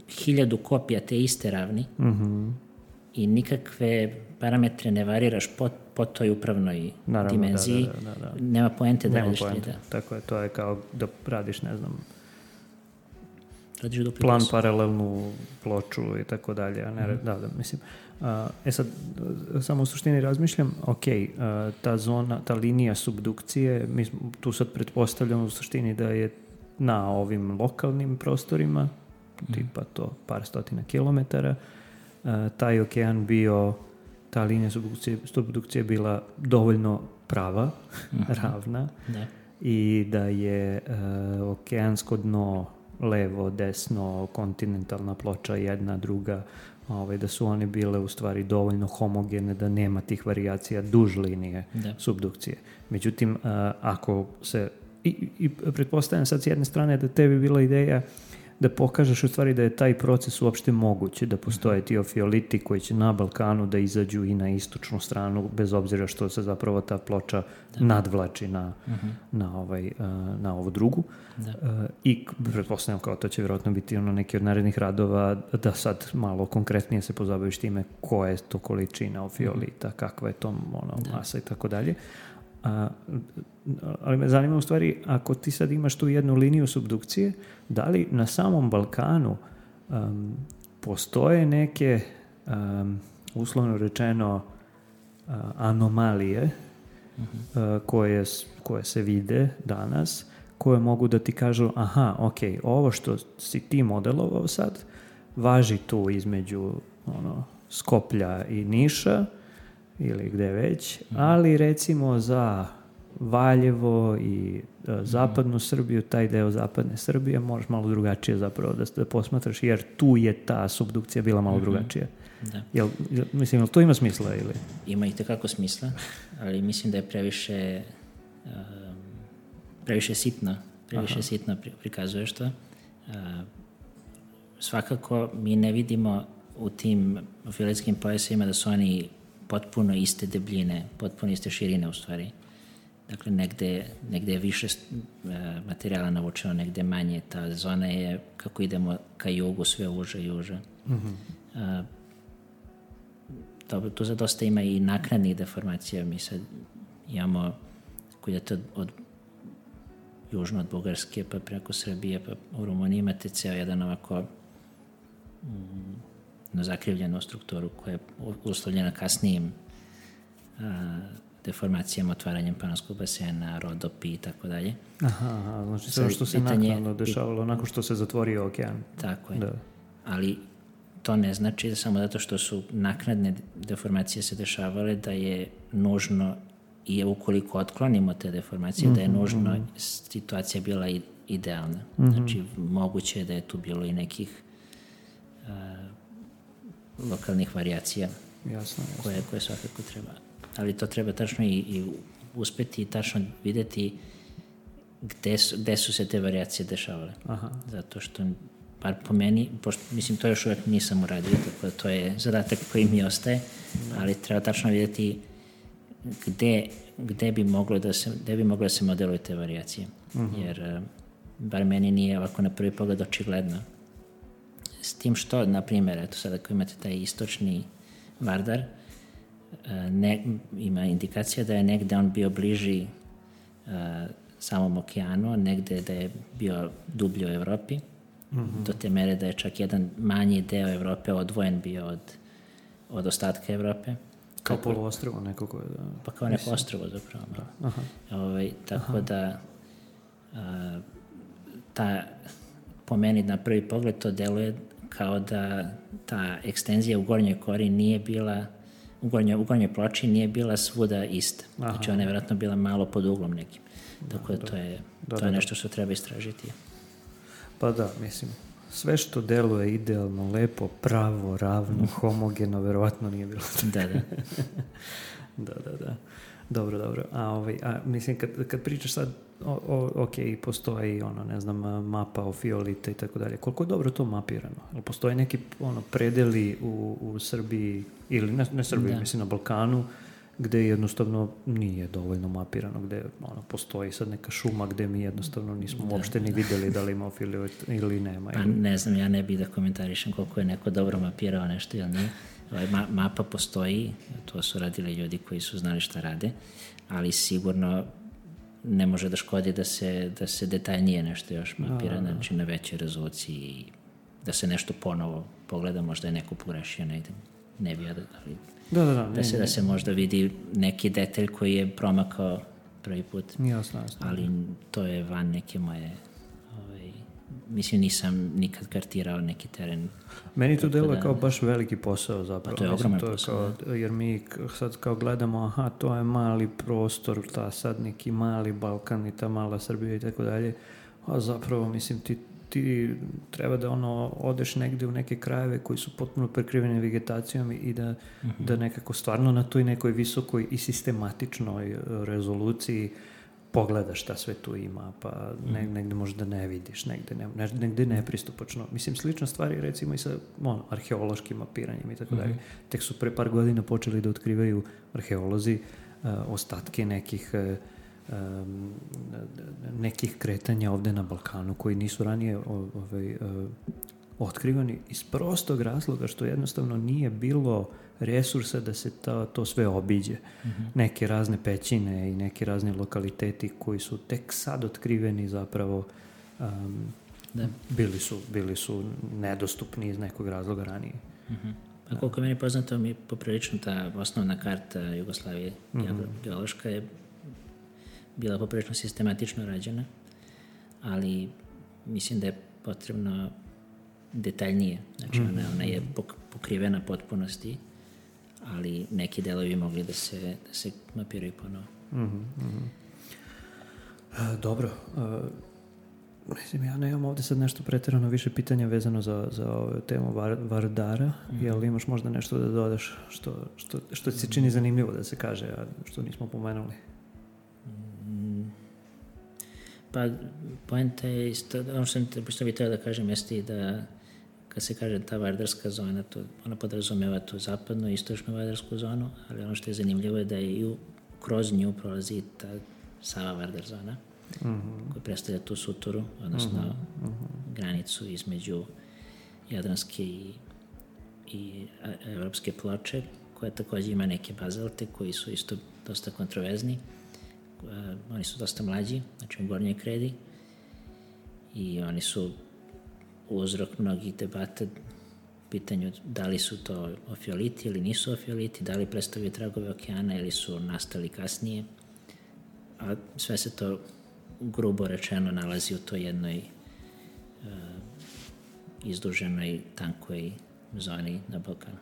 hiljadu kopija te iste ravni mm-hmm. i nikakve parametre ne variraš po, po toj upravnoj Naravno, dimenziji, da, da, da, da. nema poente da nema radiš poente. tri D. Tako je, to je kao da radiš, ne znam, radiš plan paralelnu ploču i tako dalje. A ne, mm-hmm. da, da, mislim. Uh, e sad, samo u suštini razmišljam, ok, uh, ta zona, ta linija subdukcije, mi smo, tu sad pretpostavljamo u suštini da je na ovim lokalnim prostorima, mm-hmm. tipa to par stotina kilometara, uh, taj okean bio, ta linija subdukcije, subdukcije bila dovoljno prava, mm-hmm. ravna, da. I da je uh, okeansko dno levo, desno, kontinentalna ploča jedna, druga, ovaj, da su one bile u stvari dovoljno homogene da nema tih varijacija duž linije da. subdukcije. Međutim, uh, ako se i, i pretpostavljam sad s jedne strane da tebi bila ideja da pokažeš u stvari da je taj proces uopšte moguće, da postoje ti ofioliti koji će na Balkanu da izađu i na istočnu stranu, bez obzira što se zapravo ta ploča da. nadvlači na, uh-huh. na, ovaj, na ovu drugu. Da. I pretpostavljam kao to će vjerojatno biti ono neki od narednih radova da sad malo konkretnije se pozabaviš time koja je to količina ofiolita, uh-huh. kakva je to ono, masa i tako dalje. A, ali me zanima u stvari, ako ti sad imaš tu jednu liniju subdukcije, da li na samom Balkanu um, postoje neke um, uslovno rečeno uh, anomalije uh-huh. uh, koje, koje se vide danas, koje mogu da ti kažu aha, ok, ovo što si ti modelovao sad važi tu između ono, Skoplja i Niša ili gde već, ali recimo za Valjevo i uh, zapadnu Srbiju, taj deo zapadne Srbije možeš malo drugačije zapravo da, da posmatraš, jer tu je ta subdukcija bila malo mm-hmm. drugačija. Da. Jel, jel, mislim, jel to ima smisla ili? Ima i tekako smisla, ali mislim da je previše um, previše sitno, previše Aha. sitno prikazuješ to. Uh, svakako mi ne vidimo u tim fioletskim pojasima da su oni potpuno iste debljine, potpuno iste širine u stvari. Dakle, negde, negde je više uh, materijala navučeno, negde manje. Ta zona je, kako idemo ka jugu, sve uže i uže. Mm-hmm. Uh, dobro, tu za dosta ima i naknadnih deformacija. Mi sad imamo, ako idete od, od južno od Bugarske, pa preko Srbije, pa u Rumuniji imate ceo jedan ovako mm, na zakrivljenu strukturu koja je uslovljena kasnijim a, deformacijama, otvaranjem Panonskog basena, rodopi i tako dalje. Aha, znači sve što se naknadno dešavalo, nakon što se zatvorio okean. Tako je. Da. Ali to ne znači da samo zato što su naknadne deformacije se dešavale da je nužno i ukoliko otklonimo te deformacije, mm-hmm, da je nužno mm-hmm. situacija bila idealna. Mm-hmm. Znači, moguće je da je tu bilo i nekih a, lokalnih varijacija jasno, jasno. Koje, koje svakako treba. Ali to treba tačno i, i uspeti i tačno videti gde su, gde su se te varijacije dešavale. Aha. Zato što, par po meni, pošto, mislim, to još uvek nisam uradio, tako da to je zadatak koji mi ostaje, ali treba tačno vidjeti gde, gde, bi moglo da se, gde bi moglo da se modeluju te varijacije. Uh-huh. Jer, bar meni nije ovako na prvi pogled očigledno. S tim što, na primjer, eto sad ako imate taj istočni Vardar, ne, ima indikacija da je negde on bio bliži uh, samom okeanu, negde da je bio dublje u Evropi, mm-hmm. do te mere da je čak jedan manji deo Evrope odvojen bio od, od ostatka Evrope. Kao poluostrvo neko koje... Da, pa kao neko ostrvo zapravo. Da. Aha. Ovaj, tako Aha. da uh, ta, po meni na prvi pogled to deluje kao da ta ekstenzija u gornjoj kori nije bila u gornjoj, u gornjoj ploči nije bila svuda ista. Aha. Znači ona je vjerojatno bila malo pod uglom nekim. Tako da, da to je, da, to da, je nešto što treba istražiti. Pa da, mislim, sve što deluje idealno, lepo, pravo, ravno, homogeno, verovatno nije bilo. Da, da. da, da, da. Dobro, dobro. A, ovaj, a mislim, kad, kad pričaš sad, o, o, ok, postoji, ono, ne znam, mapa o fiolite i tako dalje. Koliko je dobro to mapirano? Jel postoji neki, ono, predeli u, u Srbiji, ili ne, ne Srbiji, da. mislim, na Balkanu, gde jednostavno nije dovoljno mapirano, gde ono, postoji sad neka šuma gde mi jednostavno nismo da, uopšte ni da. videli da li ima filit ili nema. Pa ne znam, ja ne bih da komentarišem koliko je neko dobro mapirao nešto ili nije. Ovaj, ma, mapa postoji, to su radili ljudi koji su znali šta rade, ali sigurno ne može da škodi da se, da se detaljnije nešto još mapira, da, znači na većoj rezoluciji, da se nešto ponovo pogleda, možda je neko pogrešio negde, ne bi ja da... Ali, da, da, da, da, se, da se možda vidi neki detalj koji je promakao prvi put. Jasno, jasno. Ali to je van neke moje... Ovaj, mislim, nisam nikad kartirao neki teren. Meni to deluje da, kao baš veliki posao zapravo. Pa to je ogroman posao. Kao, jer mi sad kao gledamo, aha, to je mali prostor, ta sad neki mali Balkan i ta mala Srbija i tako dalje. A zapravo, mislim, ti ti treba da ono odeš negde u neke krajeve koji su potpuno prekriveni vegetacijom i da, mm-hmm. da nekako stvarno na toj nekoj visokoj i sistematičnoj rezoluciji pogledaš šta sve tu ima, pa mm-hmm. negde možda ne vidiš, negde, ne, negde nepristupačno. Mislim, slična stvar je recimo i sa ono, arheološkim mapiranjem i tako mm-hmm. dalje. Tek su pre par godina počeli da otkrivaju arheolozi uh, ostatke nekih uh, Um, nekih kretanja ovde na Balkanu koji nisu ranije ovaj, uh, otkrivani iz prostog razloga što jednostavno nije bilo resursa da se ta, to sve obiđe. Mm-hmm. Neke razne pećine i neki razni lokaliteti koji su tek sad otkriveni zapravo um, da. bili, su, bili su nedostupni iz nekog razloga ranije. Mm-hmm. A koliko je meni poznato, mi poprilično ta osnovna karta Jugoslavije mm-hmm. geološka je bila poprilično sistematično rađena, ali mislim da je potrebno detaljnije. Znači ona, ona je pokrivena potpunosti, ali neki delovi mogli da se, da se mapiraju ponovo. Mm-hmm, mm-hmm. E, dobro. E, mislim, ja nemam ovde sad nešto pretjerano više pitanja vezano za, za temu var, Vardara. Mm-hmm. Jel imaš možda nešto da dodaš što, što, što ti se čini zanimljivo da se kaže, a što nismo pomenuli? Pa, poenta je isto, ono što sam što bih trebao da kažem jeste i da kad se kaže ta vardarska zona, to, ona podrazumeva tu zapadnu i istočnu vardarsku zonu, ali ono što je zanimljivo je da je i u, kroz nju prolazi ta Sava Vardar zona, mm-hmm. koja predstavlja tu suturu, odnosno mm-hmm. granicu između Jadranske i, i evropske ploče, koja također ima neke bazalte koji su isto dosta kontroverzni. Uh, oni su dosta mlađi, znači u gornjoj kredi, i oni su uzrok mnogih debata pitanju da li su to ofioliti ili nisu ofioliti, da li predstavljaju tragove okeana ili su nastali kasnije, a sve se to grubo rečeno nalazi u toj jednoj uh, izduženoj, tankoj zoni na Balkanu.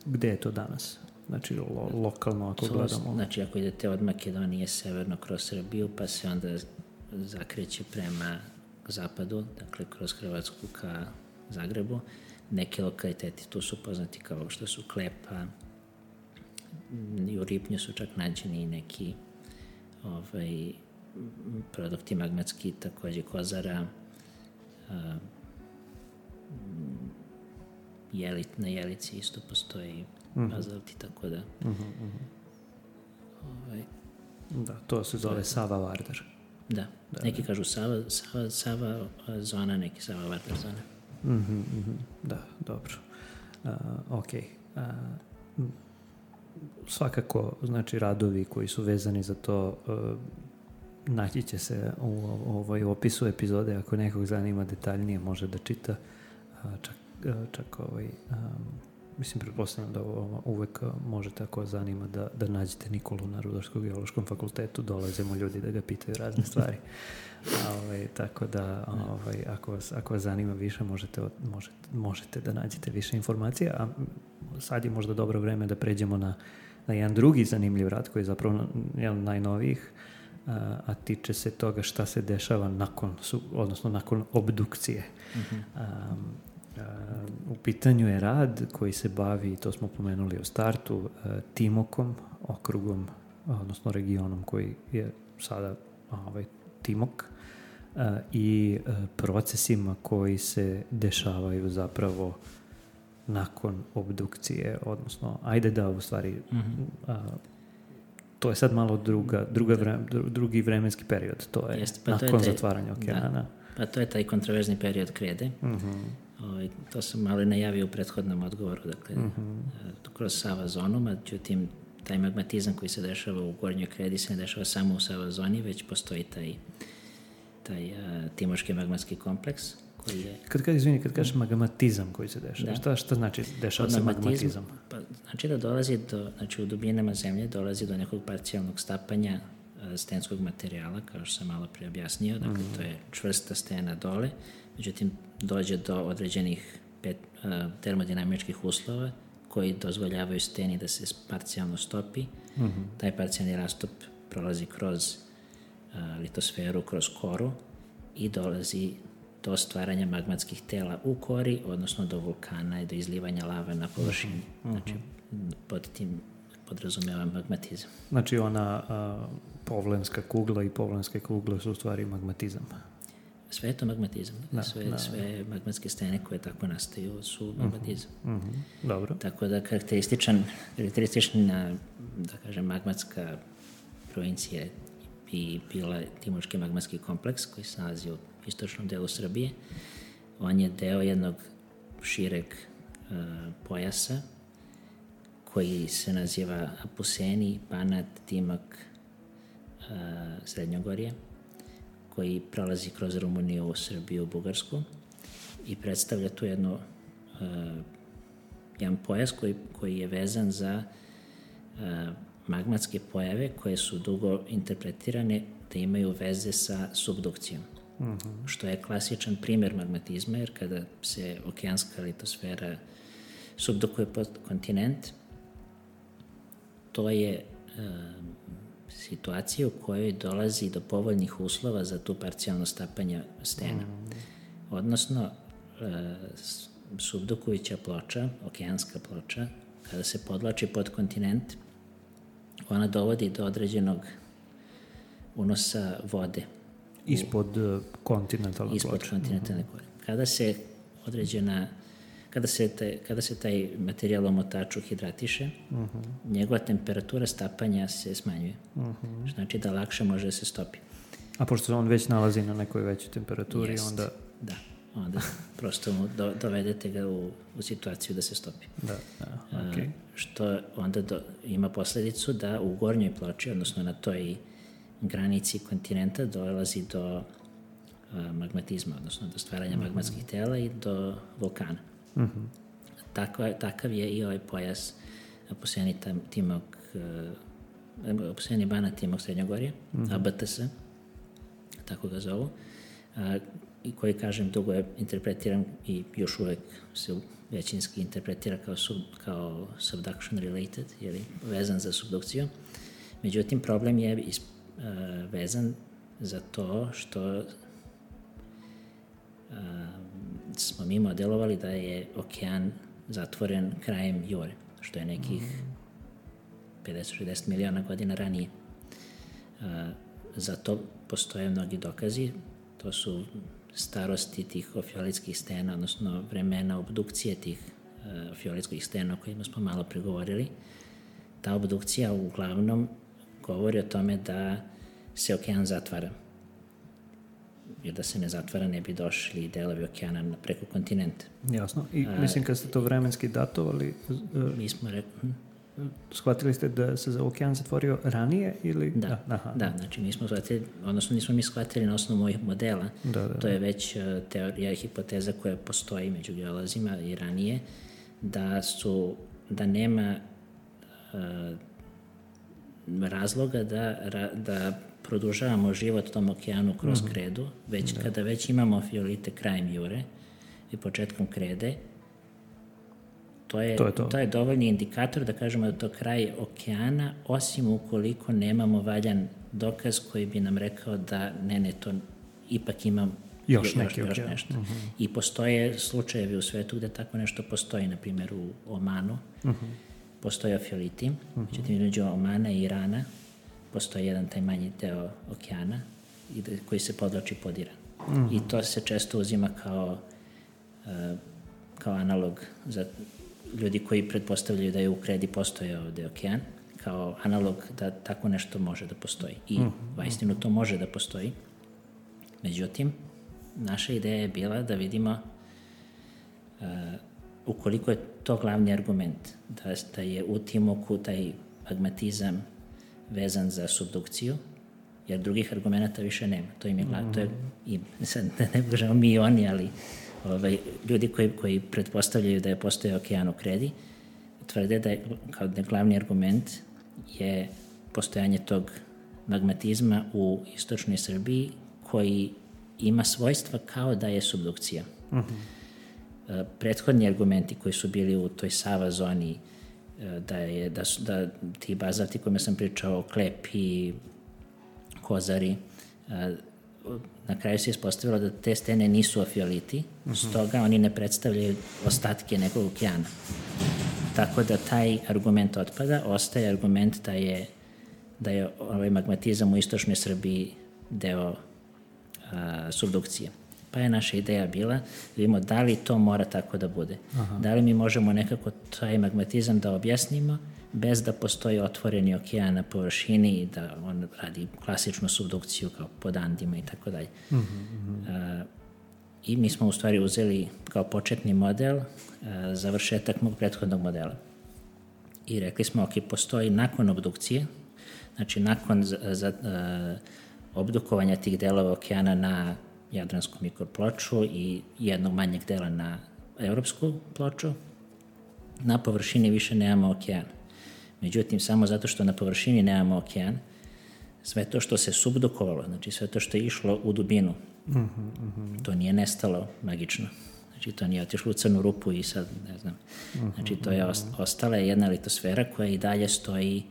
Gde je to danas? Znači, lo, lokalno ako to, gledamo. Znači, ako idete od Makedonije severno kroz Srbiju, pa se onda zakreće prema zapadu, dakle, kroz Hrvatsku ka Zagrebu, neki lokaliteti tu su poznati kao što su Klepa, i u Ripnju su čak nađeni neki ovaj, produkti magmatski, takođe kozara, a, jeli, na Jelici isto postoji mm-hmm. bazalt i tako da. Mm-hmm. Ovaj, Da, to se zove Sava Vardar. Da, da neki da. kažu Sava, Sava, Sava zona, neki Sava Vardar zona. Mm-hmm, mm-hmm. Da, dobro. Uh, ok. Uh, svakako, znači, radovi koji su vezani za to uh, naći će se u, u ovoj opisu epizode. Ako nekog zanima detaljnije, može da čita. Uh, čak, uh, čak ovaj... Um, Mislim, pretpostavljam da ovo uvek možete, ako zanima, da, da nađete Nikolu na Rudarsko-geološkom fakultetu, dolaze mu ljudi da ga pitaju razne stvari. A, ovaj, tako da, ovaj, ako, vas, ako vas zanima više, možete, možete, možete da nađete više informacija. A sad je možda dobro vreme da pređemo na, na jedan drugi zanimljiv rad, koji je zapravo jedan od najnovijih, a, a tiče se toga šta se dešava nakon, odnosno nakon obdukcije. Mm-hmm. A, Uh, u pitanju je rad koji se bavi, to smo pomenuli u startu, uh, Timokom, okrugom, odnosno regionom koji je sada ovaj, Timok, uh, i uh, procesima koji se dešavaju zapravo nakon obdukcije, odnosno, ajde da, u stvari, mm-hmm. uh, to je sad malo druga, druga vre, drugi vremenski period, to je Jest, pa nakon to je taj, zatvaranja okeana. Da, pa to je taj kontroverzni period krede. Mm-hmm. Ovaj, to sam malo najavio u prethodnom odgovoru, dakle, mm-hmm. kroz Sava zonu, međutim, taj magmatizam koji se dešava u Gornjoj kredi se ne dešava samo u Sava zoni, već postoji taj, taj uh, Timoški magmatski kompleks koji je... Kad, kad, izvini, kad kažeš magmatizam koji se dešava, da. šta, šta znači dešava se magmatizam? Pa, znači da dolazi do, znači u dubinama zemlje dolazi do nekog parcijalnog stapanja uh, stenskog materijala, kao što sam malo prije objasnio, dakle, mm-hmm. to je čvrsta stena dole, međutim, dođe do određenih pet, uh, termodinamičkih uslova koji dozvoljavaju steni da se parcijalno stopi. Mm-hmm. Taj parcijalni rastop prolazi kroz uh, litosferu, kroz koru i dolazi do stvaranja magmatskih tela u kori, odnosno do vulkana i do izlivanja lave na površini. Mm-hmm. Znači, pod tim podrazumeva magmatizam. Znači, ona uh, povlenska kugla i povlenske kugle su u stvari magmatizam. Sve je to magmatizam. Da, sve, da, sve magmatske stene koje tako nastaju su magmatizam. Mm-hmm. Dobro. Tako da karakterističan, karakteristična, da kažem, magmatska provincija bi bila Timoški magmatski kompleks koji se nalazi u istočnom delu Srbije. On je deo jednog šireg uh, pojasa koji se naziva Apuseni, Banat, Timok, uh, Srednjogorje, koji prolazi kroz Rumuniju, Srbiju, Bugarsku i predstavlja tu jednu, uh, jedan pojas koji, koji je vezan za uh, magmatske pojave koje su dugo interpretirane da imaju veze sa subdukcijom. Mm-hmm. Što je klasičan primer magmatizma, jer kada se okeanska litosfera subdukuje pod kontinent, to je uh, situacija u kojoj dolazi do povoljnih uslova za tu parcijalno stapanje stena. Mm. Odnosno, e, subdukujuća ploča, okeanska ploča, kada se podlači pod kontinent, ona dovodi do određenog unosa vode. Ispod u, kontinentalne ispod ploče. Ispod kontinentalne ploče. Mm-hmm. Kada se određena Kada se, taj, kada se taj materijal omotaču hidratiše, uh-huh. njegova temperatura stapanja se smanjuje. Uh-huh. Što znači da lakše može da se stopi. A pošto se on već nalazi na nekoj većoj temperaturi, Jest, onda... Da, onda prosto mu do, dovedete ga u, u situaciju da se stopi. Da, da, okay. A, što onda do, ima posledicu da u gornjoj ploči, odnosno na toj granici kontinenta, dolazi do a, magmatizma, odnosno do stvaranja uh-huh. magmatskih tela i do vulkana. Mm-hmm. Tako, takav je i ovaj pojas Apuseni Timok, uh, Apuseni Banat Timok Srednjogorje, mm-hmm. A B T S, tako ga zovu, uh, i koji, kažem, dugo je interpretiran i još uvek se većinski interpretira kao, sub, kao subduction related, jer je vezan za subdukciju. Međutim, problem je is, uh, vezan za to što uh, smo mi modelovali da je okean zatvoren krajem jure, što je nekih pedeset do šezdeset miliona godina ranije. za to postoje mnogi dokazi. To su starosti tih ofiolitskih stena, odnosno vremena obdukcije tih uh, ofiolitskih stena o kojima smo malo pregovorili. Ta obdukcija uglavnom govori o tome da se okean zatvara. Jer da se ne zatvara ne bi došli delovi okeana preko kontinenta. Jasno. I mislim kad ste to vremenski datovali, uh, Mi smo rekli... Hm? shvatili ste da se za okean zatvorio ranije ili... Da, aha. da, znači mi smo shvatili, odnosno nismo mi shvatili na osnovu mojih modela, da, da, to je već teorija i hipoteza koja postoji među geolozima i ranije, da su, da nema uh, razloga da, da produžavamo život tom okeanu kroz mm-hmm. kredu, već da. Kada već imamo fiolite krajem jure i početkom krede, To je, to, je to. to je dovoljni indikator da kažemo da to kraj okeana, osim ukoliko nemamo valjan dokaz koji bi nam rekao da ne, ne, to ipak imam još, još, još okay. nešto. Uh-huh. I postoje slučajevi u svetu gde tako nešto postoji, na primjer u Omanu, uh-huh. postoje ofioliti, uh-huh. međutim između Omana i Irana postoji jedan taj manji deo okeana koji se podvlači pod Iran. Uh-huh. I to se često uzima kao, uh, kao analog za ljudi koji pretpostavljaju da je u kredi postojao ovde okean, kao analog da tako nešto može da postoji. I mm. vaistinu to može da postoji. Međutim, naša ideja je bila da vidimo uh, ukoliko je to glavni argument, da, da je u Timoku taj magmatizam vezan za subdukciju, jer drugih argumenta više nema. To im je glavno. Mm. To je, i, sad, ne kažemo mi i oni, ali Ovaj, ljudi koji, koji pretpostavljaju da je postojao okean u kredi, tvrde da je, kao da glavni argument je postojanje tog magmatizma u istočnoj Srbiji koji ima svojstva kao da je subdukcija. Uh-huh. Prethodni argumenti koji su bili u toj Sava zoni, da, je, da, su, da ti bazalti kojima sam pričao, Klepi, Kozari, na kraju se ispostavilo da te stene nisu ofioliti, uh-huh. stoga oni ne predstavljaju ostatke nekog okeana. Tako da taj argument otpada, ostaje argument da je, da je ovaj magmatizam u istočnoj Srbiji deo a, subdukcije. Pa je naša ideja bila da vidimo da li to mora tako da bude. Aha. Da li mi možemo nekako taj magmatizam da objasnimo bez da postoji otvoreni okean na površini i da on radi klasičnu subdukciju kao pod Andima i tako dalje. I mi smo u stvari uzeli kao početni model uh, završetak mog prethodnog modela. I rekli smo, ok, postoji nakon obdukcije, znači nakon za, za, uh, obdukovanja tih delova okeana na jadransku mikroploču i jednog manjeg dela na evropsku ploču, na površini više nemamo okean. Međutim, samo zato što na površini nemamo okean, sve to što se subdukovalo, znači sve to što je išlo u dubinu, uh-huh, uh-huh. to nije nestalo magično. Znači, to nije otišlo u crnu rupu i sad, ne znam. Uh-huh, znači, to je ost- ostala je jedna litosfera koja i dalje stoji,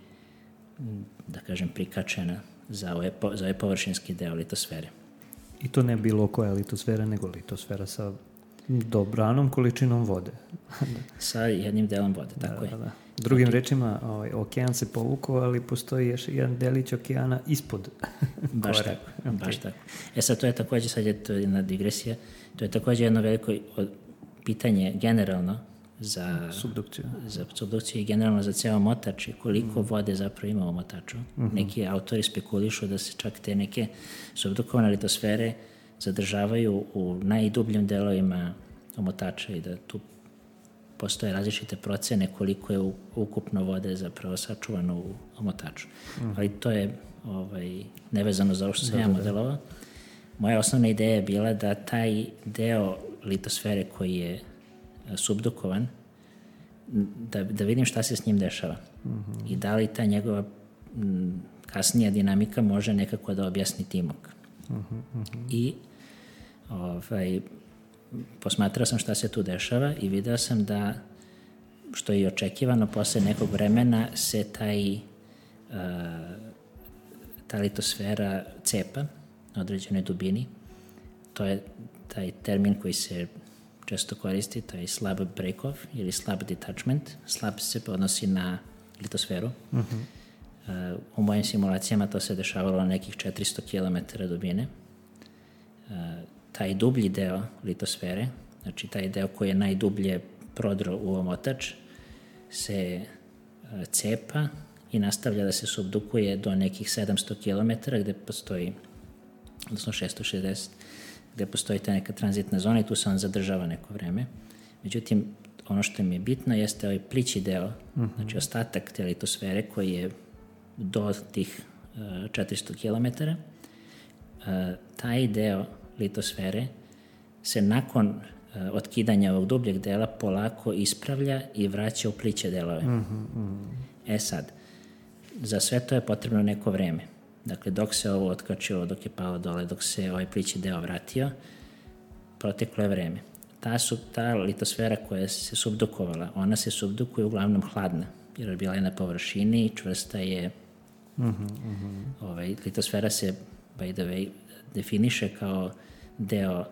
da kažem, prikačena za ovaj, po- za ovaj površinski deo litosfere. I to ne bilo koja litosfera, nego litosfera sa dobranom količinom vode. Sa jednim delom vode, tako da, je. Da, da. Drugim okay. rečima, ovaj, okean se povukao, ali postoji još jedan delić okeana ispod. Baš tako, okay. baš tako. E sad, to je takođe, sad je to jedna digresija, to je takođe jedno veliko pitanje generalno za subdukciju, za subdukciju i generalno za ceo motač i koliko mm. vode zapravo ima u motaču. Mm-hmm. Neki autori spekulišu da se čak te neke subdukovane litosfere zadržavaju u najdubljim delovima omotača i da tu postoje različite procene koliko je ukupno vode zapravo sačuvano u omotaču. Mm. Ali to je ovaj, nevezano za ovo što sam ja modelovao. Moja osnovna ideja je bila da taj deo litosfere koji je subdukovan, da, da vidim šta se s njim dešava. Mm-hmm. I da li ta njegova m, kasnija dinamika može nekako da objasni Timok. Mm-hmm. I ovaj, posmatrao sam šta se tu dešava i video sam da, što je i očekivano, posle nekog vremena se taj, uh, ta litosfera cepa na određenoj dubini. To je taj termin koji se često koristi, to je slab break-off ili slab detachment. Slab se odnosi na litosferu. Uh-huh. Uh, u mojim simulacijama to se dešavalo na nekih četiristo kilometara dubine. Taj dublji deo litosfere, znači taj deo koji je najdublje prodro u omotač, se cepa i nastavlja da se subdukuje do nekih sedamsto kilometara gde postoji, odnosno šesto šezdeset, gde postoji ta neka tranzitna zona i tu se on zadržava neko vreme. Međutim, ono što mi je bitno jeste ovaj plići deo, uh-huh. znači ostatak te litosfere koji je do tih uh, četiristo kilometara. Uh, taj deo litosfere se nakon uh, otkidanja ovog dubljeg dela polako ispravlja i vraća u pliće delove. Uh-huh. E sad, za sve to je potrebno neko vreme. Dakle, dok se ovo otkačilo, dok je palo dole, dok se ovaj plići deo vratio, proteklo je vreme. Ta, su, ta litosfera koja se subdukovala, ona se subdukuje uglavnom hladna, jer je bila je na površini, čvrsta je. Uh-huh, uh-huh. Ovaj, litosfera se, by the way, definiše kao deo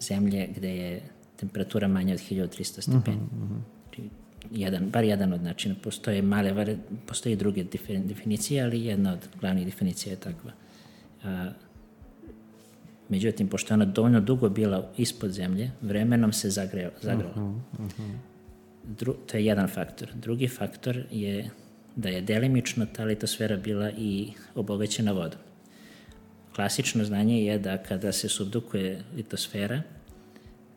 zemlje gde je temperatura manja od hiljadu trista stepeni. Uh-huh, uh-huh. Jedan, bar jedan od načina. Postoje male, postoje druge definicije, ali jedna od glavnih definicija je takva. A, međutim, pošto je ona dovoljno dugo bila ispod zemlje, vremenom se zagreo, zagrela. Uh-huh, uh-huh. Dru, to je jedan faktor. Drugi faktor je da je delimično ta litosfera bila i obogaćena vodom. Klasično znanje je da kada se subdukuje litosfera,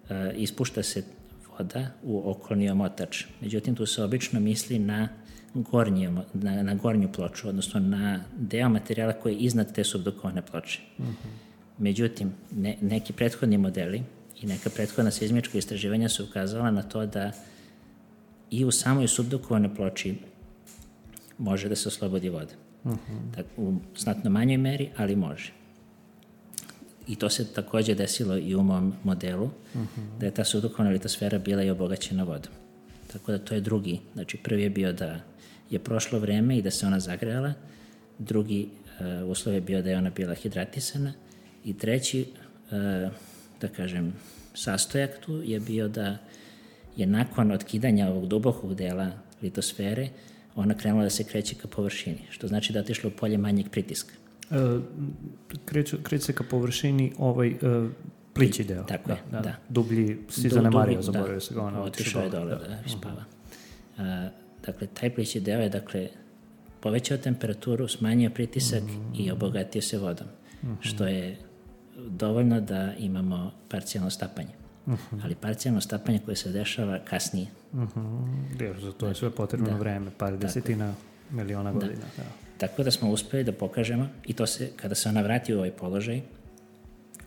uh, ispušta se voda u okolni omotač. Međutim, tu se obično misli na, gornji, na, na gornju ploču, odnosno na deo materijala koji je iznad te subdukovane ploče. Uh-huh. Međutim, ne, neki prethodni modeli i neka prethodna seizmička istraživanja su ukazala na to da i u samoj subdukovanoj ploči može da se oslobodi voda. Uh-huh. Tak, u znatno manjoj meri, ali može. I to se takođe desilo i u mom modelu, uh-huh. da je ta subdukovana litosfera bila i obogaćena vodom. Tako da to je drugi. Znači, prvi je bio da je prošlo vreme i da se ona zagrejala, drugi uh, uslov je bio da je ona bila hidratisana i treći, uh, da kažem, sastojak tu je bio da je nakon otkidanja ovog dubokog dela litosfere ona krenula da se kreće ka površini, što znači da je otišla u polje manjeg pritiska. E, kreće, kreće se ka površini ovaj e, plići deo. Tako da, je, da. da. Dublji si zanemario, zaboravio se ga ona. Otišao je dole da, da spava. A, dakle, taj plići deo je, dakle, povećao temperaturu, smanjio pritisak mm. i obogatio se vodom, mm-hmm. što je dovoljno da imamo parcijalno stapanje. Uh-huh. Ali parcijalno stapanje koje se dešava kasnije. Uh-huh. Jer za to je sve potrebno da. vreme, par desetina Tako. miliona godina. Da. Da. Tako da smo uspeli da pokažemo i to se, kada se ona vrati u ovaj položaj,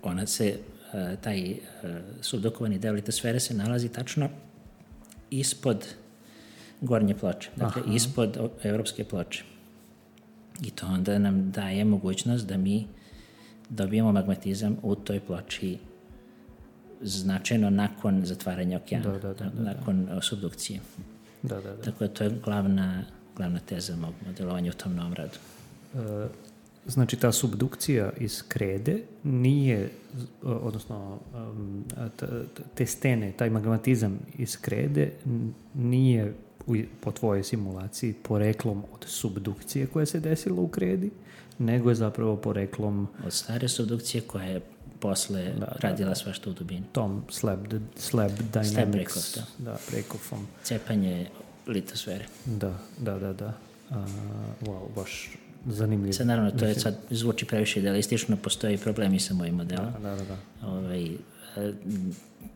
ona se, uh, taj uh, subdukovani deo litosfere se nalazi tačno ispod gornje ploče, dakle Aha. ispod evropske ploče. I to onda nam daje mogućnost da mi dobijemo magmatizam u toj ploči značajno nakon zatvaranja okeana, da, da, da, da, nakon da. subdukcije. Da, da, da. Tako da to je glavna, glavna teza mog modelovanja u tom novom radu. E, znači ta subdukcija iz krede nije, odnosno te stene, taj magmatizam iz krede nije po tvojoj simulaciji poreklom od subdukcije koja se desila u kredi, nego je zapravo poreklom od stare subdukcije koja je posle da, radila da, svašta u dubini. Tom slab, slab dynamics. Slab break-off, da. Da, break-offom. Cepanje litosfere. Da, da, da, da. A, wow, baš zanimljivo. Sad, naravno, to je sad zvuči previše idealistično, postoji problemi sa mojim modelom. Da, da, da. da. Ovaj,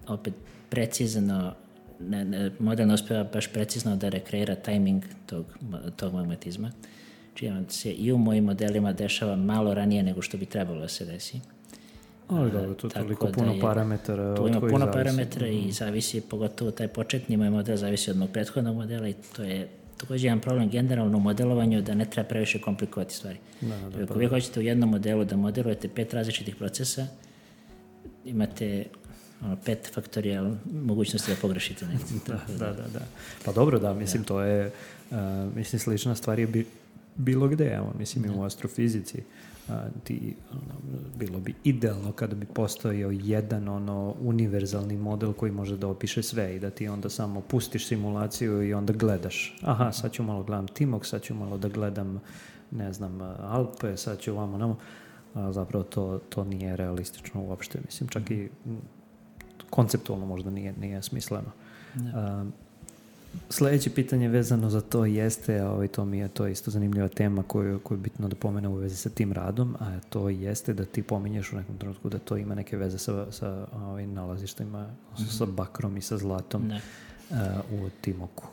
opet, precizno, ne, ne, model ne uspeva baš precizno da rekreira tajming tog, tog magmatizma. Čiji on se i u mojim modelima dešava malo ranije nego što bi trebalo da se desi. Ali dobro, to je toliko puno je, parametara. Tu ima puno zavisi. parametara i zavisi, pogotovo taj početni moj model zavisi od mog prethodnog modela i to je također jedan problem generalno u modelovanju da ne treba previše komplikovati stvari. Da, da, Ako pa, vi hoćete u jednom modelu da modelujete pet različitih procesa, imate ono, pet faktorijal mogućnosti da pogrešite. da, da, da, da. Pa dobro, da, mislim, da. to je, uh, mislim, slična stvar je bi bilo gde, evo, mislim i u astrofizici. A, ti, ono, bilo bi idealno kada bi postojao jedan ono univerzalni model koji može da opiše sve i da ti onda samo pustiš simulaciju i onda gledaš. Aha, sad ću malo gledam Timok, sad ću malo da gledam, ne znam, Alpe, sad ću vamo namo. A zapravo to, to nije realistično uopšte. Mislim, čak i konceptualno možda nije, nije smisleno. A, sljedeće pitanje vezano za to jeste, a ovaj, to mi je to isto zanimljiva tema koju, koju je bitno da pomenem u vezi sa tim radom, a to jeste da ti pominješ u nekom trenutku da to ima neke veze sa, sa ovaj, nalazištima, mm-hmm. sa bakrom i sa zlatom uh, u Timoku.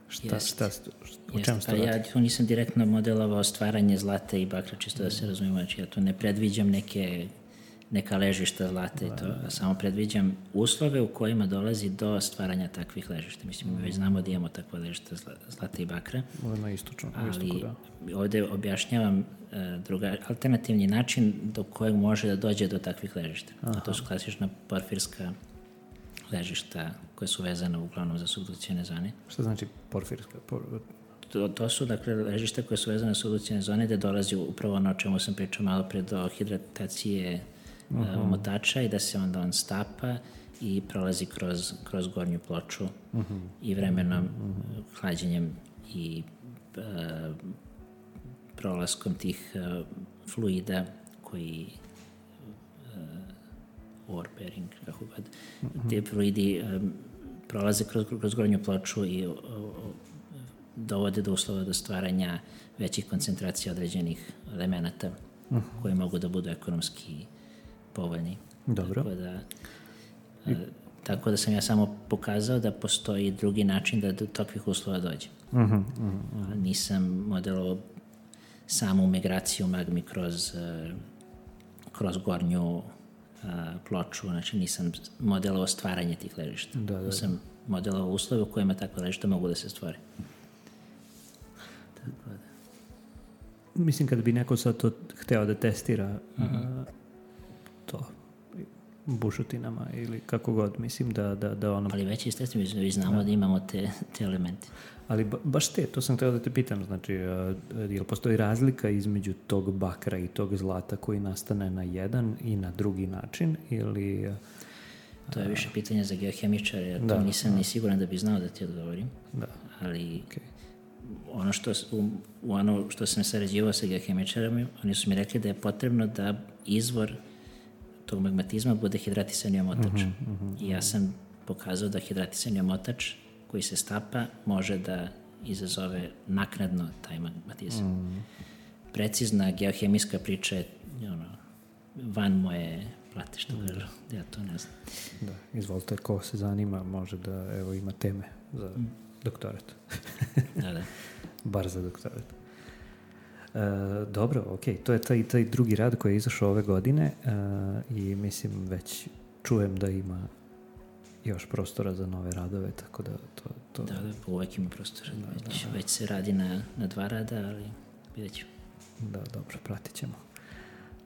Šta, Jest. šta, šta, o čemu pa ja tu nisam direktno modelovao stvaranje zlata i bakra, čisto da se razumijemo, znači ja tu ne predviđam neke neka ležišta zlata i to, a samo predviđam uslove u kojima dolazi do stvaranja takvih ležišta. Mislim, mi već znamo da imamo takve ležišta zlata i bakra. Ovo na istočnom, ali istoku, da. Ovdje objašnjavam uh, druga, alternativni način do kojeg može da dođe do takvih ležišta. A to su klasična porfirska ležišta koje su vezane uglavnom za subdukcijne zone. Šta znači porfirska? Por... To, to su, dakle, ležišta koje su vezane za subdukcijne zone gde dolazi upravo ono o čemu sam pričao malo pre do hidratacije uh-huh. omotača i da se onda on stapa i prolazi kroz, kroz gornju ploču uh-huh. i vremenom uh-huh. hlađenjem i uh, prolaskom tih uh, fluida koji uh, ore bearing, kako god, uh-huh. te fluidi um, prolaze kroz, kroz gornju ploču i uh, dovode do uslova do stvaranja većih koncentracija određenih elemenata uh-huh. koji mogu da budu ekonomski povoljni. Dobro. Tako da, a, tako da sam ja samo pokazao da postoji drugi način da do takvih uslova dođe. Uh-huh, uh-huh. Nisam modelovao samu migraciju magmi kroz, uh, kroz gornju uh, ploču, znači nisam modelovao stvaranje tih ležišta. Da, da, da. Sam modelovao uslove u kojima takve ležišta mogu da se stvore. Tako da. Mislim, kada bi neko sad to hteo da testira uh-huh. uh, to bušotinama ili kako god, mislim da, da, da ono... Ali već istestimo, vi znamo da, da imamo te, te elemente. Ali ba, baš te, to sam htio da te pitam, znači, uh, je li postoji razlika između tog bakra i tog zlata koji nastane na jedan i na drugi način, ili... Uh, to je više pitanje za geohemičare, ja to da, nisam da. ni siguran da bi znao da ti odgovorim, da. ali... Okay. Ono što, u, u ono što sam sarađivao sa geohemičarama, oni su mi rekli da je potrebno da izvor tog magmatizma bude hidratisani omotač. Uh-huh, uh-huh, I ja sam pokazao da hidratisani omotač koji se stapa može da izazove naknadno taj magmatizam. Uh-huh. Precizna geohemijska priča je ono, van moje plate, što kažu. Uh-huh. Ja to ne znam. Da, izvolite, ko se zanima može da evo ima teme za uh-huh. doktorat. Da, da. Bar za doktorat. E, dobro, ok, to je taj, taj drugi rad koji je izašao ove godine e, i mislim već čujem da ima još prostora za nove radove, tako da to... to... Da, da, uvek ima prostora. Da, već, da, da. već se radi na, na dva rada, ali vidjet ćemo. Da, dobro, pratit ćemo.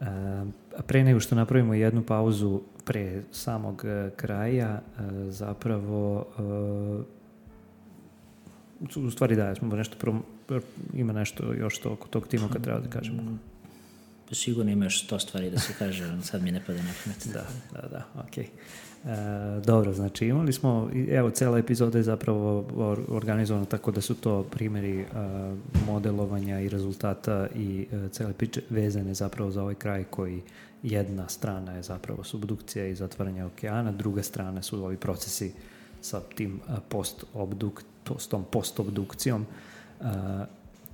E, a pre nego što napravimo jednu pauzu pre samog e, kraja, e, zapravo... E, u stvari da, smo nešto prom... ima nešto još to oko tog tima kad treba da kažemo. Sigurno ima još sto stvari da se kaže, ali sad mi ne pada na pamet. Da, da, da, okej. Okay. E, dobro, znači imali smo, evo, cela epizoda je zapravo organizovana tako da su to primjeri e, modelovanja i rezultata i e, cele priče vezane zapravo za ovaj kraj koji jedna strana je zapravo subdukcija i zatvaranje okeana, druga strana su ovi procesi sa tim post-obduk, s tom post-obdukcijom. Uh,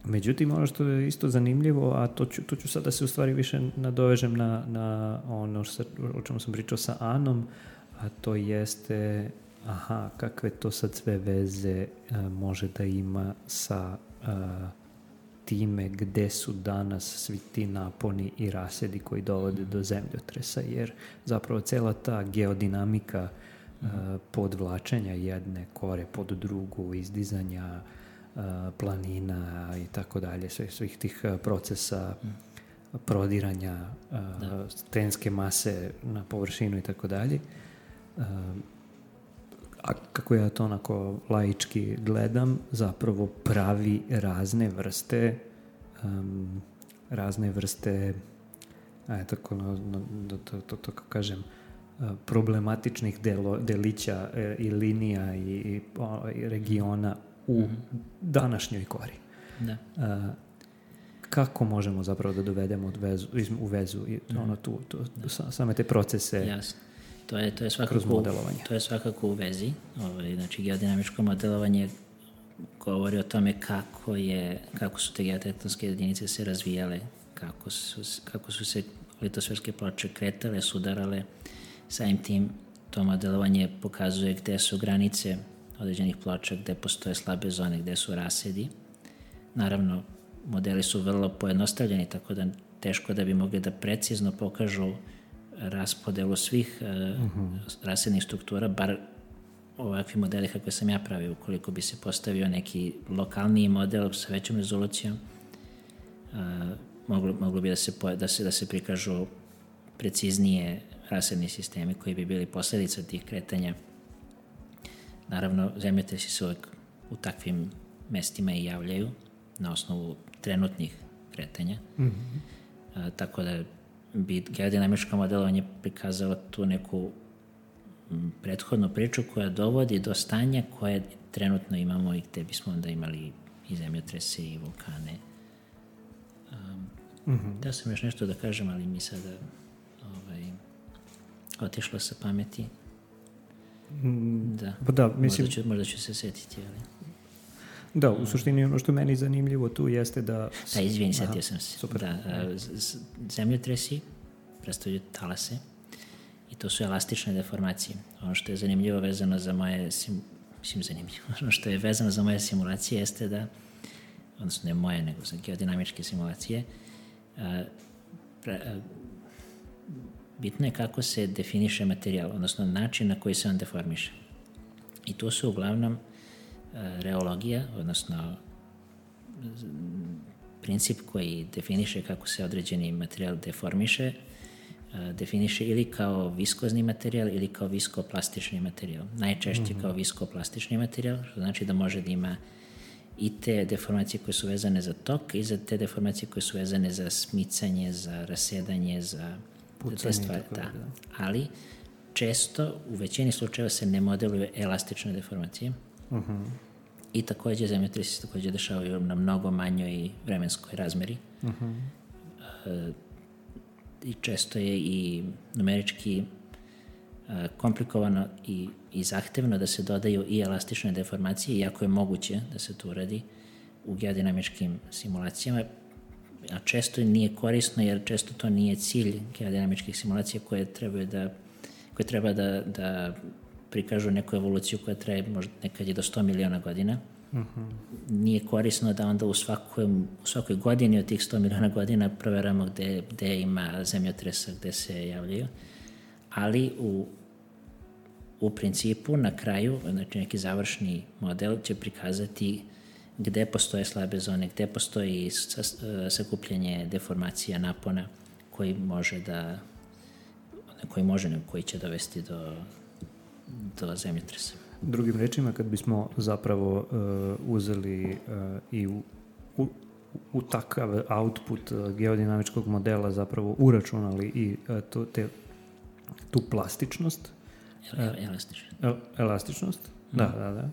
međutim, ono što je isto zanimljivo, a to ću, to ću sad da se u stvari više nadovežem na, na ono što, o čemu sam pričao sa Anom, a to jeste, aha, kakve to sad sve veze uh, može da ima sa uh, time gde su danas svi ti naponi i rasedi koji dovode do zemljotresa, jer zapravo cela ta geodinamika Uh, podvlačenja jedne kore pod drugu, izdizanja uh, planina i tako dalje, svih, svih tih uh, procesa mm. prodiranja uh, stenske mase na površinu i tako dalje. Uh, a kako ja to onako laički gledam, zapravo pravi razne vrste um, razne vrste, aj, tako, no, no, to, to, to, to kažem, problematičnih delo, delića e, i linija i, i, o, i regiona u mm-hmm. današnjoj kori. Da. Uh, kako možemo zapravo da dovedemo vezu, u vezu i mm-hmm. ono, tu, tu, tu, same te procese. Jasno. To je, to je svakako, to je svakako u vezi. Ovaj, znači, geodinamičko modelovanje govori o tome kako, je, kako su te geotektonske jedinice se razvijale, kako su, kako su se litosferske ploče kretale, sudarale. Samim tim to modelovanje pokazuje gde su granice određenih ploča, gde postoje slabe zone, gde su rasedi. Naravno, modeli su vrlo pojednostavljeni, tako da teško da bi mogli da precizno pokažu raspodelu svih uh, uh-huh. rasednih struktura, bar ovakvi modeli kakve sam ja pravio. Ukoliko bi se postavio neki lokalniji model sa većom rezolucijom, uh, moglo, moglo bi da se, da, se, da se prikažu preciznije rasedni sistemi koji bi bili posledica tih kretanja. Naravno, zemljotresi se uvek u takvim mestima i javljaju na osnovu trenutnih kretanja. Mm-hmm. A, tako da bi geodinamičko modelovanje prikazalo tu neku m, prethodnu priču koja dovodi do stanja koje trenutno imamo i gde bismo onda imali i zemljotrese i vulkane. Um, mm-hmm. Da sam još nešto da kažem, ali mi sada ovaj, otišlo sa pameti. Mm, da, pa da mislim, možda, ću, možda ću se setiti, ali... Da, u suštini ono što meni zanimljivo tu jeste da... Da, izvini, setio sam se. Super. Da, zemljotresi predstavljaju talase i to su elastične deformacije. Ono što je zanimljivo vezano za moje... Sim, mislim, zanimljivo. Ono što je vezano za moje simulacije jeste da, odnosno ne moje, nego za geodinamičke simulacije, a, pre, a, bitno je kako se definiše materijal, odnosno način na koji se on deformiše. I to su uglavnom reologija, odnosno princip koji definiše kako se određeni materijal deformiše, definiše ili kao viskozni materijal ili kao viskoplastični materijal. Najčešće mm-hmm. kao viskoplastični materijal, što znači da može da ima i te deformacije koje su vezane za tok i za te deformacije koje su vezane za smicanje, za rasedanje, za te stvari. Da. Da. Ali često, u većini slučajeva se ne modeluju elastične deformacije. Uh-huh. I takođe zemljotresi se takođe dešavaju na mnogo manjoj vremenskoj razmeri. Uh-huh. Uh, I često je i numerički uh, komplikovano i, i zahtevno da se dodaju i elastične deformacije, iako je moguće da se to uradi u geodinamičkim simulacijama, a često nije korisno jer često to nije cilj geodinamičkih simulacija koje trebaju da, koje treba da, da prikažu neku evoluciju koja traje možda nekad i do sto miliona godina. Uh-huh. Nije korisno da onda u svakoj, u svakoj godini od tih sto miliona godina proveramo gde, gde ima zemljotresa, gde se javljaju. Ali u, u principu na kraju, znači neki završni model će prikazati gde postoje slabe zone, gde postoji sakupljanje deformacija napona koji može da koji može, koji će dovesti do do zemljotresa. Drugim rečima, kad bismo zapravo uh, uzeli uh, i u, u, u takav output uh, geodinamičkog modela zapravo uračunali i uh, to, te, tu plastičnost. El, elastičnost. El, elastičnost, mm. da, da, da.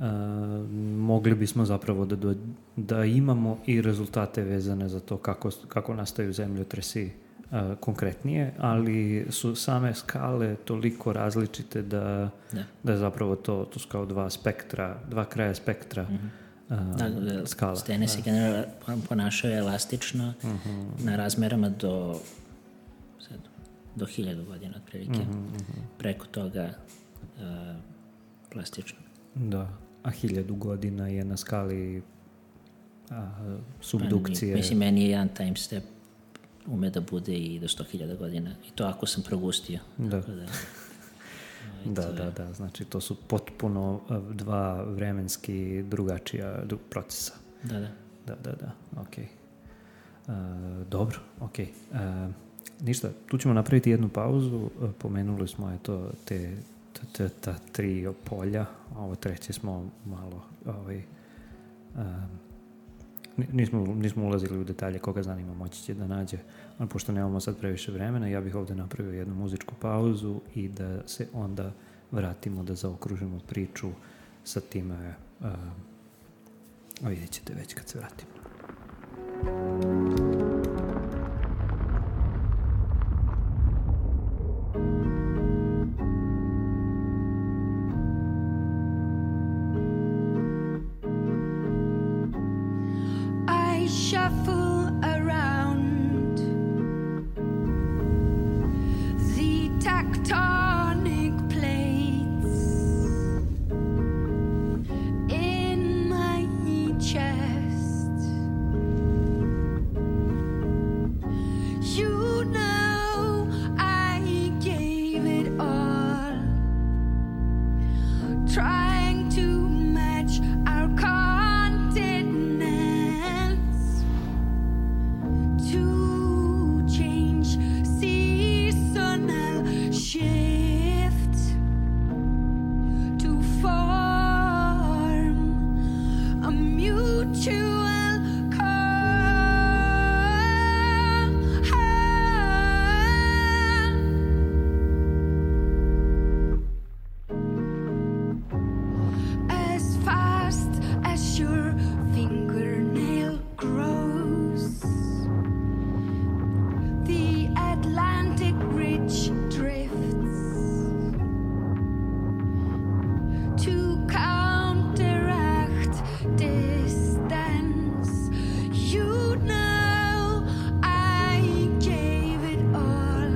Uh, mogli bismo zapravo da, do, da imamo i rezultate vezane za to kako, kako nastaju zemljotresi Uh, konkretnije, ali su same skale toliko različite da, da. da je zapravo to, to su kao dva spektra, dva kraja spektra mm-hmm. uh, da, da, skala. Stene se generalno ponašaju elastično mm-hmm. na razmerama do sad, do hiljadu godina otprilike. Mm-hmm. Preko toga uh, plastično. Da, a hiljadu godina je na skali a, subdukcije. Pa, mislim, meni je jedan time step ume da bude i do sto hiljada godina. I to ako sam progustio. Da. Tako da, da, je... da, da. Znači, to su potpuno dva vremenski drugačija procesa. Da, da. Da, da, da. Ok. Uh, dobro, ok. Uh, ništa, tu ćemo napraviti jednu pauzu. Pomenuli smo eto te ta, ta tri polja. Ovo treće smo malo ovaj, uh, nismo, nismo ulazili u detalje, koga zanima moći će da nađe, ali pošto nemamo sad previše vremena, ja bih ovdje napravio jednu muzičku pauzu i da se onda vratimo da zaokružimo priču sa time, uh, a vidjet ćete već kad se vratimo. Shuffle around the tectonic plates in my chest. You know I gave it all, trying to match our continent. To change seasonal shift, to form a mutual call. As fast as your fingernail grows, the Atlantic ridge drifts to counteract distance. You know I gave it all.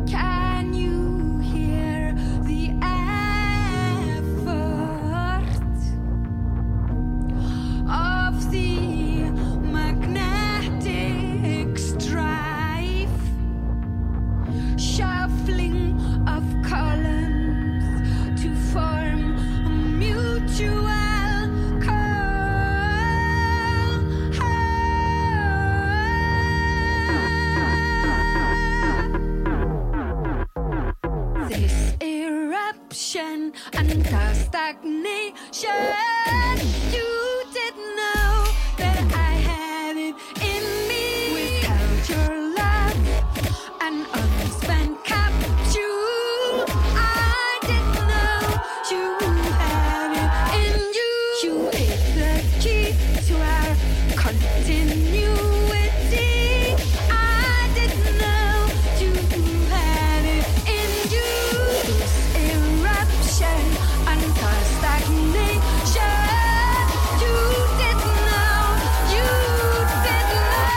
Can you hear the effort of the magnetic strife, shuffling of columns to form a mutual call. This eruption and the stagnation, you didn't know that I had it in me. Without your love, an unspent capsule, I didn't know you had it in you. You hit the key to our continuity. I didn't know you had it in you. This eruption and the stagnation, you didn't know, you didn't know.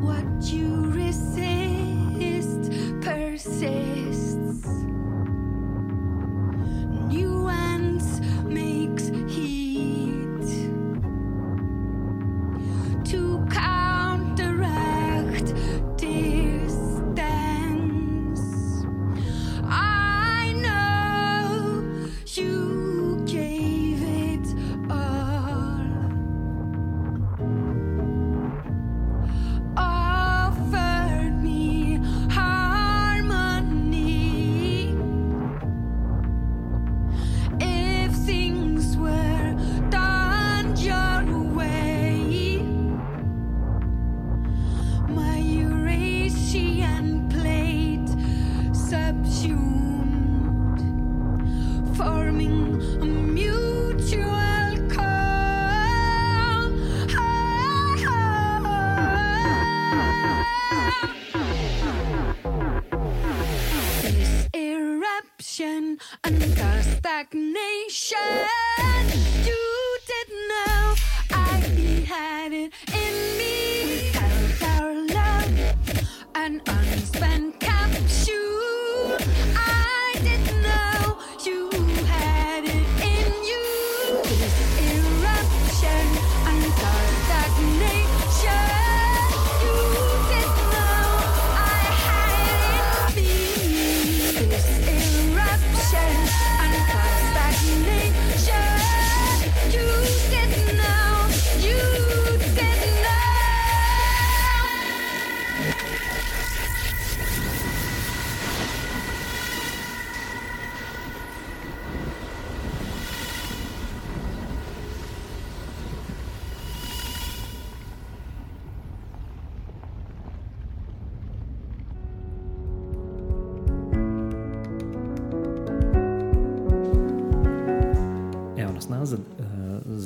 What you resist persists. Nuance makes heat to counteract distance. I know you gave it all. Offered me harmony. If things were done your way, my Eurasian plate subsumed, forming a mutual call. This eruption and the stagnation, you didn't know I had it in me. Without our love, an unspent capsule, I didn't know you had it in you. This eruption and the stagnation, you didn't know I had it in me. This eruption and the stagnation, you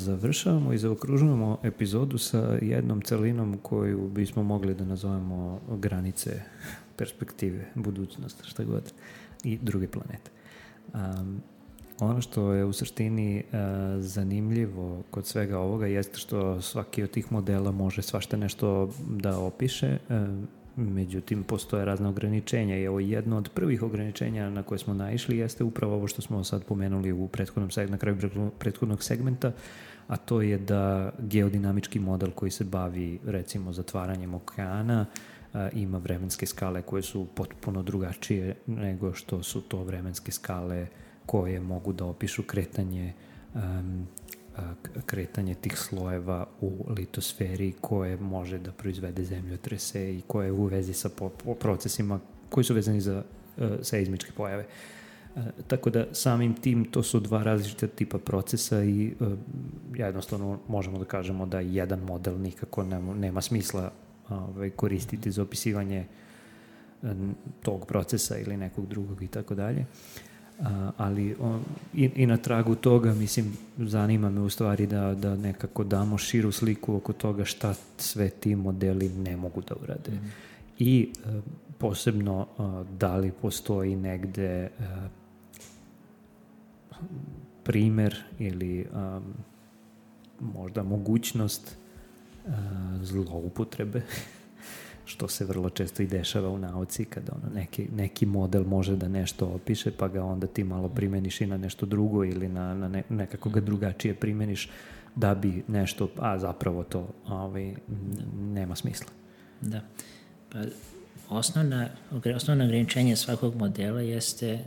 završavamo i zaokružujemo epizodu sa jednom celinom koju bismo mogli da nazovemo granice, perspektive, budućnost, šta god, i druge planete. Um, ono što je u suštini uh, zanimljivo kod svega ovoga jeste što svaki od tih modela može svašta nešto da opiše, uh, međutim postoje razne ograničenja i evo jedno od prvih ograničenja na koje smo naišli jeste upravo ovo što smo sad pomenuli u prethodnom, na kraju prethodnog segmenta, a to je da geodinamički model koji se bavi recimo zatvaranjem okeana a, ima vremenske skale koje su potpuno drugačije nego što su to vremenske skale koje mogu da opišu kretanje um, kretanje tih slojeva u litosferi koje može da proizvede zemljotrese i koje je u vezi sa po, po procesima koji su vezani za uh, seizmičke pojave. Uh, tako da samim tim to su dva različita tipa procesa i uh, jednostavno možemo da kažemo da jedan model nikako nema, nema smisla uh, koristiti za opisivanje uh, tog procesa ili nekog drugog i tako dalje. Uh, ali on, i, i na tragu toga, mislim, zanima me u stvari da, da nekako damo širu sliku oko toga šta sve ti modeli ne mogu da urade. Mm. I uh, posebno uh, da li postoji negde uh, primer ili um, možda mogućnost uh, zloupotrebe što se vrlo često i dešava u nauci, kada ono neki, neki model može da nešto opiše, pa ga onda ti malo primeniš i na nešto drugo ili na, na ne, nekako ga drugačije primeniš da bi nešto, a zapravo to ovaj, nema smisla. Da. Pa osnovna, osnovno ograničenje svakog modela jeste,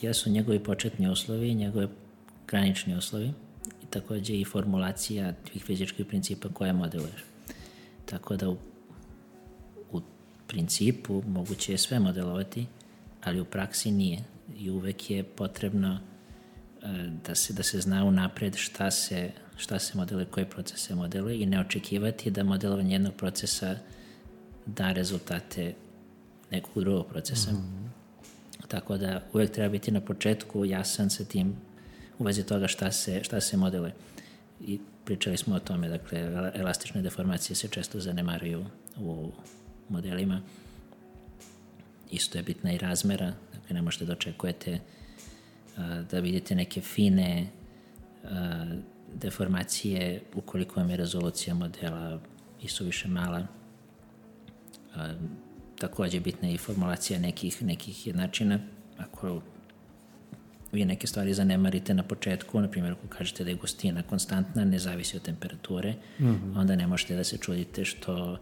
jesu njegovi početni uslovi, njegove granični uslovi i takođe i formulacija tih fizičkih principa koje modeluješ. Tako da u principu moguće je sve modelovati, ali u praksi nije. I uvek je potrebno uh, da se, da se zna unapred šta se, šta se modeluje, koji proces se modeluje i ne očekivati da modelovanje jednog procesa da rezultate nekog drugog procesa. Mm-hmm. Tako da uvek treba biti na početku jasan sa tim u vezi toga šta se, šta se modeluje. I pričali smo o tome, dakle, elastične deformacije se često zanemaruju u modelima. Isto je bitna i razmera, dakle ne možete da očekujete a, da vidite neke fine a, deformacije ukoliko vam je rezolucija modela isuviše mala. A, takođe bitna je i formulacija nekih, nekih jednačina. Ako vi neke stvari zanemarite na početku, na primjer ako kažete da je gustina konstantna, ne zavisi od temperature, mm-hmm. onda ne možete da se čudite što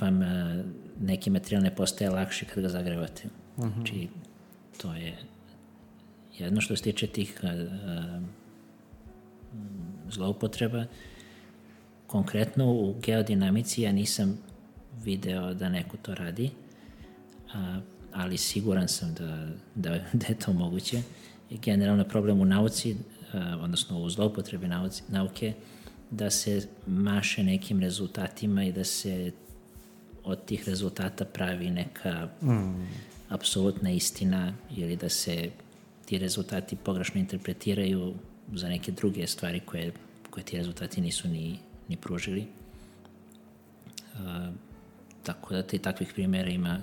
vam neki materijal ne postaje lakši kad ga zagrevate. Uh-huh. Znači, to je jedno što se tiče tih uh, zloupotreba. Konkretno u geodinamici ja nisam video da neko to radi, uh, ali siguran sam da, da, da je to moguće. I generalno problem u nauci, uh, odnosno u zloupotrebi nauci, nauke, da se maše nekim rezultatima i da se od tih rezultata pravi neka mm. apsolutna istina ili da se ti rezultati pogrešno interpretiraju za neke druge stvari koje, koje ti rezultati nisu ni, ni pružili. Uh, tako da te takvih primjera ima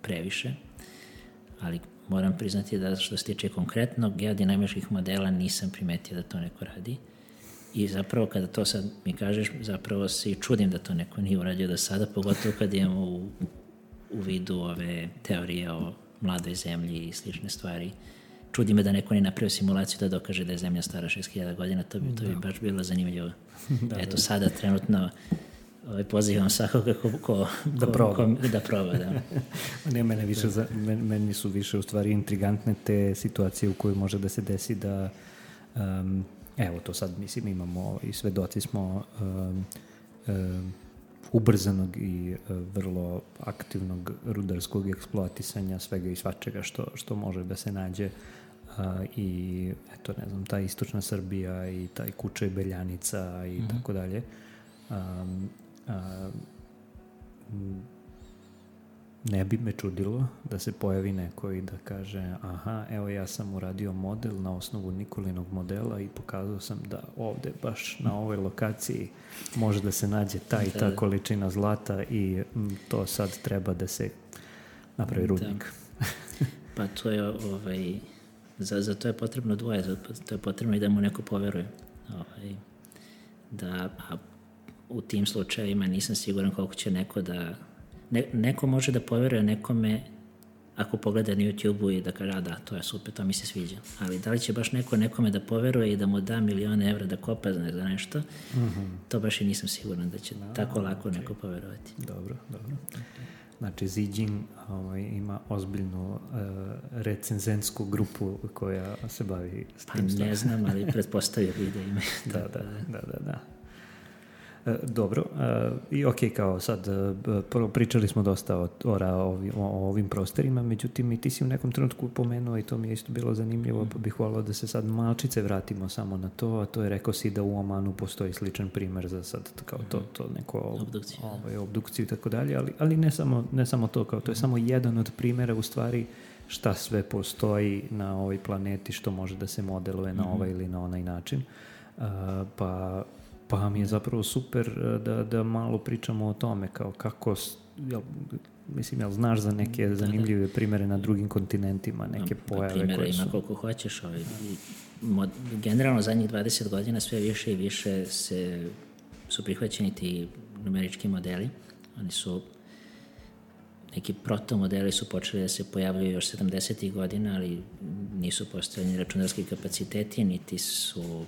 previše, ali moram priznati da što se tiče konkretno geodinamičkih modela nisam primetio da to neko radi. I zapravo kada to sad mi kažeš, zapravo se i čudim da to neko nije uradio do sada, pogotovo kad imamo u, u vidu ove teorije o mladoj zemlji i slične stvari. Čudi me da neko nije napravio simulaciju da dokaže da je zemlja stara šest hiljada godina, to bi, to bi baš bilo zanimljivo. Da, Eto, da. Sada trenutno ovaj, pozivam svakoga ko, ko, da proba. Ko, da proba, da. Ne, mene, više, za, meni su više u stvari intrigantne te situacije u kojoj može da se desi da um, evo to sad, mislim, imamo i svedoci smo um, um, ubrzanog i uh, vrlo aktivnog rudarskog eksploatisanja svega i svačega što, što može da se nađe uh, i eto, ne znam, ta istočna Srbija i taj Kučaj Beljanica i mm-hmm. tako dalje. Um, um, ne bi me čudilo da se pojavi neko i da kaže aha, evo ja sam uradio model na osnovu Nikolinog modela i pokazao sam da ovde baš na ovoj lokaciji može da se nađe ta i ta količina zlata i m, to sad treba da se napravi rudnik. Pa to je ovaj, za, za to je potrebno dvoje, za to je potrebno i da mu neko poveruje. Ovaj, da, a u tim slučajevima nisam siguran koliko će neko da Ne, neko može da poveruje nekome ako pogleda na YouTube-u i da kaže, a da, to je super, to mi se sviđa. Ali da li će baš neko nekome da poveruje i da mu da milione evra da kopa za nešto, mm-hmm. to baš i nisam siguran da će no, tako lako okay. neko poverovati. Dobro, dobro. Znači, Zijin ovaj, ima ozbiljnu uh, recenzentsku grupu koja se bavi s tim. Pa ne znam, ali pretpostavio bih da ima. da, da, da, da, da. Dobro, i ok, kao sad, prvo pričali smo dosta o, o, o ovim prostorima, međutim i ti si u nekom trenutku pomenuo i to mi je isto bilo zanimljivo, pa bih volao da se sad malčice vratimo samo na to, a to je, rekao si da u Omanu postoji sličan primer za sad kao to, to neko obdukciju, ovaj, obdukciju i tako dalje, ali, ali ne, samo, ne samo to, kao to je samo jedan od primera u stvari šta sve postoji na ovoj planeti što može da se modeluje na ovaj ili na onaj način, uh, pa Pa mi je zapravo super da, da malo pričamo o tome, kao kako, jel, mislim, jel znaš za neke zanimljive primere na drugim kontinentima, neke pojave primjera koje su... ima koliko hoćeš. Ovaj. Mod, generalno zadnjih dvadeset godina sve više i više se, su prihvaćeni ti numerički modeli. Oni su, neki protomodeli su počeli da se pojavljaju još sedamdesetih godina, ali nisu postojali računarski kapaciteti, niti su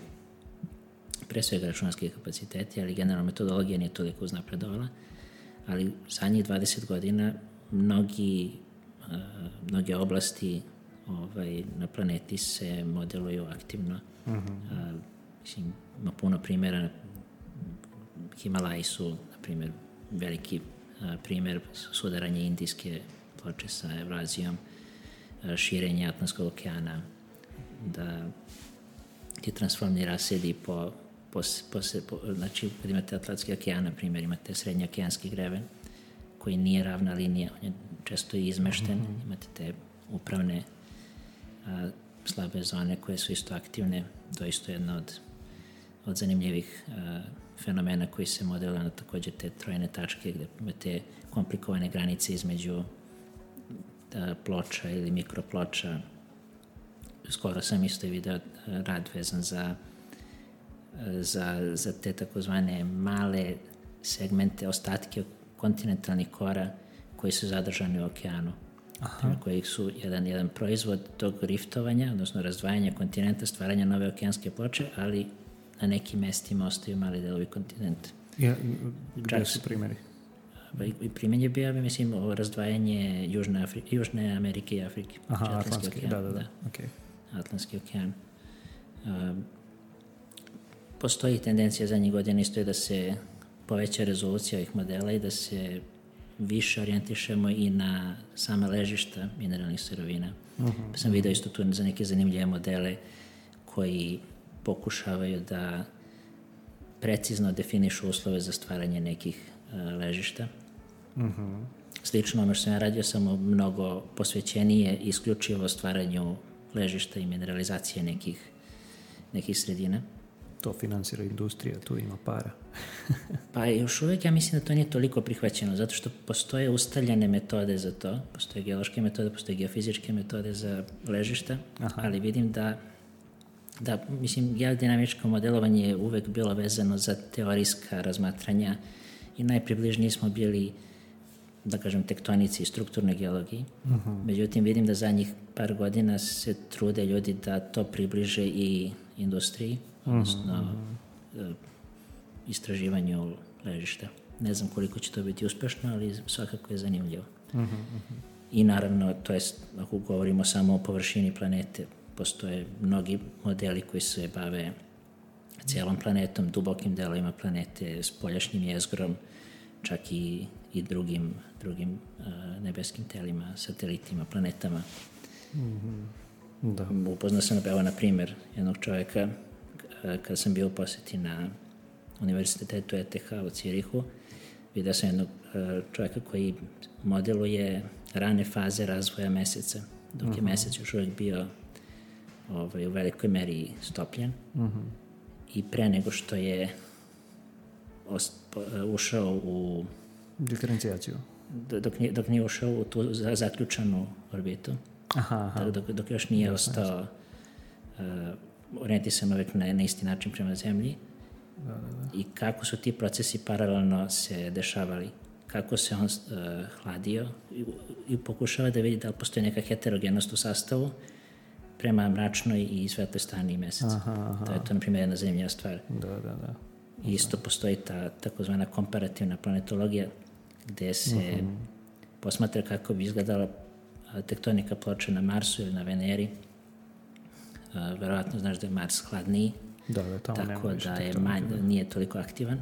pre svega računarski kapaciteti, ali generalno metodologija nije toliko uznapredovala, ali zadnjih dvadeset godina mnogi, uh, mnoge oblasti ovaj, na planeti se modeluju aktivno. Uh-huh. Uh, mislim, ima puno primjera. Himalaji su, na primjer, veliki uh, primjer sudaranja indijske ploče sa Evrazijom, uh, širenje Atlantskog okeana, da ti transformni rasedi po Po, po, po, znači, kad imate Atlantski okean, na primjer, imate srednjookeanski greven, koji nije ravna linija, on je često i izmešten, mm-hmm. imate te upravne a, slabe zone koje su isto aktivne, to je isto jedna od, od zanimljivih a, fenomena koji se modeluje na takođe te trojne tačke, gde imate komplikovane granice između a, ploča ili mikroploča. Skoro sam isto video rad vezan za Za, za te takozvane male segmente, ostatke kontinentalnih kora koji su zadržani u okeanu. Aha. Koji su jedan, jedan proizvod tog riftovanja, odnosno razdvajanja kontinenta, stvaranja nove okeanske ploče, ali na nekim mestima ostaju mali delovi kontinenta. Ja, gde su primjeri? I primjer je bio, mislim, o razdvajanje Južne, Afri, Južne Amerike i Afrike. Aha, Atlantski okean. Da, da, da. da. Okay. Atlantski okean. Um, Postoji tendencija zadnjih godina isto je da se poveća rezolucija ovih modela i da se više orijentišemo i na same ležišta mineralnih sirovina. Uh-huh. Pa sam vidio isto tu za neke zanimljive modele koji pokušavaju da precizno definišu uslove za stvaranje nekih uh, ležišta. Uh-huh. Slično ono što sam ja radio, samo mnogo posvećenije isključivo stvaranju ležišta i mineralizacije nekih, nekih sredina. To finansira industrija, tu ima para. Pa još uvijek ja mislim da to nije toliko prihvaćeno, zato što postoje ustaljene metode za to, postoje geološke metode, postoje geofizičke metode za ležišta, aha. ali vidim da, da mislim, geodinamičko modelovanje je uvek bilo vezano za teorijska razmatranja i najpribližniji smo bili, da kažem, tektonici i strukturnoj geologiji. Uh-huh. Međutim, vidim da zadnjih par godina se trude ljudi da to približe i industriji, odnosno uh-huh. istraživanju ležišta. Ne znam koliko će to biti uspešno, ali svakako je zanimljivo. Uh-huh. I naravno, to je, ako govorimo samo o površini planete, postoje mnogi modeli koji se bave cijelom planetom, dubokim delovima planete, spoljašnjim jezgrom, čak i, i drugim, drugim uh, nebeskim telima, satelitima, planetama. Mm-hmm. Da. Upoznao sam, evo, na primjer, jednog čovjeka kada sam bio u posjeti na univerzitetu E T H u Cirihu, vidio sam jednog e, čovjeka koji modeluje rane faze razvoja meseca, dok je mesec još uvijek bio ovaj, u velikoj meri stopljen. Uh-huh. I pre nego što je ost, po, ušao u diferencijaciju. Dok nije, dok nije ušao u tu zaključanu orbitu. Aha, aha. Dok, dok još nije ostao uh, orijentisan uvijek na, na isti način prema zemlji. Da, da, da. I kako su ti procesi paralelno se dešavali. Kako se on uh, hladio i, i pokušava da vidi da li postoji neka heterogenost u sastavu prema mračnoj i svetloj strani meseca. Aha, aha. To je to, na primjer, jedna zanimljiva stvar. Da, da, da. I isto postoji ta takozvana komparativna planetologija gde se uh-huh. posmatra kako bi izgledala tektonika ploče na Marsu ili na Veneri. Uh, verovatno znaš da je Mars hladniji, da, da, tamo tako da je manj, nije toliko aktivan.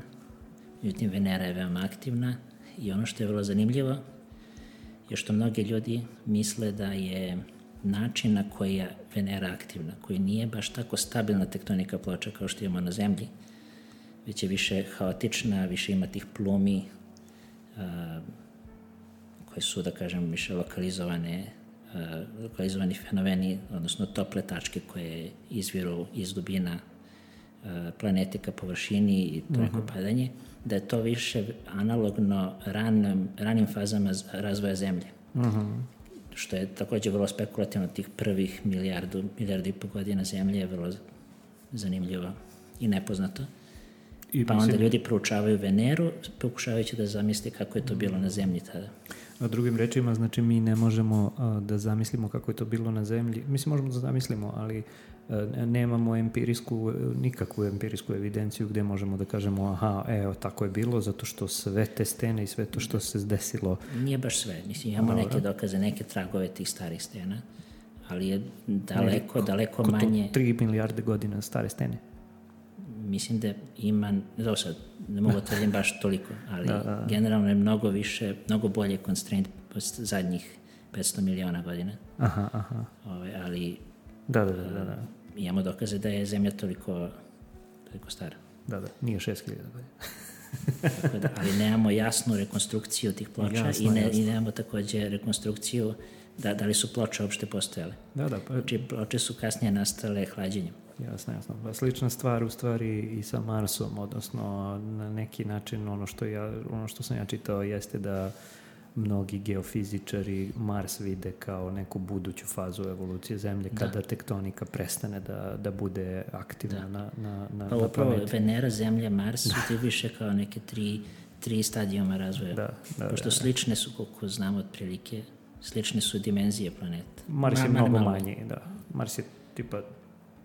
Međutim, Venera je veoma aktivna i ono što je vrlo zanimljivo je što mnogi ljudi misle da je način na koji je Venera aktivna, koji nije baš tako stabilna tektonika ploča kao što imamo na Zemlji, već je više haotična, više ima tih plumi uh, koje su, da kažem, više lokalizovane, uh, lokalizovani fenomeni, odnosno tople tačke koje izviru iz dubina uh, planete ka površini i to neko uh-huh. padanje, da je to više analogno ranim, ranim fazama razvoja Zemlje. Uh-huh. Što je također vrlo spekulativno, tih prvih milijardu, milijardu i po godina Zemlje je vrlo zanimljivo i nepoznato. I pa mislim, onda ljudi proučavaju Veneru, pokušavajući da zamisli kako je to bilo na Zemlji tada. A drugim rečima, znači mi ne možemo a, da zamislimo kako je to bilo na Zemlji. Mislim, možemo da zamislimo, ali a, nemamo empirijsku, nikakvu empirijsku evidenciju gdje možemo da kažemo aha, evo, tako je bilo, zato što sve te stene i sve to što se desilo. Nije baš sve. Mislim, imamo Dobre. neke dokaze, neke tragove tih starih stena, ali je daleko, ne, daleko ko, manje... Ko to tri milijarde godina stare stene? Mislim da ima, da sad, ne mogu tvrdim baš toliko, ali da, da. generalno je mnogo više, mnogo bolje constraint zadnjih petsto miliona godina. Aha, aha. Ove, ali da, da, da, da, da. imamo dokaze da je Zemlja toliko, toliko stara. Da, da, nije šest hiljada godina. Da, ali nemamo jasnu rekonstrukciju tih ploča jasno, i, ne, i nemamo također rekonstrukciju da, da li su ploče uopšte postojale. Da, da. Pa... Znači, ploče su kasnije nastale hlađenjem. Jasno, jasno. Pa slična stvar u stvari i sa Marsom, odnosno na neki način ono što, ja, ono što sam ja čitao jeste da mnogi geofizičari Mars vide kao neku buduću fazu evolucije Zemlje da. kada tektonika prestane da, da bude aktivna da. na, na, na, pa, na planeti. Venera, Zemlja, Mars su ti više kao neke tri, tri stadijuma razvoja. Da, da, Pošto da, da. slične su, koliko znamo otprilike, slične su dimenzije planeta. Mars je mnogo manji, da. Mars je tipa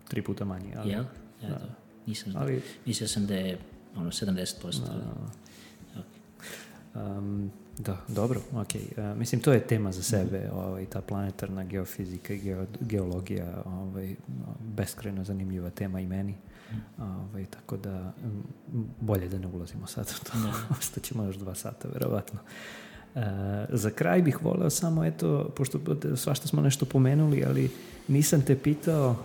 tri puta manji. Ali, Jel? Ja, da. Da. Nisam znao. Ali, mislio sam da je ono sedamdeset posto. Da, okay. um, da dobro, ok. Uh, mislim, to je tema za sebe, mm-hmm. ovaj, ta planetarna geofizika i geo, geologija, ovaj, beskrajno zanimljiva tema i meni. Mm. Ovaj, tako da, bolje da ne ulazimo sad u to. Ostaćemo još dva sata, verovatno. Uh, za kraj bih voleo samo, eto, pošto svašta smo nešto pomenuli, ali nisam te pitao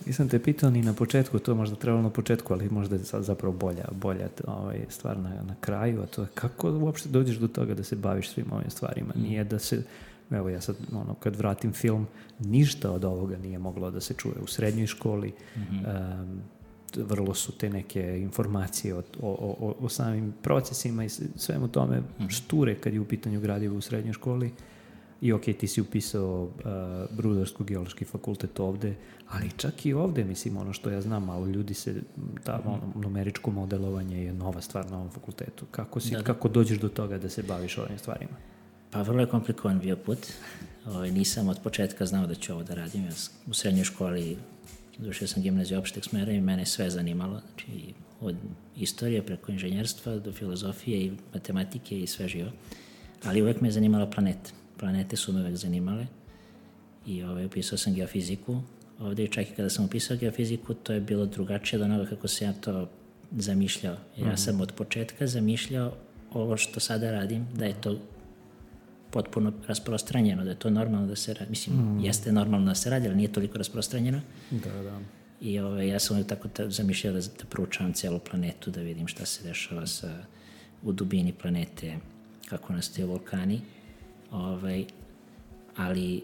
Nisam te pitao ni na početku, to je možda trebalo na početku, ali možda je sad zapravo bolja, bolja ovaj, stvar na, na kraju, a to je kako uopšte dođeš do toga da se baviš svim ovim stvarima. Nije da se, evo ja sad, ono, kad vratim film, ništa od ovoga nije moglo da se čuje u srednjoj školi. Mm-hmm. Um, vrlo su te neke informacije o, o, o, o samim procesima i svemu tome mm-hmm. šture kad je u pitanju gradivo u srednjoj školi. I ok, ti si upisao uh, Rudarsko-geološki fakultet ovde, ali čak i ovde, mislim, ono što ja znam, malo ljudi se, ta, ono, numeričko modelovanje je nova stvar na ovom fakultetu. Kako, si, da, da. kako dođeš do toga da se baviš ovim stvarima? Pa vrlo je komplikovan bio put. O, nisam od početka znao da ću ovo da radim. Ja u srednjoj školi završio sam gimnaziju opšteg smera i mene sve zanimalo. Znači, od istorije preko inženjerstva do filozofije i matematike i sve živo. Ali uvek me je zanimala planeta. Planete su me uvek zanimale i ovaj, upisao sam geofiziku. Ovdje čak i kada sam upisao geofiziku, to je bilo drugačije od onoga kako se ja to zamišljao. Ja mm-hmm. sam od početka zamišljao ovo što sada radim, da je to potpuno rasprostranjeno, da je to normalno da se radi. Mislim, mm-hmm. jeste normalno da se radi, ali nije toliko rasprostranjeno. Da, da. I ovaj, ja sam tako ta, zamišljao da, da proučavam celu planetu, da vidim šta se dešava sa u dubini planete, kako nastaju vulkani. Ovaj, ali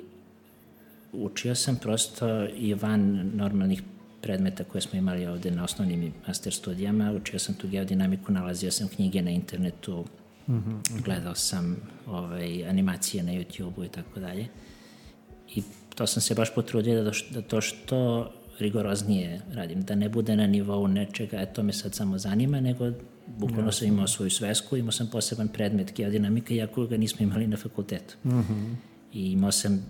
učio sam prosto i van normalnih predmeta koje smo imali ovde na osnovnim i master studijama. Učio sam tu geodinamiku, nalazio sam knjige na internetu, mm-hmm. gledao sam ovaj, animacije na YouTube-u i tako dalje. I to sam se baš potrudio da, da to što rigoroznije radim, da ne bude na nivou nečega, e, to me sad samo zanima, nego bukvalno sam imao svoju svesku, imao sam poseban predmet geodinamika, iako ga nismo imali na fakultetu. Mm-hmm. I imao sam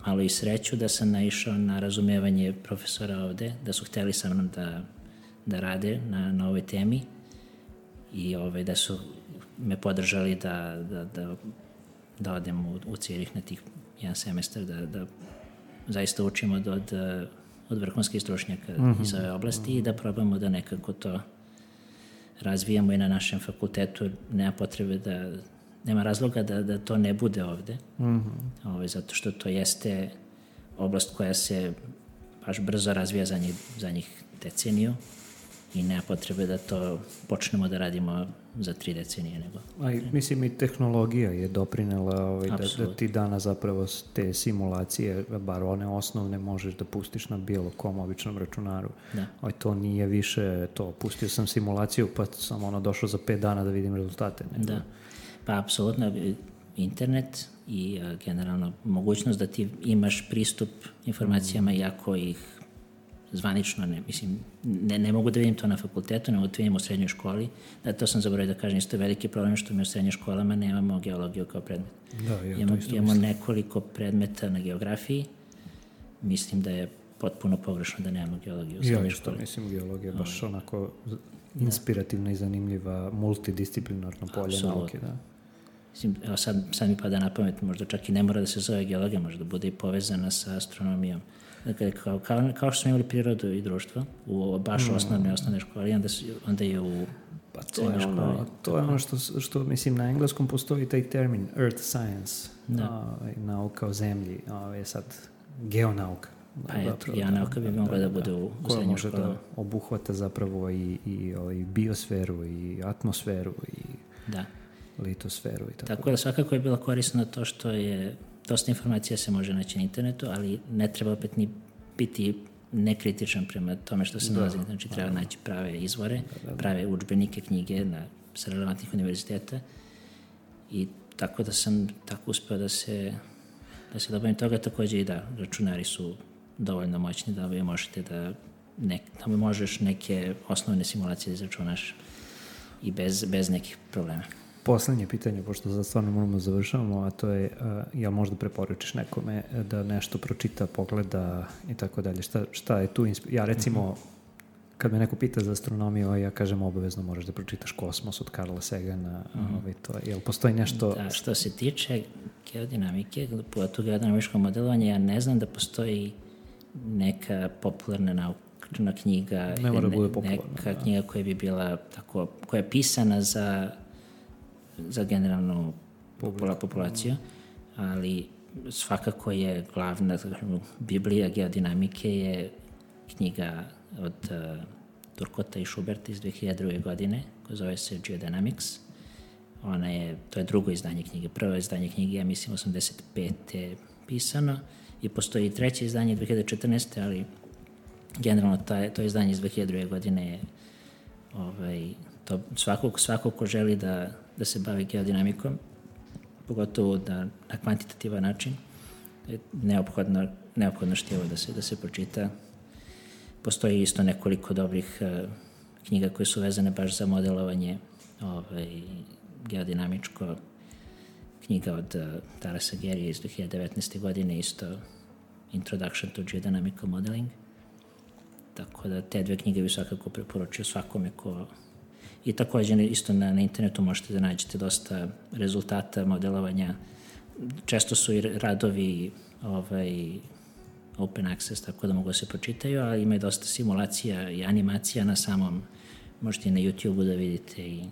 malo i sreću da sam naišao na razumevanje profesora ovde, da su hteli sa mnom da, da rade na, na ovoj temi i ovaj, da su me podržali da, da, da, da odem u, u Cirih na tih jedan semestar, da, da zaista učimo od, od, od vrhunskih stručnjaka mm-hmm. iz ove oblasti i da probamo da nekako to razvijamo i na našem fakultetu. Nema potrebe da, nema razloga da, da to ne bude ovde, mm-hmm. ovaj, zato što to jeste oblast koja se baš brzo razvija za njih, za njih deceniju i nema potrebe da to počnemo da radimo za tri decenije. Nego. A i, mislim i tehnologija je doprinela ovaj, da, da ti danas zapravo te simulacije, bar one osnovne, možeš da pustiš na bilo kom običnom računaru. Da. Ovaj, to nije više to, pustio sam simulaciju pa sam ono došao za pet dana da vidim rezultate. Nego. Da, pa apsolutno internet i uh, generalno mogućnost da ti imaš pristup informacijama mm. iako ih zvanično ne, mislim, ne, ne mogu da vidim to na fakultetu, ne mogu da vidim u srednjoj školi. Da, to sam zaboravio da kažem, isto je veliki problem što mi u srednjoj školama nemamo geologiju kao predmet. Da, ja, imamo, imamo nekoliko predmeta na geografiji. Mislim da je potpuno pogrešno da nemamo geologiju u srednjoj ja, školi. Ja mislim geologija je baš onako inspirativna da. i zanimljiva, multidisciplinarno polje Absolutno. nauke. Da. Mislim, evo sad, sad mi pada na pamet, možda čak i ne mora da se zove geologija, možda da bude i povezana sa astronomijom. Dakle, kao, kao, kao što smo imali prirodu i društvo u baš mm. osnovne osnovne škole, onda, su, onda je u pa to je ono, to je ono što, što, mislim, na engleskom postoji taj termin Earth Science, da. a, nauka o zemlji, a je sad geonauka. Pa eto, geonauka bi mogla da, da bude u, u srednjoj školi. Koja može da obuhvata zapravo i, i, i biosferu, i atmosferu, i da. litosferu. I tako. tako da svakako je bilo korisno to što je dosta informacija se može naći na internetu, ali ne treba opet ni biti nekritičan prema tome što se da, nalazi. Znači treba da, naći prave izvore, da, da, prave udžbenike, knjige na, sa relevantnih univerziteta i tako da sam tako uspeo da se da se dobavim toga. Takođe i da, računari su dovoljno moćni da vi možete da, ne, da možeš neke osnovne simulacije da izračunaš i bez, bez nekih problema. Poslednje pitanje, pošto za stvarno moramo završavamo, a to je, uh, jel možda preporučiš nekome da nešto pročita, pogleda i tako dalje? Šta, šta je tu? Insp- ja recimo, mm-hmm. kad me neko pita za astronomiju, ja kažem obavezno moraš da pročitaš Kosmos od Carla Sagana. Mm-hmm. Ovaj, to, jel postoji nešto... Da, što se tiče geodinamike, pogotovo geodinamičko modelovanje, ja ne znam da postoji neka popularna naučna knjiga, ne mora ne, bude popularna, neka da. knjiga koja bi bila tako, koja je pisana za za generalnu popula, populaciju, ali svakako je glavna Biblija geodinamike je knjiga od uh, Turkota i Schuberta iz dve hiljade druge. godine, koja zove se Geodynamics. Ona je, to je drugo izdanje knjige. Prvo izdanje knjige, ja mislim, osamdeset pete pisano i postoji treće izdanje dve hiljade četrnaeste. ali generalno ta, to izdanje iz dve hiljade druge. godine je ovaj, to svako, svako ko želi da da se bavi geodinamikom, pogotovo da na kvantitativan način, je neophodno, neophodno štivo da se, da se pročita. Postoji isto nekoliko dobrih uh, knjiga koje su vezane baš za modelovanje ovaj, geodinamičko. Knjiga od uh, Tarasa Gerija iz dve hiljade devetnaeste. godine, isto Introduction to Geodynamical Modeling. Tako da te dve knjige bi svakako preporučio svakome ko... I također isto na, na internetu možete da nađete dosta rezultata modelovanja. Često su i radovi ovaj, open access, tako da mogu da se pročitaju, ali ima i dosta simulacija i animacija na samom, možete i na YouTube-u da vidite. I,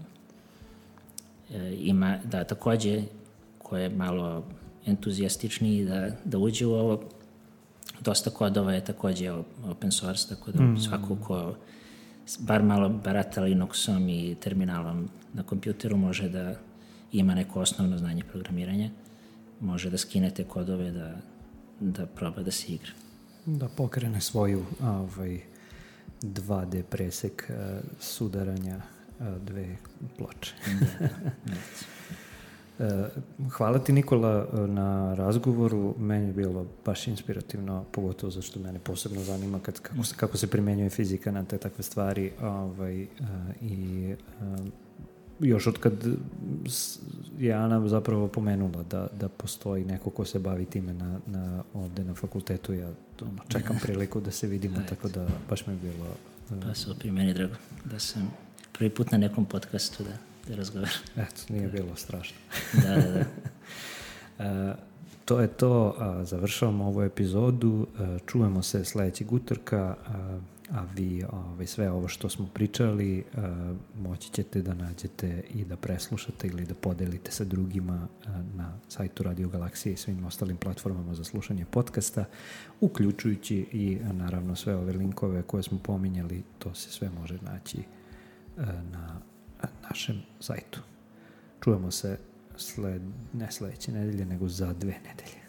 e, ima, da, također, ko je malo entuzijastičniji da, da uđe u ovo, dosta kodova je također open source, tako da mm. svako ko bar malo barata Linuxom i terminalom na kompjuteru, može da ima neko osnovno znanje programiranja, može da skinete kodove, da, da proba da se igra. Da pokrene svoju ovaj, dva D presek uh, sudaranja uh, dve ploče. Da, da. Uh, hvala ti, Nikola, na razgovoru. Meni je bilo baš inspirativno, pogotovo zašto mene posebno zanima kad, kako, se, kako se primjenjuje fizika na te takve stvari. Ovaj, uh, I uh, još od kad je Ana zapravo pomenula da, da postoji neko ko se bavi time na, na, ovde na fakultetu, ja ono, čekam priliku da se vidimo, tako da baš mi je bilo... Uh, Pa super, meni drago da sam prvi put na nekom podcastu da, da razgovaram. Eto, nije bilo strašno. Da, da, da. uh, to je to, uh, završavamo ovu epizodu, uh, čujemo se sledećeg utorka, uh, a vi ovaj, sve ovo što smo pričali uh, moći ćete da nađete i da preslušate ili da podelite sa drugima uh, na sajtu Radio Galaksije i svim ostalim platformama za slušanje podcasta, uključujući i uh, naravno sve ove linkove koje smo pominjali, to se sve može naći uh, na uh, našem sajtu. Čujemo se sled, ne sledeće nedelje, nego za dve nedelje.